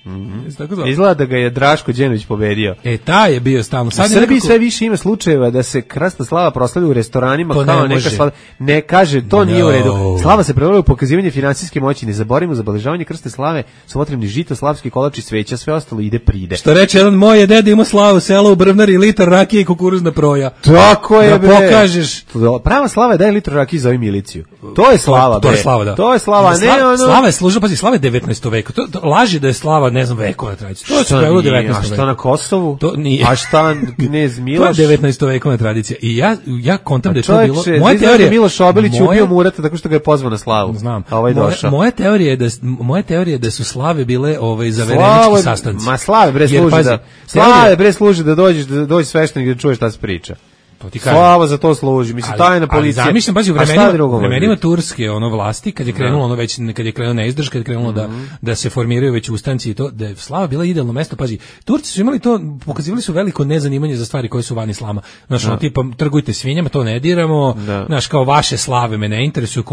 Izgleda da ga je Draško Đenović pobedio. Taj je bio stalno. U Srbiji sve više ima slučajeva da se krasna slava proslavlja u restoranima kao neka slava. Ne kaže, to nije u redu. Slava se prevoljava u pokazivanje finansijske moći. Ne zaboravimo, za obeležavanje krstne slave su potrebni žito, slavski kolač i sveća, sve ostalo ide pride. Što reče jedan moj je deda ima slavu, selo u Brvnari, litar rakije i kukuruzna proja. Tako je, bre. Da pokažeš. Prava slava je daj litru rakije za miliciju. To je slava, to je slava, da. To je slava, ne ono. Slava je služila, pazi, slava je 19. veka. To laži da je slava, ne znam, vekova tradicija. To je sve u 19. veku. A šta na Kosovu? To nije. A šta knez Miloš? To je 19. vekovna tradicija. I ja kontam da je to bilo. Moja teorija Miloš Obilić ubio Murata tako što ga je pozvao na slavu. Znam. A ovaj došao. Moja teorija je da su slave bile zaverenički sastanci. Ma slave bre služi da dođe sveštenik da čuješ šta se priča. Slava za to služi, mislim, tajna policija. Ali zamišljam, pazi, u vremenima turske vlasti, kad je krenulo kad je krenulo neizdrž, kad je krenulo da se formiraju već ustanci i to, da je slava bila idealno mesto, pazi, Turci su imali to, pokazivali su veliko nezanimanje za stvari koje su van islama. Znaš, tipa, trgujte svinjama, to ne diramo, znaš, kao vaše slave me ne interesuju,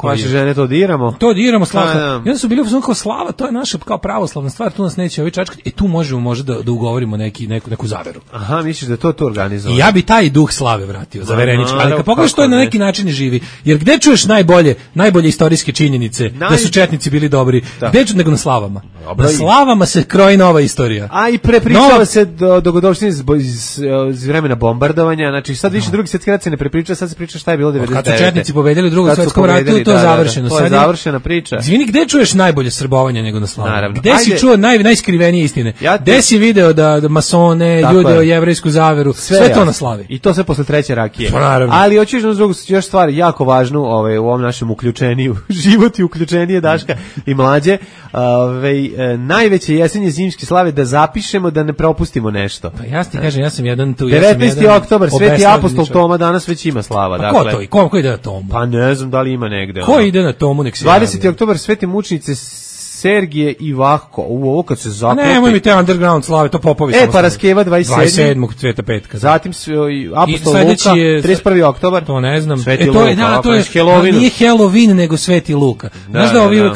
vaše žene to diramo. To diramo, slava. I onda su bili kao slava, to je naša kao pravoslavna stvar, tu nas neće ovi čačkati, tu možemo možda da ugovorimo neku zaveru. Aha, misliš da to organizovano? I ja bi taj duh slave vratio, zaverenički, ali kad pogledaš to je na neki način živi, jer gde čuješ najbolje istorijske činjenice da su četnici bili dobri, gde čuješ nego na slavama? Na slavama se kroji nova istorija. A i prepričava se dogodovštine iz vremena bombardovanja, znači sad više drugi svjetski rat se ne prepriča, sad se priča šta je bilo 99. Kad su četnici pobedili u Drugom svjetskom ratu, to je završeno. To je završena priča. Izvini, gde čuješ najbolje srbovanje nego na slavama? Gde si čuo najskrivenije istine? Gde si video da masone, jude, jevrejsku zaveru, sve to na slavi? I to sve posle 3. rakije. Ali hoćeš na drugu još stvar jako važnu u ovom našem uključeniju, život i uključenije Daška i mlađe, najveće jesenje zimske slave da zapišemo da ne propustimo nešto. Pa ja ti kažem, ja sam jedan tu 19. oktobar, Sveti apostol Toma danas već ima slava. Pa dakle, ko ide na Tomu? Pa ne znam da li ima negde. Ko ide na Tomu, nek se 20. oktobar, Svete mučnice Sergije i Vahko. Ovo kad se zaklopi. Nemoj mi te underground slave, to popovi. Paraskeva 27. Cveta petka. Zatim Apostol Luka, 31. oktobar. To ne znam. Sveti to Luka, je, da, to je Halloween. Nije Halloween, nego Sveti Luka. Znaš da ovi,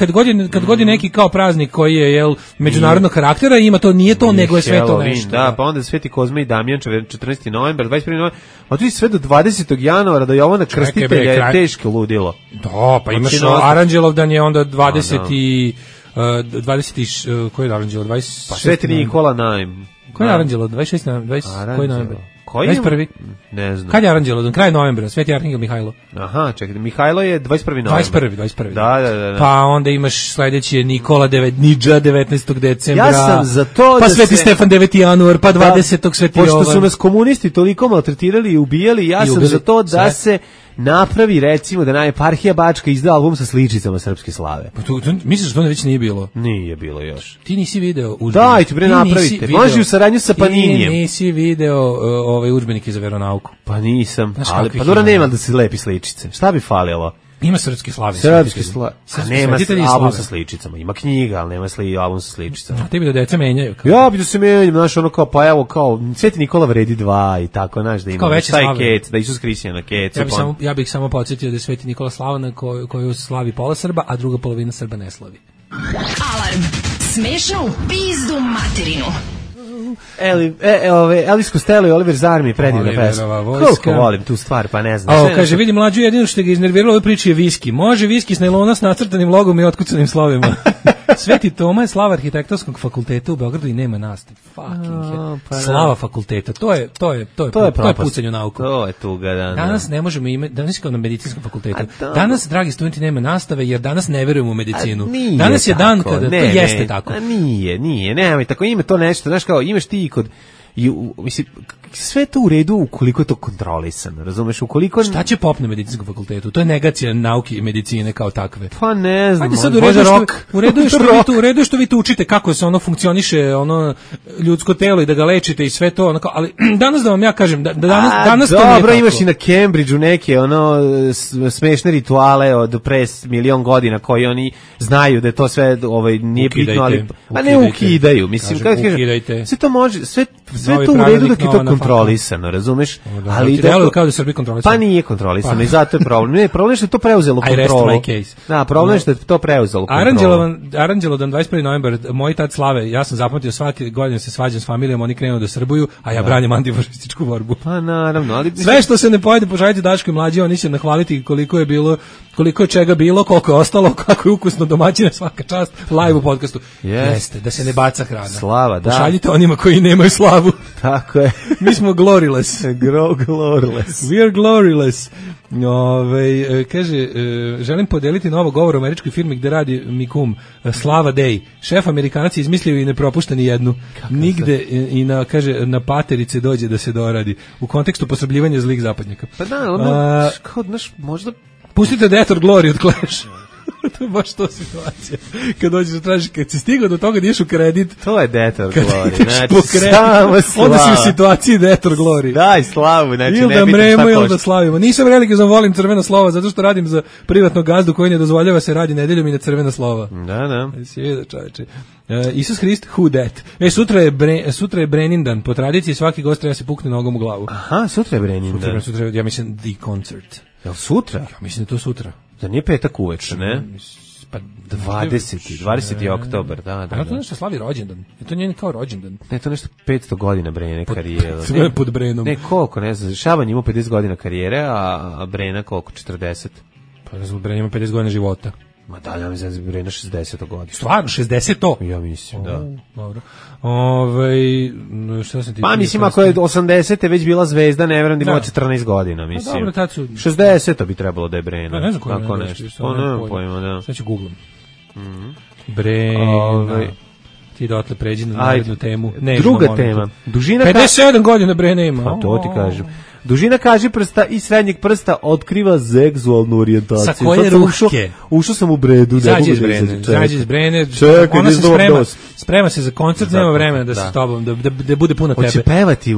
kad god je neki kao praznik koji je međunarodnog karaktera, ima to, nije to, nego je sve to nešto. Da, pa onda Sveti Kozma i Damjan, 14. novembar, 21. novembar, a tu je sve do 20. januara, do Jovana Krstitelja je teško ludilo. Da, pa imaš Aranđelovdan je onda 20. Koji je Aranđelov? Pa Sveti Nikola Najm. Koji je Aranđelov? 26. Koji novembar? 21. Ne znam. Kad je Aranđelov? Kraj novembra, Sveti Arhangel Mihajlo. Aha, čekaj, Mihajlo je 21. novembar. 21. Da. Pa onda imaš sledeći je Nikola Nidža 19. decembra. Ja sam za to pa Sveti Stefan 9. januar, pa 20. Sveti Jovan. Pošto su nas komunisti toliko maltretirali i ubijali, ja sam za to da se napravi, recimo, da eparhija Bačka izda album sa sličicama srpske slave. Pa misliš da to već nije bilo? Nije bilo još. Ti nisi video udžbenik. Dajte bre, napravite. Može u saradnju sa Paninijem. Ti nisi video udžbenike za veronauku. Pa nisam. Ali pa dobro, nema da se lepi sličice. Šta bi falilo? Ima srpske slave. Srpske slave. Nema album sa sličicama. Ima knjiga, ali nema album sa sličicama. A ti bi da deca menjaju. Ja bi da se menjaju, znaš, ono kao, pa evo, kao, Sveti Nikola vredi 2 i tako, znaš, da ima taj kec, da Isus Hristina kec. Ja bih samo podsjetio da je Sveti Nikola Slavana koju slavi pola Srba, a druga polovina Srba ne slavi. Alarm. Smešno u pizdu materinu. Elvis Costello i Oliver Zarmi, predivna pesma. Koliko volim tu stvar, pa ne znam. Kaže, vidi mlađu, jedino što ga iznerviralo ove priče je viski. Može viski s nailona s nacrtanim logom i otkucanim slovima. Sveti Toma je slava arhitektonskog fakulteta u Beogradu i nema nastave. Slava fakulteta, to je pucanje u nauku. To je tuga, da. Danas ne možemo imati, danas kao na medicinskom fakultetu. Danas, dragi studenti, nema nastave jer danas ne verujemo u medicinu. Danas je dan kada to jeste tako. Nije, nemoj tako, ima to nešto, znaš kao, imaš ti kod mislim, sve to u redu ukoliko je to kontrolisano, razumeš, ukoliko... Šta će pop na medicinskom fakultetu? To je negacija nauke i medicine kao takve. Pa ne znam, u redu što vi to učite, kako se ono funkcioniše, ono ljudsko telo i da ga lečite i sve to, ono kao, ali danas da vam ja kažem, danas to nije tako. Dobro, imaš i na Cambridgeu neke ono smešne rituale od pre 1.000.000 godina koji oni znaju da je to sve nije bitno, ali ne ukidaju, mislim, kad kažem, sve to može, sve to u redu dok je to kontrolisano, razumeš? Ali delo kao da Srbija kontrolisano. Pa nije kontrolisano i zato je problem. Ne, problem je što je to preuzelo kontrolu. Da, problem je što je to preuzelo kontrolu. Aranđelodan 21. novembar, moj tad slave, ja sam zapamtio svake godine se svađam s familijom, oni krenu da srbuju, a ja branim antifašističku borbu. Pa naravno, ali sve što se ne pojede, poželite Daško i mlađi, oni će nahvaliti koliko je bilo, koliko je čega bilo, koliko je ostalo, kako je ukusno, domaćina, svaka čast, live u podcastu. Jeste, da se ne baca hrana. Slava, da. Pošaljite onima koji nemaju slavu. Tako je. Mi smo gloryless. Gloryless. We are gloryless. Kaže, želim podeliti novo govor o američkoj firmi gde radi mi kum, Slava Day. Šef Amerikanac je izmislio i ne propušta ni jednu. Nigde i na paterice dođe da se doradi. U kontekstu posrbljivanja zlih zapadnjaka. Pa da, ono, kao, znaš, možda... Pustite Death or Glory od Clash. To je baš to situacija. Kad dođeš da tražiš, kad si stigao do toga da ideš u kredit, to je Death or Glory. Znači, onda si u situaciji Death or Glory. Daj slavu, znači ili da mremo ili da slavimo. Nisam religiozan, volim crvena slova, zato što radim za privatnog gazdu koji ne dozvoljava se radi nedeljom i na crvena slova. Da. Sjeda, čoveče. Isus Hrist, who that? Sutra je Brenindan. Po tradiciji svaki gost treba se pukne nogom u glavu. Aha, sutra je Brenindan. Sutra, ja mislim, the concert. Jel sutra? Ja mislim da to sutra. Da nije petak uveče, ne? Pa 20. oktobar, da. A to nešto slavi rođendan. Je to njen kao rođendan? Ne, to nešto 500 godina Brene karijere. Sve pod Brenom. Ne, koliko, ne znam. Šaban ima 50 godina karijere, a Brena koliko? 40. Pa ne znam, Brena ima 50 godina života. Ma da, ja mislim da je Brena 60 godina. Stvarno, 60 to? Ja mislim, da. Dobro. Šta sam ti... Pa mislim, ako je 80. već bila zvezda, ne vjerujem da imala 14 godina, mislim. Dobro, tad su... 60 bi trebalo da je Brena. Pa ne znam koji nešto. Pa ne pojma, da. Sad ću googlam. Brena... Ti dotle pređi na narednu temu. Druga tema. Dužina 57 godina bre nema. Pa to ti kažem. Dužina kažiprsta i srednjeg prsta otkriva seksualnu orijentaciju. Sa koje ruške? Ušao sam u bredu. Izađi iz Brene. Čekaj, ona se sprema se za koncert, nema vremena da se s tobom, da bude puno tebe. Hoće pevati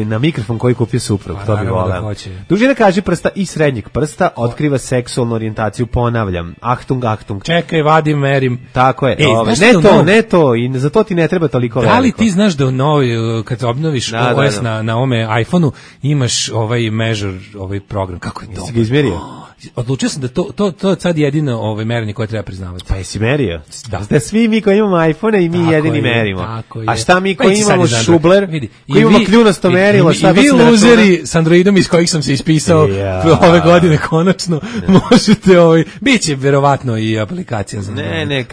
na mikrofon koji kupio suprug, to bi voleo. Dužina kažiprsta i srednjeg prsta otkriva seksualnu orijentaciju, ponavljam. Achtung, Achtung. Čekaj, vadim, merim. Tako je. Ne to, i za to ti ne treba toliko veliko. Da li ti znaš da u novoj, kad obnoviš OS na ome iPhone-u, imaš ovaj measure, ovaj program, kako je to? Jesi ga izmerio? Odlučio sam da to je sad jedino merenje koje treba priznavati. Pa jesi merio? Da svi mi koji imamo iPhone i mi tako jedini merimo. A šta mi koji imamo šubler, koji imamo kljunasto merilo, šta bi se računa? I vi luzeri s Androidom iz kojih sam se ispisao ove godine konačno, možete, biće verovatno i aplikacija za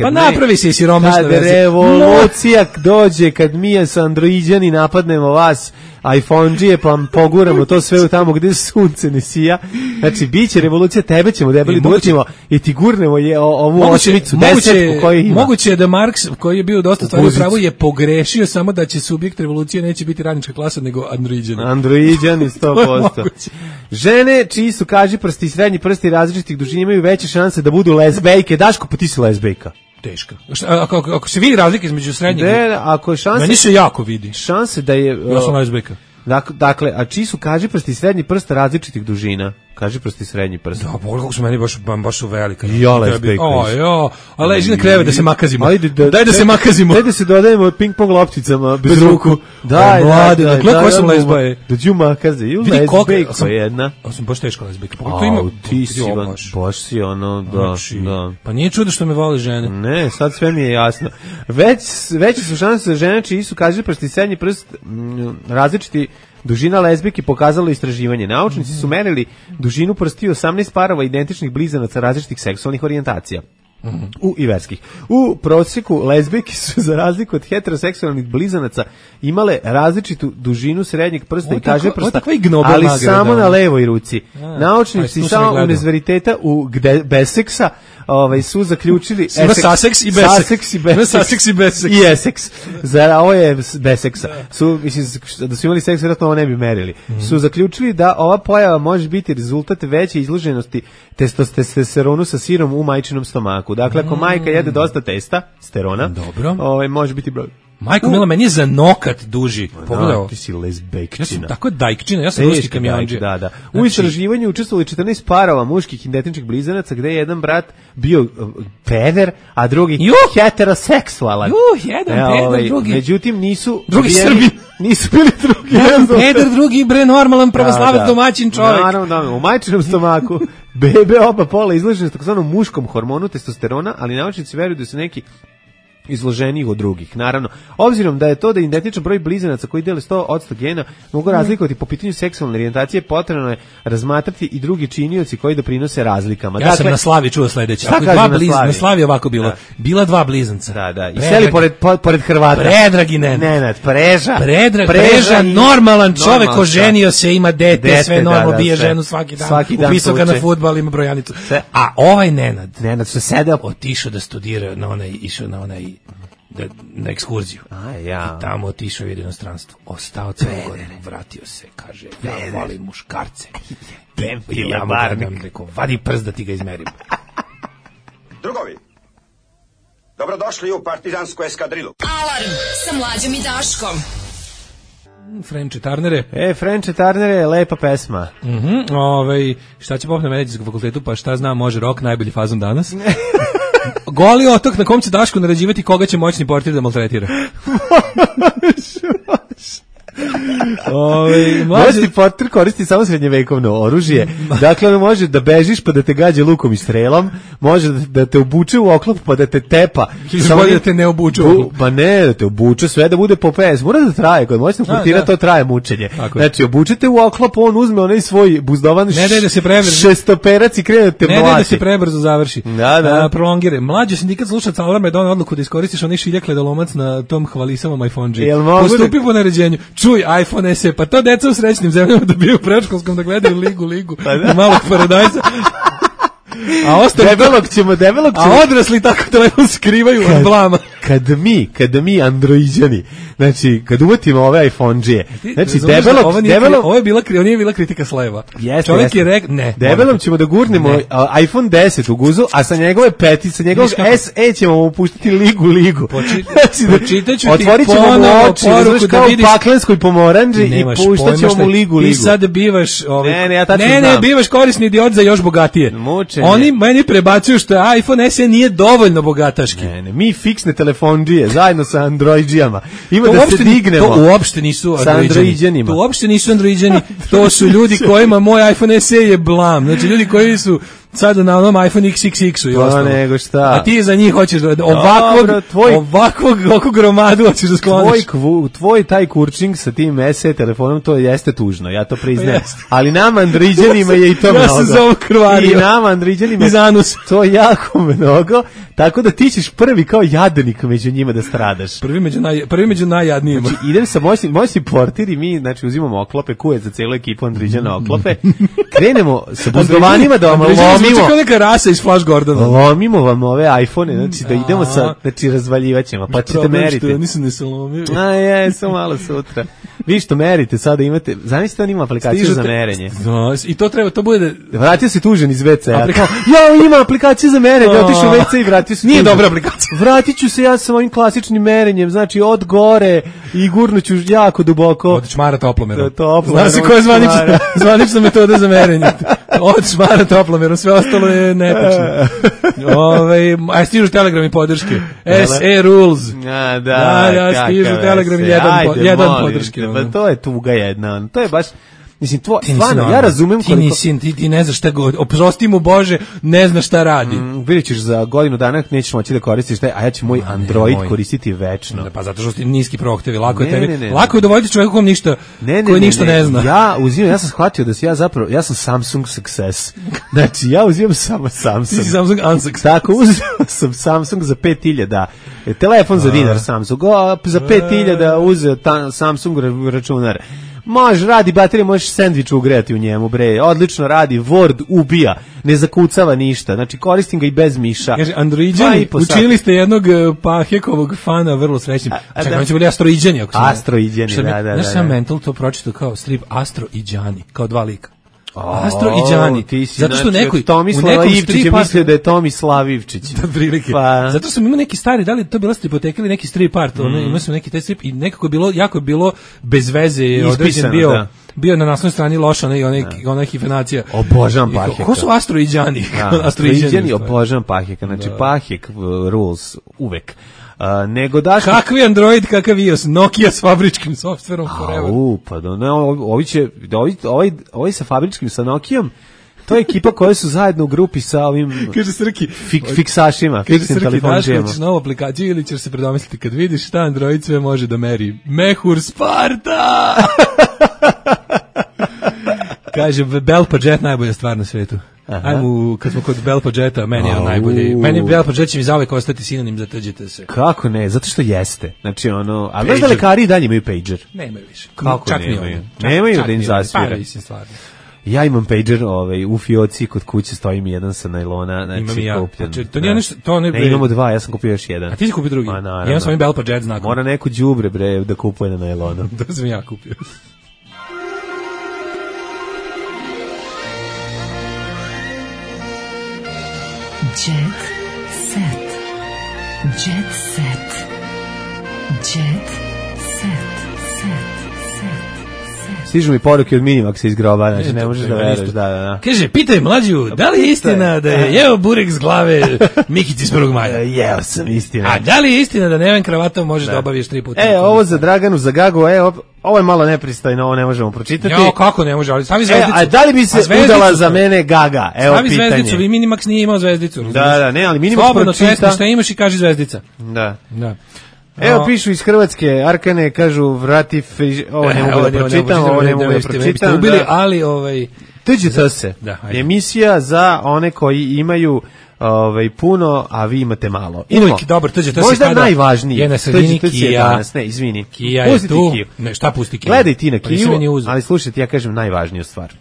pa napravi se i siromašna verzija. Kad revolucija dođe, kad mi s Androidjani napadnemo vas, iPhone-đije, pa poguramo to sve u tamo gde sunce ne sija. Znači, biće revolucija, tebe ćemo debeli doćemo i ti gurnemo ovu osmicu, desetku koju ima. Moguće je da Marks, koji je bio dosta stvari u pravu, je pogrešio samo da će subjekt revolucije neće biti radnička klasa, nego Androidjani. Androidjani 100%. Žene čiji su kažiprsti i srednji prsti različitih dužina imaju veće šanse da budu lezbejke. Daško, pa ti si lezbejka. Teška. Ako se vidi razlika između srednjeg... ako je šanse... Meni se jako vidi. Šanse da je... Ja sam lezbejka. Dakle, a čiji su kažiprsti i srednji prst različitih dužina? Kažiprsti i srednji prst. Da, kako su meni baš su velika. Ja lezbejka. A leži na krevet da se makazimo. Daj da se makazimo. Daj da se dodajemo ping-pong lopticama bez ruku. Daj, mlade, koje sam lezbaje? Da ću makaze. Ju lezbejka jedna. Ja sam baš teška lezbejka. Ti si, baš si ono, da. Pa nije čudo što me vole žene. Ne, sad sve mi je jasno. Veće su šanse za žene čiji su kažiprsti i srednji prst različiti dužina lezbijki pokazalo istraživanje. Naučnici su merili dužinu prstiju 18 parova identičnih blizanaca različitih seksualnih orijentacija. I verskih. U prosjeku lezbijke su za razliku od heteroseksualnih blizanaca imale različitu dužinu srednjeg prsta i kažiprsta, ali samo na levoj ruci. Naučnici samo univerziteta u Besseksa su zaključili Sussex i Bessex i Essex. Za ovo je Besseksa. Da su imali seks, vjerojatno ovo ne bi merili. Su zaključili da ova pojava može biti rezultat veće izloženosti testosteronu sa sirom u majčinom stomaku. Dakle, ako majka jede dosta testosterona, može biti broj. Majko mila, meni je za nokat duži. Pogledaj, ti si lezbejkčina. Ja sam tako dajkčina, ja sam ruski kamionđija. Da. U istraživanju učestvovali 14 parova muških identičnih blizanaca, gde je jedan brat bio peder, a drugi heteroseksualan. Jedan peder, drugi. Međutim, nisu... Drugi Srbi. Nisu bili drugi. Jedan peder, drugi normalan pravoslavac domaćin čovjek. Naravno, u majčinom stomaku. Bebe oba pola izložene s takozvanom muškom hormonu testosterona, ali naučnici veruju da su neki izloženiji od drugih. Naravno, obzirom da je to da identičan broj blizanaca koji dele 100% gena mogu razlikovati po pitanju seksualne orijentacije, potrebno je razmatrati i drugi činioci koji doprinose razlikama. Ja sam na Slavi čuo sledeće. Na Slavi ovako bilo. Bila dva blizanca. Da. I seli pored Hrvata. Predrag i Nenad. Preža, normalan čovek, oženio se, ima dete, sve normalno, bije ženu svaki dan. Upisao ga na fudbal, ima brojanicu. A ovaj Nenad se sedao, otišao da studira išao na onaj na ekskurziju. I tamo otišao u inostranstvo. Ostao celo godinu, vratio se, kaže, ja volim muškarce. Ja mu rekao, vadi prst da ti ga izmerim. Drugovi, dobrodošli u partizansku eskadrilu. Alarm sa Mlađom i Daškom. Frenče Tarnere. Frenče Tarnere, lepa pesma. Šta će pop na medicinskom fakultetu, pa šta zna, može rock, najbolji fazon danas. Goli otok na kom će Daško narađivati koga će moćni portir da maltretira. Moćni portir koristi samo srednjevekovno oružje. Dakle, ono može da bežiš pa da te gađe lukom i strelom, može da te obuče u oklop pa da te tepa. Samo da te ne obuče u oklop. Pa ne, da te obuče, sve da bude po PS. Mora da traje, kod moćnog portira to traje mučenje. Znači, obučete u oklop, on uzme onaj svoj buzdovan šestoperac i krene da te mlati. Ne da se prebrzo završi. Prolongire. Mlađi sindikat slušaca Alarma je donao odluku da iskoristiš onaj šiljak ledolomac na tom hvalisavom iPhone-đi. Postupi po naređenju. Čuj, iPhone SE, pa to deca u srećnim zemljama da bio u predškolskom da gledaju ligu i malog paradajza. Debelog ćemo. A odrasli tako telefon skrivaju od blama. Kad mi androiđani, znači, kad uvatimo ove iPhone-đije, znači, ovo je bila kritika s leva. Čovjek je rekao, ne. Debelom ćemo da gurnemo iPhone 10 u guzu, a sa njegove sa njegovog SE ćemo mu puštiti ligu. Počitaću ti otvorit ćemo mu oči, znaš, kao u paklenskoj pomoranđi i puštat ćemo mu ligu. Ti sad bivaš... ja tačno znam. Ne, bivaš korisni idiot za još bogatije. Mučenje. Oni meni prebacuju što iPhone SE nije dovoljno bogataški. Ne, mi fiksne telefonđije zajedno sa androidžijama. Ima da se dignemo. To uopšte nisu androidžani. To uopšte nisu androidžani. To su ljudi kojima moj iPhone SE je blam. Znači ljudi koji su sada na onom iPhone XXX-u i ostalo. Nego šta. A ti za njih hoćeš ovakvog gromadu hoćeš da skloniš. Tvoj taj kurčing sa tim SE telefonom, to jeste tužno, ja to priznajem. Ali nama andriđanima je i to mnogo. Ja sam za ovo krvario. I nama andriđanima to jako mnogo, tako da ti ćeš prvi kao jadnik među njima da stradaš. Prvi među najjadnijima. Znači, idem sa moćni portir i mi, znači, uzimamo oklope, kuje za celu ekipu andriđana oklope, krenemo sa buzdovanima da vam lomimo. Kao neka rasa iz Flash Gordona. Lomimo vam ove iPhone, znači da idemo sa, znači razvaljivaćemo, pa ćete meriti. Ja nisam ne se lomio. Jesam malo sutra. Vi što merite, sada imate, zamislite on ima aplikaciju za merenje. I to treba, to bude... Vratio se tužen iz WC-a. Ima aplikaciju za merenje, otišao u WC i vratio se. Nije dobra aplikacija. Vratit ću se ja sa ovim klasičnim merenjem, znači od gore i gurnuću jako duboko. Od šmara toplomerom. Zna se koja je zvanična metoda za merenje. Od šmara toplomerom, sve ostalo je nepočno. A stižu telegrami podrške. SE rules. Ja stižu telegrami jedan podrške. Pa to je tuga jedna. To je baš... Mislim, stvarno, ja razumem koliko... Ti ne znaš šta god, oprosti mu Bože, ne znaš šta radi. Vidjet ćeš za godinu dana, nećeš moći da koristiš taj, a ja ću moj Android koristiti večno. Pa zato što ti niski prohtevi, lako je tebi. Lako je dovoljiti čovjeku koji ništa ne zna. Ja sam shvatio da ja sam Samsung success. Znači, ja uzimam samo Samsung. Ti si Samsung unsuccess. Tako, uzimam sam Samsung za 5.000, telefon za dinar Samsung, za 5.000 uzeo Samsung računar. Može, radi baterija, možeš sendvič ugrejati u njemu, bre, odlično radi, Word ubija, ne zakucava ništa, znači koristim ga i bez miša. Kaže, androiđani, učinili ste jednog Pahekovog fana vrlo srećnim. Čekaj, on će bili astroiđani. Astroiđani, da. Znaš sam mental to pročito kao strip Astroiđani, kao dva lika. Astro i Đani. Zato što neko Tomislava Ivčić je mislio da je Tomislav Ivčić. Zato što ima neki stari, da li to bila stripoteka ili neki strip art, imao sam neki taj strip i nekako je bilo bez veze, određen bio na naslovnoj strani loša onaj hifenacija. Obožavam Paheka. Ko su Astro i Đani? Astro i Đani, obožavam Paheka. Znači Pahek rules uvek. Nego daš kakvi Android, kakav iOS, Nokia s fabričkim softverom forever. Pa ovi sa fabričkim, sa Nokijom, to je ekipa koja su zajedno u grupi sa ovim fiksašima. Kaže Srki, daš hoćeš novu aplikaciju ili ćeš se predomisliti kad vidiš šta Android sve može da meri. Mehur Sparta! Kaže, Belpa Jet najbolja stvar na svetu. Ajmo, kad smo kod Belpa Jeta, meni je najbolji. Meni Belpa Jet će mi zauvek ostati sinonim za TGT se. Kako ne? Zato što jeste. Znači, a znaš da lekari i dalje imaju pager? Nemaju više. Kako nemaju? Nemaju da im zasvira. Ja imam pager u fioci, kod kuće stoji mi jedan sa najlona. Znači, imam i ja. Imamo dva, ja sam kupio još jedan. A ti si kupio drugi? Imam sam i Belpa Jet znakom. Mora neko đubre, bre, da kupuje na najlonu. To sam ja kupio. Jet set. Jet set. Jet set. Stižu mi poruke od Minimaxa iz groba, znači ne možeš da veruješ, da. Kaže, pitaj mlađu, da li je istina da je jeo burek s glave Mikici s 1. maja? Jeo sam, istina. A da li je istina da Neven kravatom možeš da obaviš 3 puta? Ovo za Draganu, za Gagu, ovo je malo nepristojno, ovo ne možemo pročitati. Jo, kako ne može, ali stavi zvezdicu. A da li bi se udala za mene Gaga? Evo stavi pitanje. Zvezdicu, vi Minimax nije imao zvezdicu. Da, ne, ali Minimax slobodno pročita. Slobodno šta imaš i kaži zvezdica. Da. Evo pišu iz Hrvatske, Arkane, kažu vrati ovo ne mogu da pročitam, ubili, ali TGT se, emisija za one koji imaju puno, a vi imate malo. Uvijek dobar TGT se možda najvažniji je na sredini Kija. Ne, izvini. Kija je tu. Ne, šta pusti Kija? Gledaj ti na Kiju, ali slušajte, ja kažem najvažniju stvar.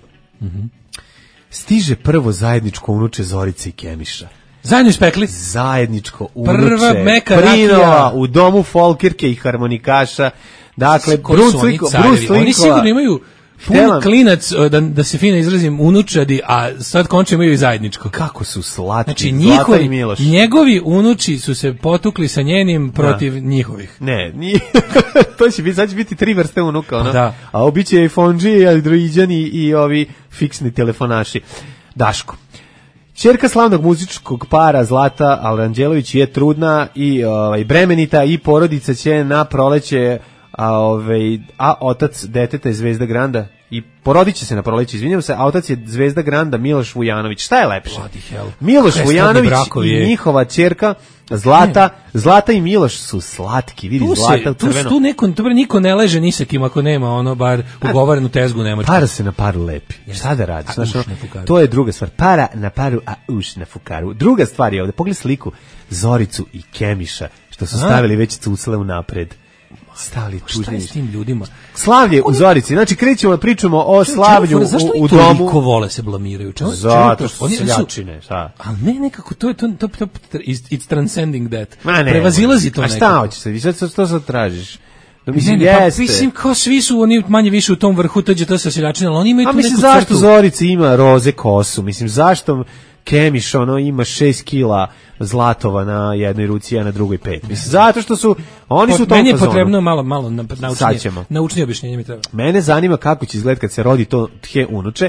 Stiže prvo zajedničko unuče Zorice i Kemiša. Zajedno ispekli? Zajedničko Prva unuče meka Prinova rakija. u domu folkirke i harmonikaša. Dakle, Koji su oni carevi? Oni sigurno imaju pun klinac, da se fino izrazim, unučadi, a sad konče imaju i zajedničko. Kako su slatki, znači, Zlata i Miloš. Njegovi unuči su se potukli sa njenim protiv njihovih. Ne, nije. To će biti, sad će biti 3 vrste unuka, ono. Da. A obiće i fonđi, androiđani i ovi fiksni telefonaši. Daško. Ćerka slavnog muzičkog para Zlata Aranđelović je trudna i bremenita i porodica će na proleće, a otac deteta je Zvezda Granda i porodit će se na proleće, izvinjam se, a otac je Zvezda Granda Miloš Vujanović. Šta je lepše? Miloš Vujanović i njihova ćerka Zlata i Miloš su slatki, vidi Zlata u crveno. Tu niko ne leže ni sa kim ako nema ono bar ugovorenu tezgu nemačku. Para se na paru lepi. Šta da radiš? To je druga stvar. Para na paru, a uš na fukaru. Druga stvar je ovde, pogledaj sliku Zoricu i Kemiša, što su stavili već cucle unapred. Stavili tužnje. Šta je s tim ljudima? Slavlje u Zorici. Znači, krećemo, pričamo o slavlju u domu. Zašto i toliko vole se blamiraju? Zato što seljačine, šta? Ali ne, nekako, to je it's transcending that. Prevazilazi to nekako. A šta hoćeš sad? Što sad tražiš? Mislim, kao svi su oni manje više u tom vrhu TđT sa seljačine, ali oni imaju tu neku crtu. Zašto Zorica ima roze kosu? Mislim, zašto Kemiš ima 6 kila zlatova na jednoj ruci, a na drugoj 5. Mislim, zato što su oni su u tom fazonu. Meni je potrebno malo naučnije objašnjenje mi treba. Mene zanima kako će izgledati kad se rodi to tje unuče.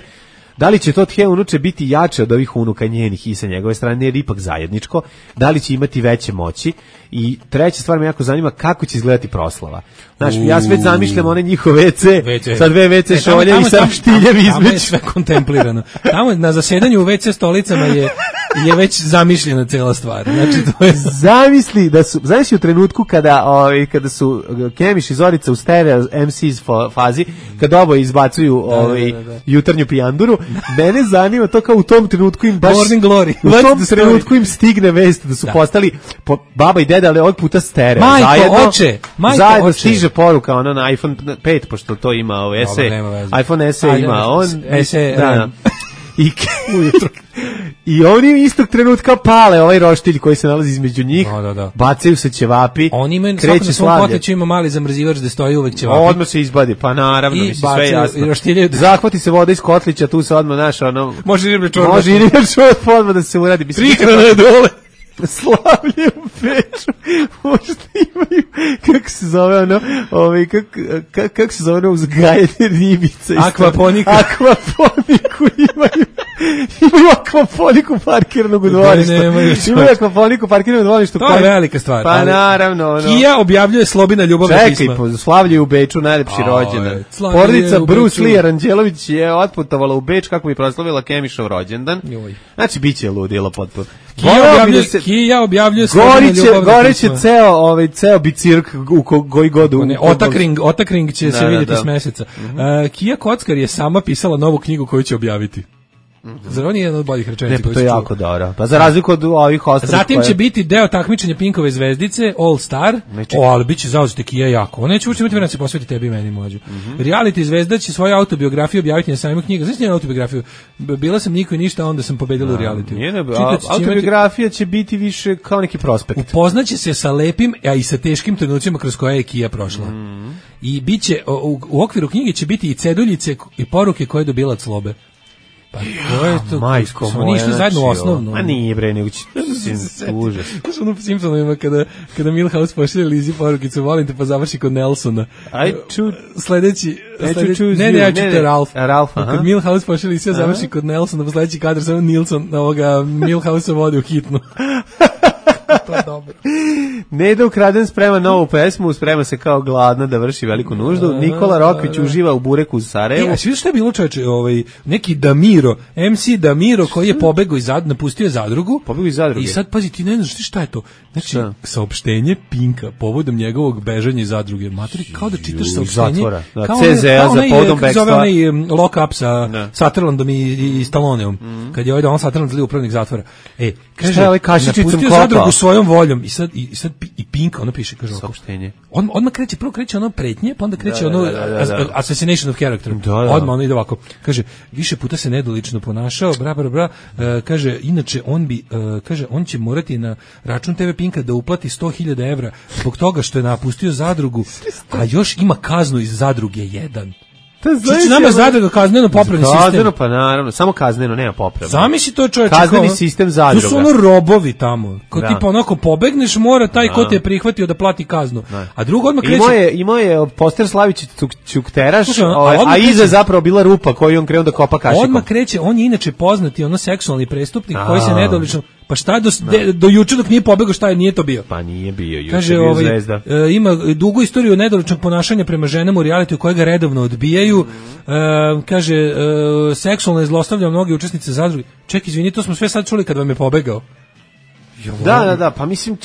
Da li će to tje unuče biti jače od ovih unuka njenih i sa njegove strane, jer ipak zajedničko? Da li će imati veće moći? I treća stvar me jako zanima kako će izgledati proslava. Znaš, ja sve zamišljam one njihove WC, sa 2 WC šolje i sa štiljem između. Tamo je sve kontemplirano. Tamo na zasedanju u WC stolicama je već zamišljena cela stvar. Znači, to je... Zamisli u trenutku kada su Kemiš i Zorica u stereo MC's fazi, kada oboje izbacuju jutarnju pijanduru, mene zanima to kao u tom trenutku im baš... Morning Glory. U tom trenutku im stigne vest da su postali baba i deda, ali ovog puta stereo. Zajedno stiže poruka na iPhone 5, pošto to ima iPhone SE ima on. I oni istog trenutka pale ovaj roštilj koji se nalazi između njih, bacaju se ćevapi, oni imaju svako na svom poteću ima mali zamrzivač da stoji uvek ćevapi. Odmah se izbadi, pa naravno, mislim, sve jasno. Zahvati se voda iz kotlića, tu se odmah može i riblje čorba odmah da se uradi. Prihrana je dole. Slavlje u Beču, možda imaju, kako se zove kako se zove uzgajanje ribica. Akvaponiku imaju akvaponiku parkiranog u dvorištu. Imaju akvaponiku parkiranog u dvorištu. To je velika stvar. Pa naravno. Kija objavljuje Slobina ljubavna pisma. Čekaj, Slavlje u Beču, najlepši rođendan. Porodica Bruce Lee Aranđelović je otputovala u Beč kako bi proslavila Kemišov rođendan. Znači, bit će ludilo potpuno. Kija objavljuje Goreće ceo bicirk u koji godu. Otakring će se vidjeti s meseca. Kija Kockar je sama pisala novu knjigu koju će objaviti. Zar on je jedan od boljih rečenica? Ne, to je jako dobro. Pa za razliku od ovih ostalih. Zatim će biti deo takmičenja Pinkove zvezdice, All Star. Ali bit će zauzeti Kija jako. On neće uopšte imati vremena da se posveti tebi i meni, mlađe. Reality zvezda će svoju autobiografiju objaviti na sajmu knjiga. Znaš njenu autobiografiju? Bila sam niko i ništa, onda sam pobedila u realitiju. Autobiografija će biti više kao neki prospekt. Upoznaće se sa lepim, a i sa teškim trenucima kroz koje je Kija prošla. I biće, u okviru knjige će biti i ceduljice i poruke koje je dobila od Slobe. Pa to je to, majko moja, oni išli zajedno u osnovnu. A nije bre, nego će užas. To su ono Simpsonovima kada Milhouse pošalje Lizi porukicu, volim te, pa završi kod Nelsona. Sledeći, ja ću te Ralph. Kad Milhouse pošalje Lizi, završi kod Nelsona, pa sledeći kadar samo Nilsson Milhouse vodi u hitnu. To je dobro. Neda Ukraden sprema novu pesmu, sprema se kao gladna da vrši veliku nuždu. Nikola Rokvić uživa u bureku u Sarajevu. A svi što je bilo, čoveče, neki Damiro, MC Damiro koji je pobegao iz zadruge, napustio je zadrugu. Pobegao iz zadruge. I sad pazi, ti ne znaš šta je to. Znači, saopštenje Pinka povodom njegovog bežanja iz zadruge. Maturi, kao da čitaš saopštenje. Zatvora. CZA za povodom bekstva. Zove onaj lock up sa Sutherlandom i Stalloneom. Kad je on Sutherland zli upravnik zatvora. Šta je ovaj kašičicom kopao? Zadrugu svojom voljom i sad i Pink, ono piše, kaže ovako. Saopštenje. Odmah prvo kreće ono pretnje, pa onda kreće assassination of character. Da. Odmah ono ide ovako. Kaže, više puta se nedolično ponašao, kaže, inače on će morati na račun TV Pinka da uplati 100.000 evra zbog toga što je napustio zadrugu, a još ima kaznu iz zadruge 1. Znači nama zadruga kazneno popravni sistem. Kazneno, pa naravno, samo kazneno, nema popravni. Zamisli to, čoveče. Kazneni sistem zadruga. Tu su ono robovi tamo. Ko tipa onako pobegneš, mora taj ko te je prihvatio da plati kaznu. A drugo odmah kreće... Imao je poster Slavić Ćukteraš, a iza zapravo bila rupa koju on krenuo da kopa kašikom. Odmah kreće, on je inače poznati seksualni prestupnik koji se nedolično... Pa šta do juče dok nije pobegao, šta nije to bio? Pa nije bio, juče kaže, bio zvezda. Ima dugu istoriju nedoličnog ponašanja prema ženama u realitiju koje ga redovno odbijaju. Kaže, seksualno je zlostavljao mnogi učesnice zadruge. Ček, izvini, to smo sve sad čuli kad vam je pobegao. Da, pa mislim,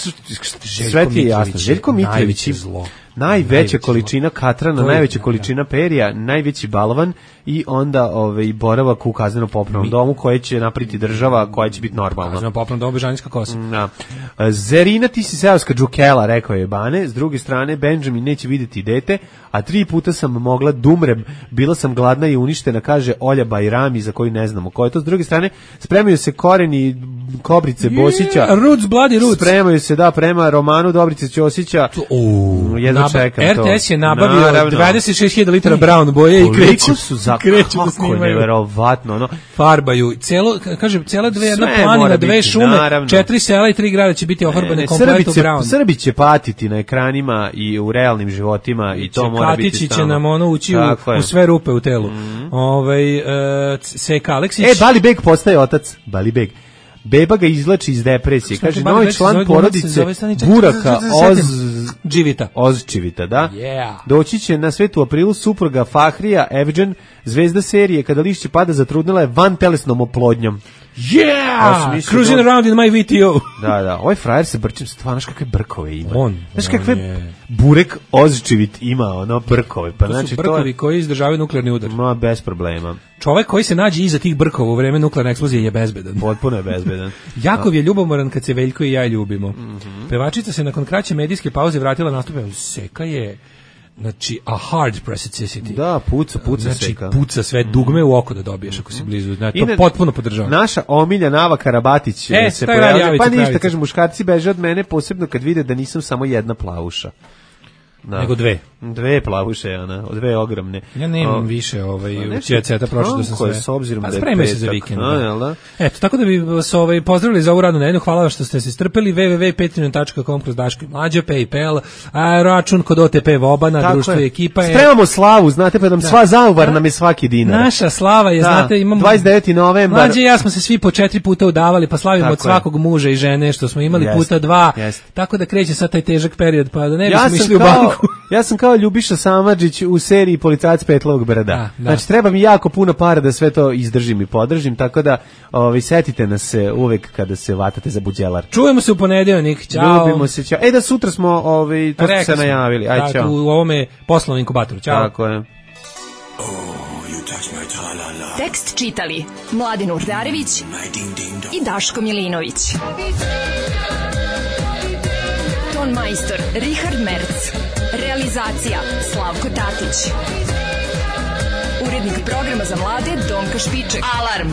sve ti je jasno. Željko Mitrović je zlo. Najveća količina katrana, najveća količina perija, najveći balvan i onda boravak u kazneno-popravnom domu koje će napraviti država, koja će biti normalna. Kazneno-popravnom domu Bežanijska Kosa. Zerina, ti si seoska džukela, rekao je Bane. S druge strane, Benjamin neće vidjeti dete, a 3 puta sam mogla da umrem, bila sam gladna i uništena, kaže Olja Bajrami, za koju ne znamo ko je to. S druge strane, spremaju se koreni Kobrice Bosića. Roots, bloody roots. Spremaju se, prema romanu Dobrice Ćosića. RTS je nabavio 26.000 litara brown boje i kreću da snimaju. Neverovatno. Farbaju. Cijela jedna planina, 2 šume, 4 sela i 3 grada će biti ofarbane kompletu brown. Srbi će patiti na ekranima i u realnim životima i to mora biti Katići će nam ući u sve rupe u telu. Seka Aleksić. Bali Beg postaje otac. Bali Beg. Beba ga izlači iz depresije. Kaže, novi član porodice Buraka Ozčivita, da? Doći će na svet u aprilu supruga Fahrija Evđen, zvezda serije Kada lišće pada zatrudnila je van telesnom oplodnjom. Cruising around in my VTO. Da, ovaj frajer se brčim, stvarno, kakve brkove ima. Znaš kakve Burek Ozčivit ima, brkove. Pa, to su brkovi koji izdržavaju nuklearni udar. Bez problema. Čovek koji se nađe iza tih brkova u vreme nuklearne eksplozije je bezbedan. Potpuno je bezbedan. Jakov je ljubomoran kad se Veljko i ja ljubimo. Pevačica se nakon kraće medijske pauze vratila nastupe. Seka je... Znači, a hard pressicity. Da, puca znači, Seka. Puca sve dugme u oko da dobiješ ako si blizu. Znači, to potpuno podržavam. Naša omilja Nava Karabatić se pojavlja. Pa ništa, kažem, muškarci beže od mene, posebno kad vide da nisam samo jedna plavuša. Nego 2. 2 plavuše, dve ogromne. Ja nemam više cijeceta, pročitao sam sve. S obzirom da je spremio se za vikend. Eto, tako da bi vas pozdravili za ovu radnu nedelju. Hvala vam što ste se strpeli. www.patreon.com/Daško i Mlađa, PayPal, račun kod OTP Vobana, društvo i ekipa. Spremamo slavu, znate, pa nam sva zauvar nam je svaki dinar. Naša slava je, znate, imamo 29. novembar. Mlađe i ja smo se svi po 4 puta udavali, pa slavimo od svakog muža i žene što smo imali puta 2. Tako da kreće sad taj težak period, pa da ne bismo išli u banku. Ja sam kao Ljubiša Samardžić u seriji Policajac Petlovog brda. Znači, treba mi jako puno para da sve to izdržim i podržim, tako da setite nas se uvek kada se vatate za buđelar. Čujemo se u ponedeljak, ćao. Ljubimo se, ćao. Da sutra smo, to ste se najavili, aj ćao. U ovome poslovnom inkubatoru, ćao. Tako je. Tekst čitali Mladin Urdarević i Daško Milinović. Ton majstor Richard Merc. Realizacija Slavko Tatić. Urednik programa za mlade Donka Špiček. Alarm!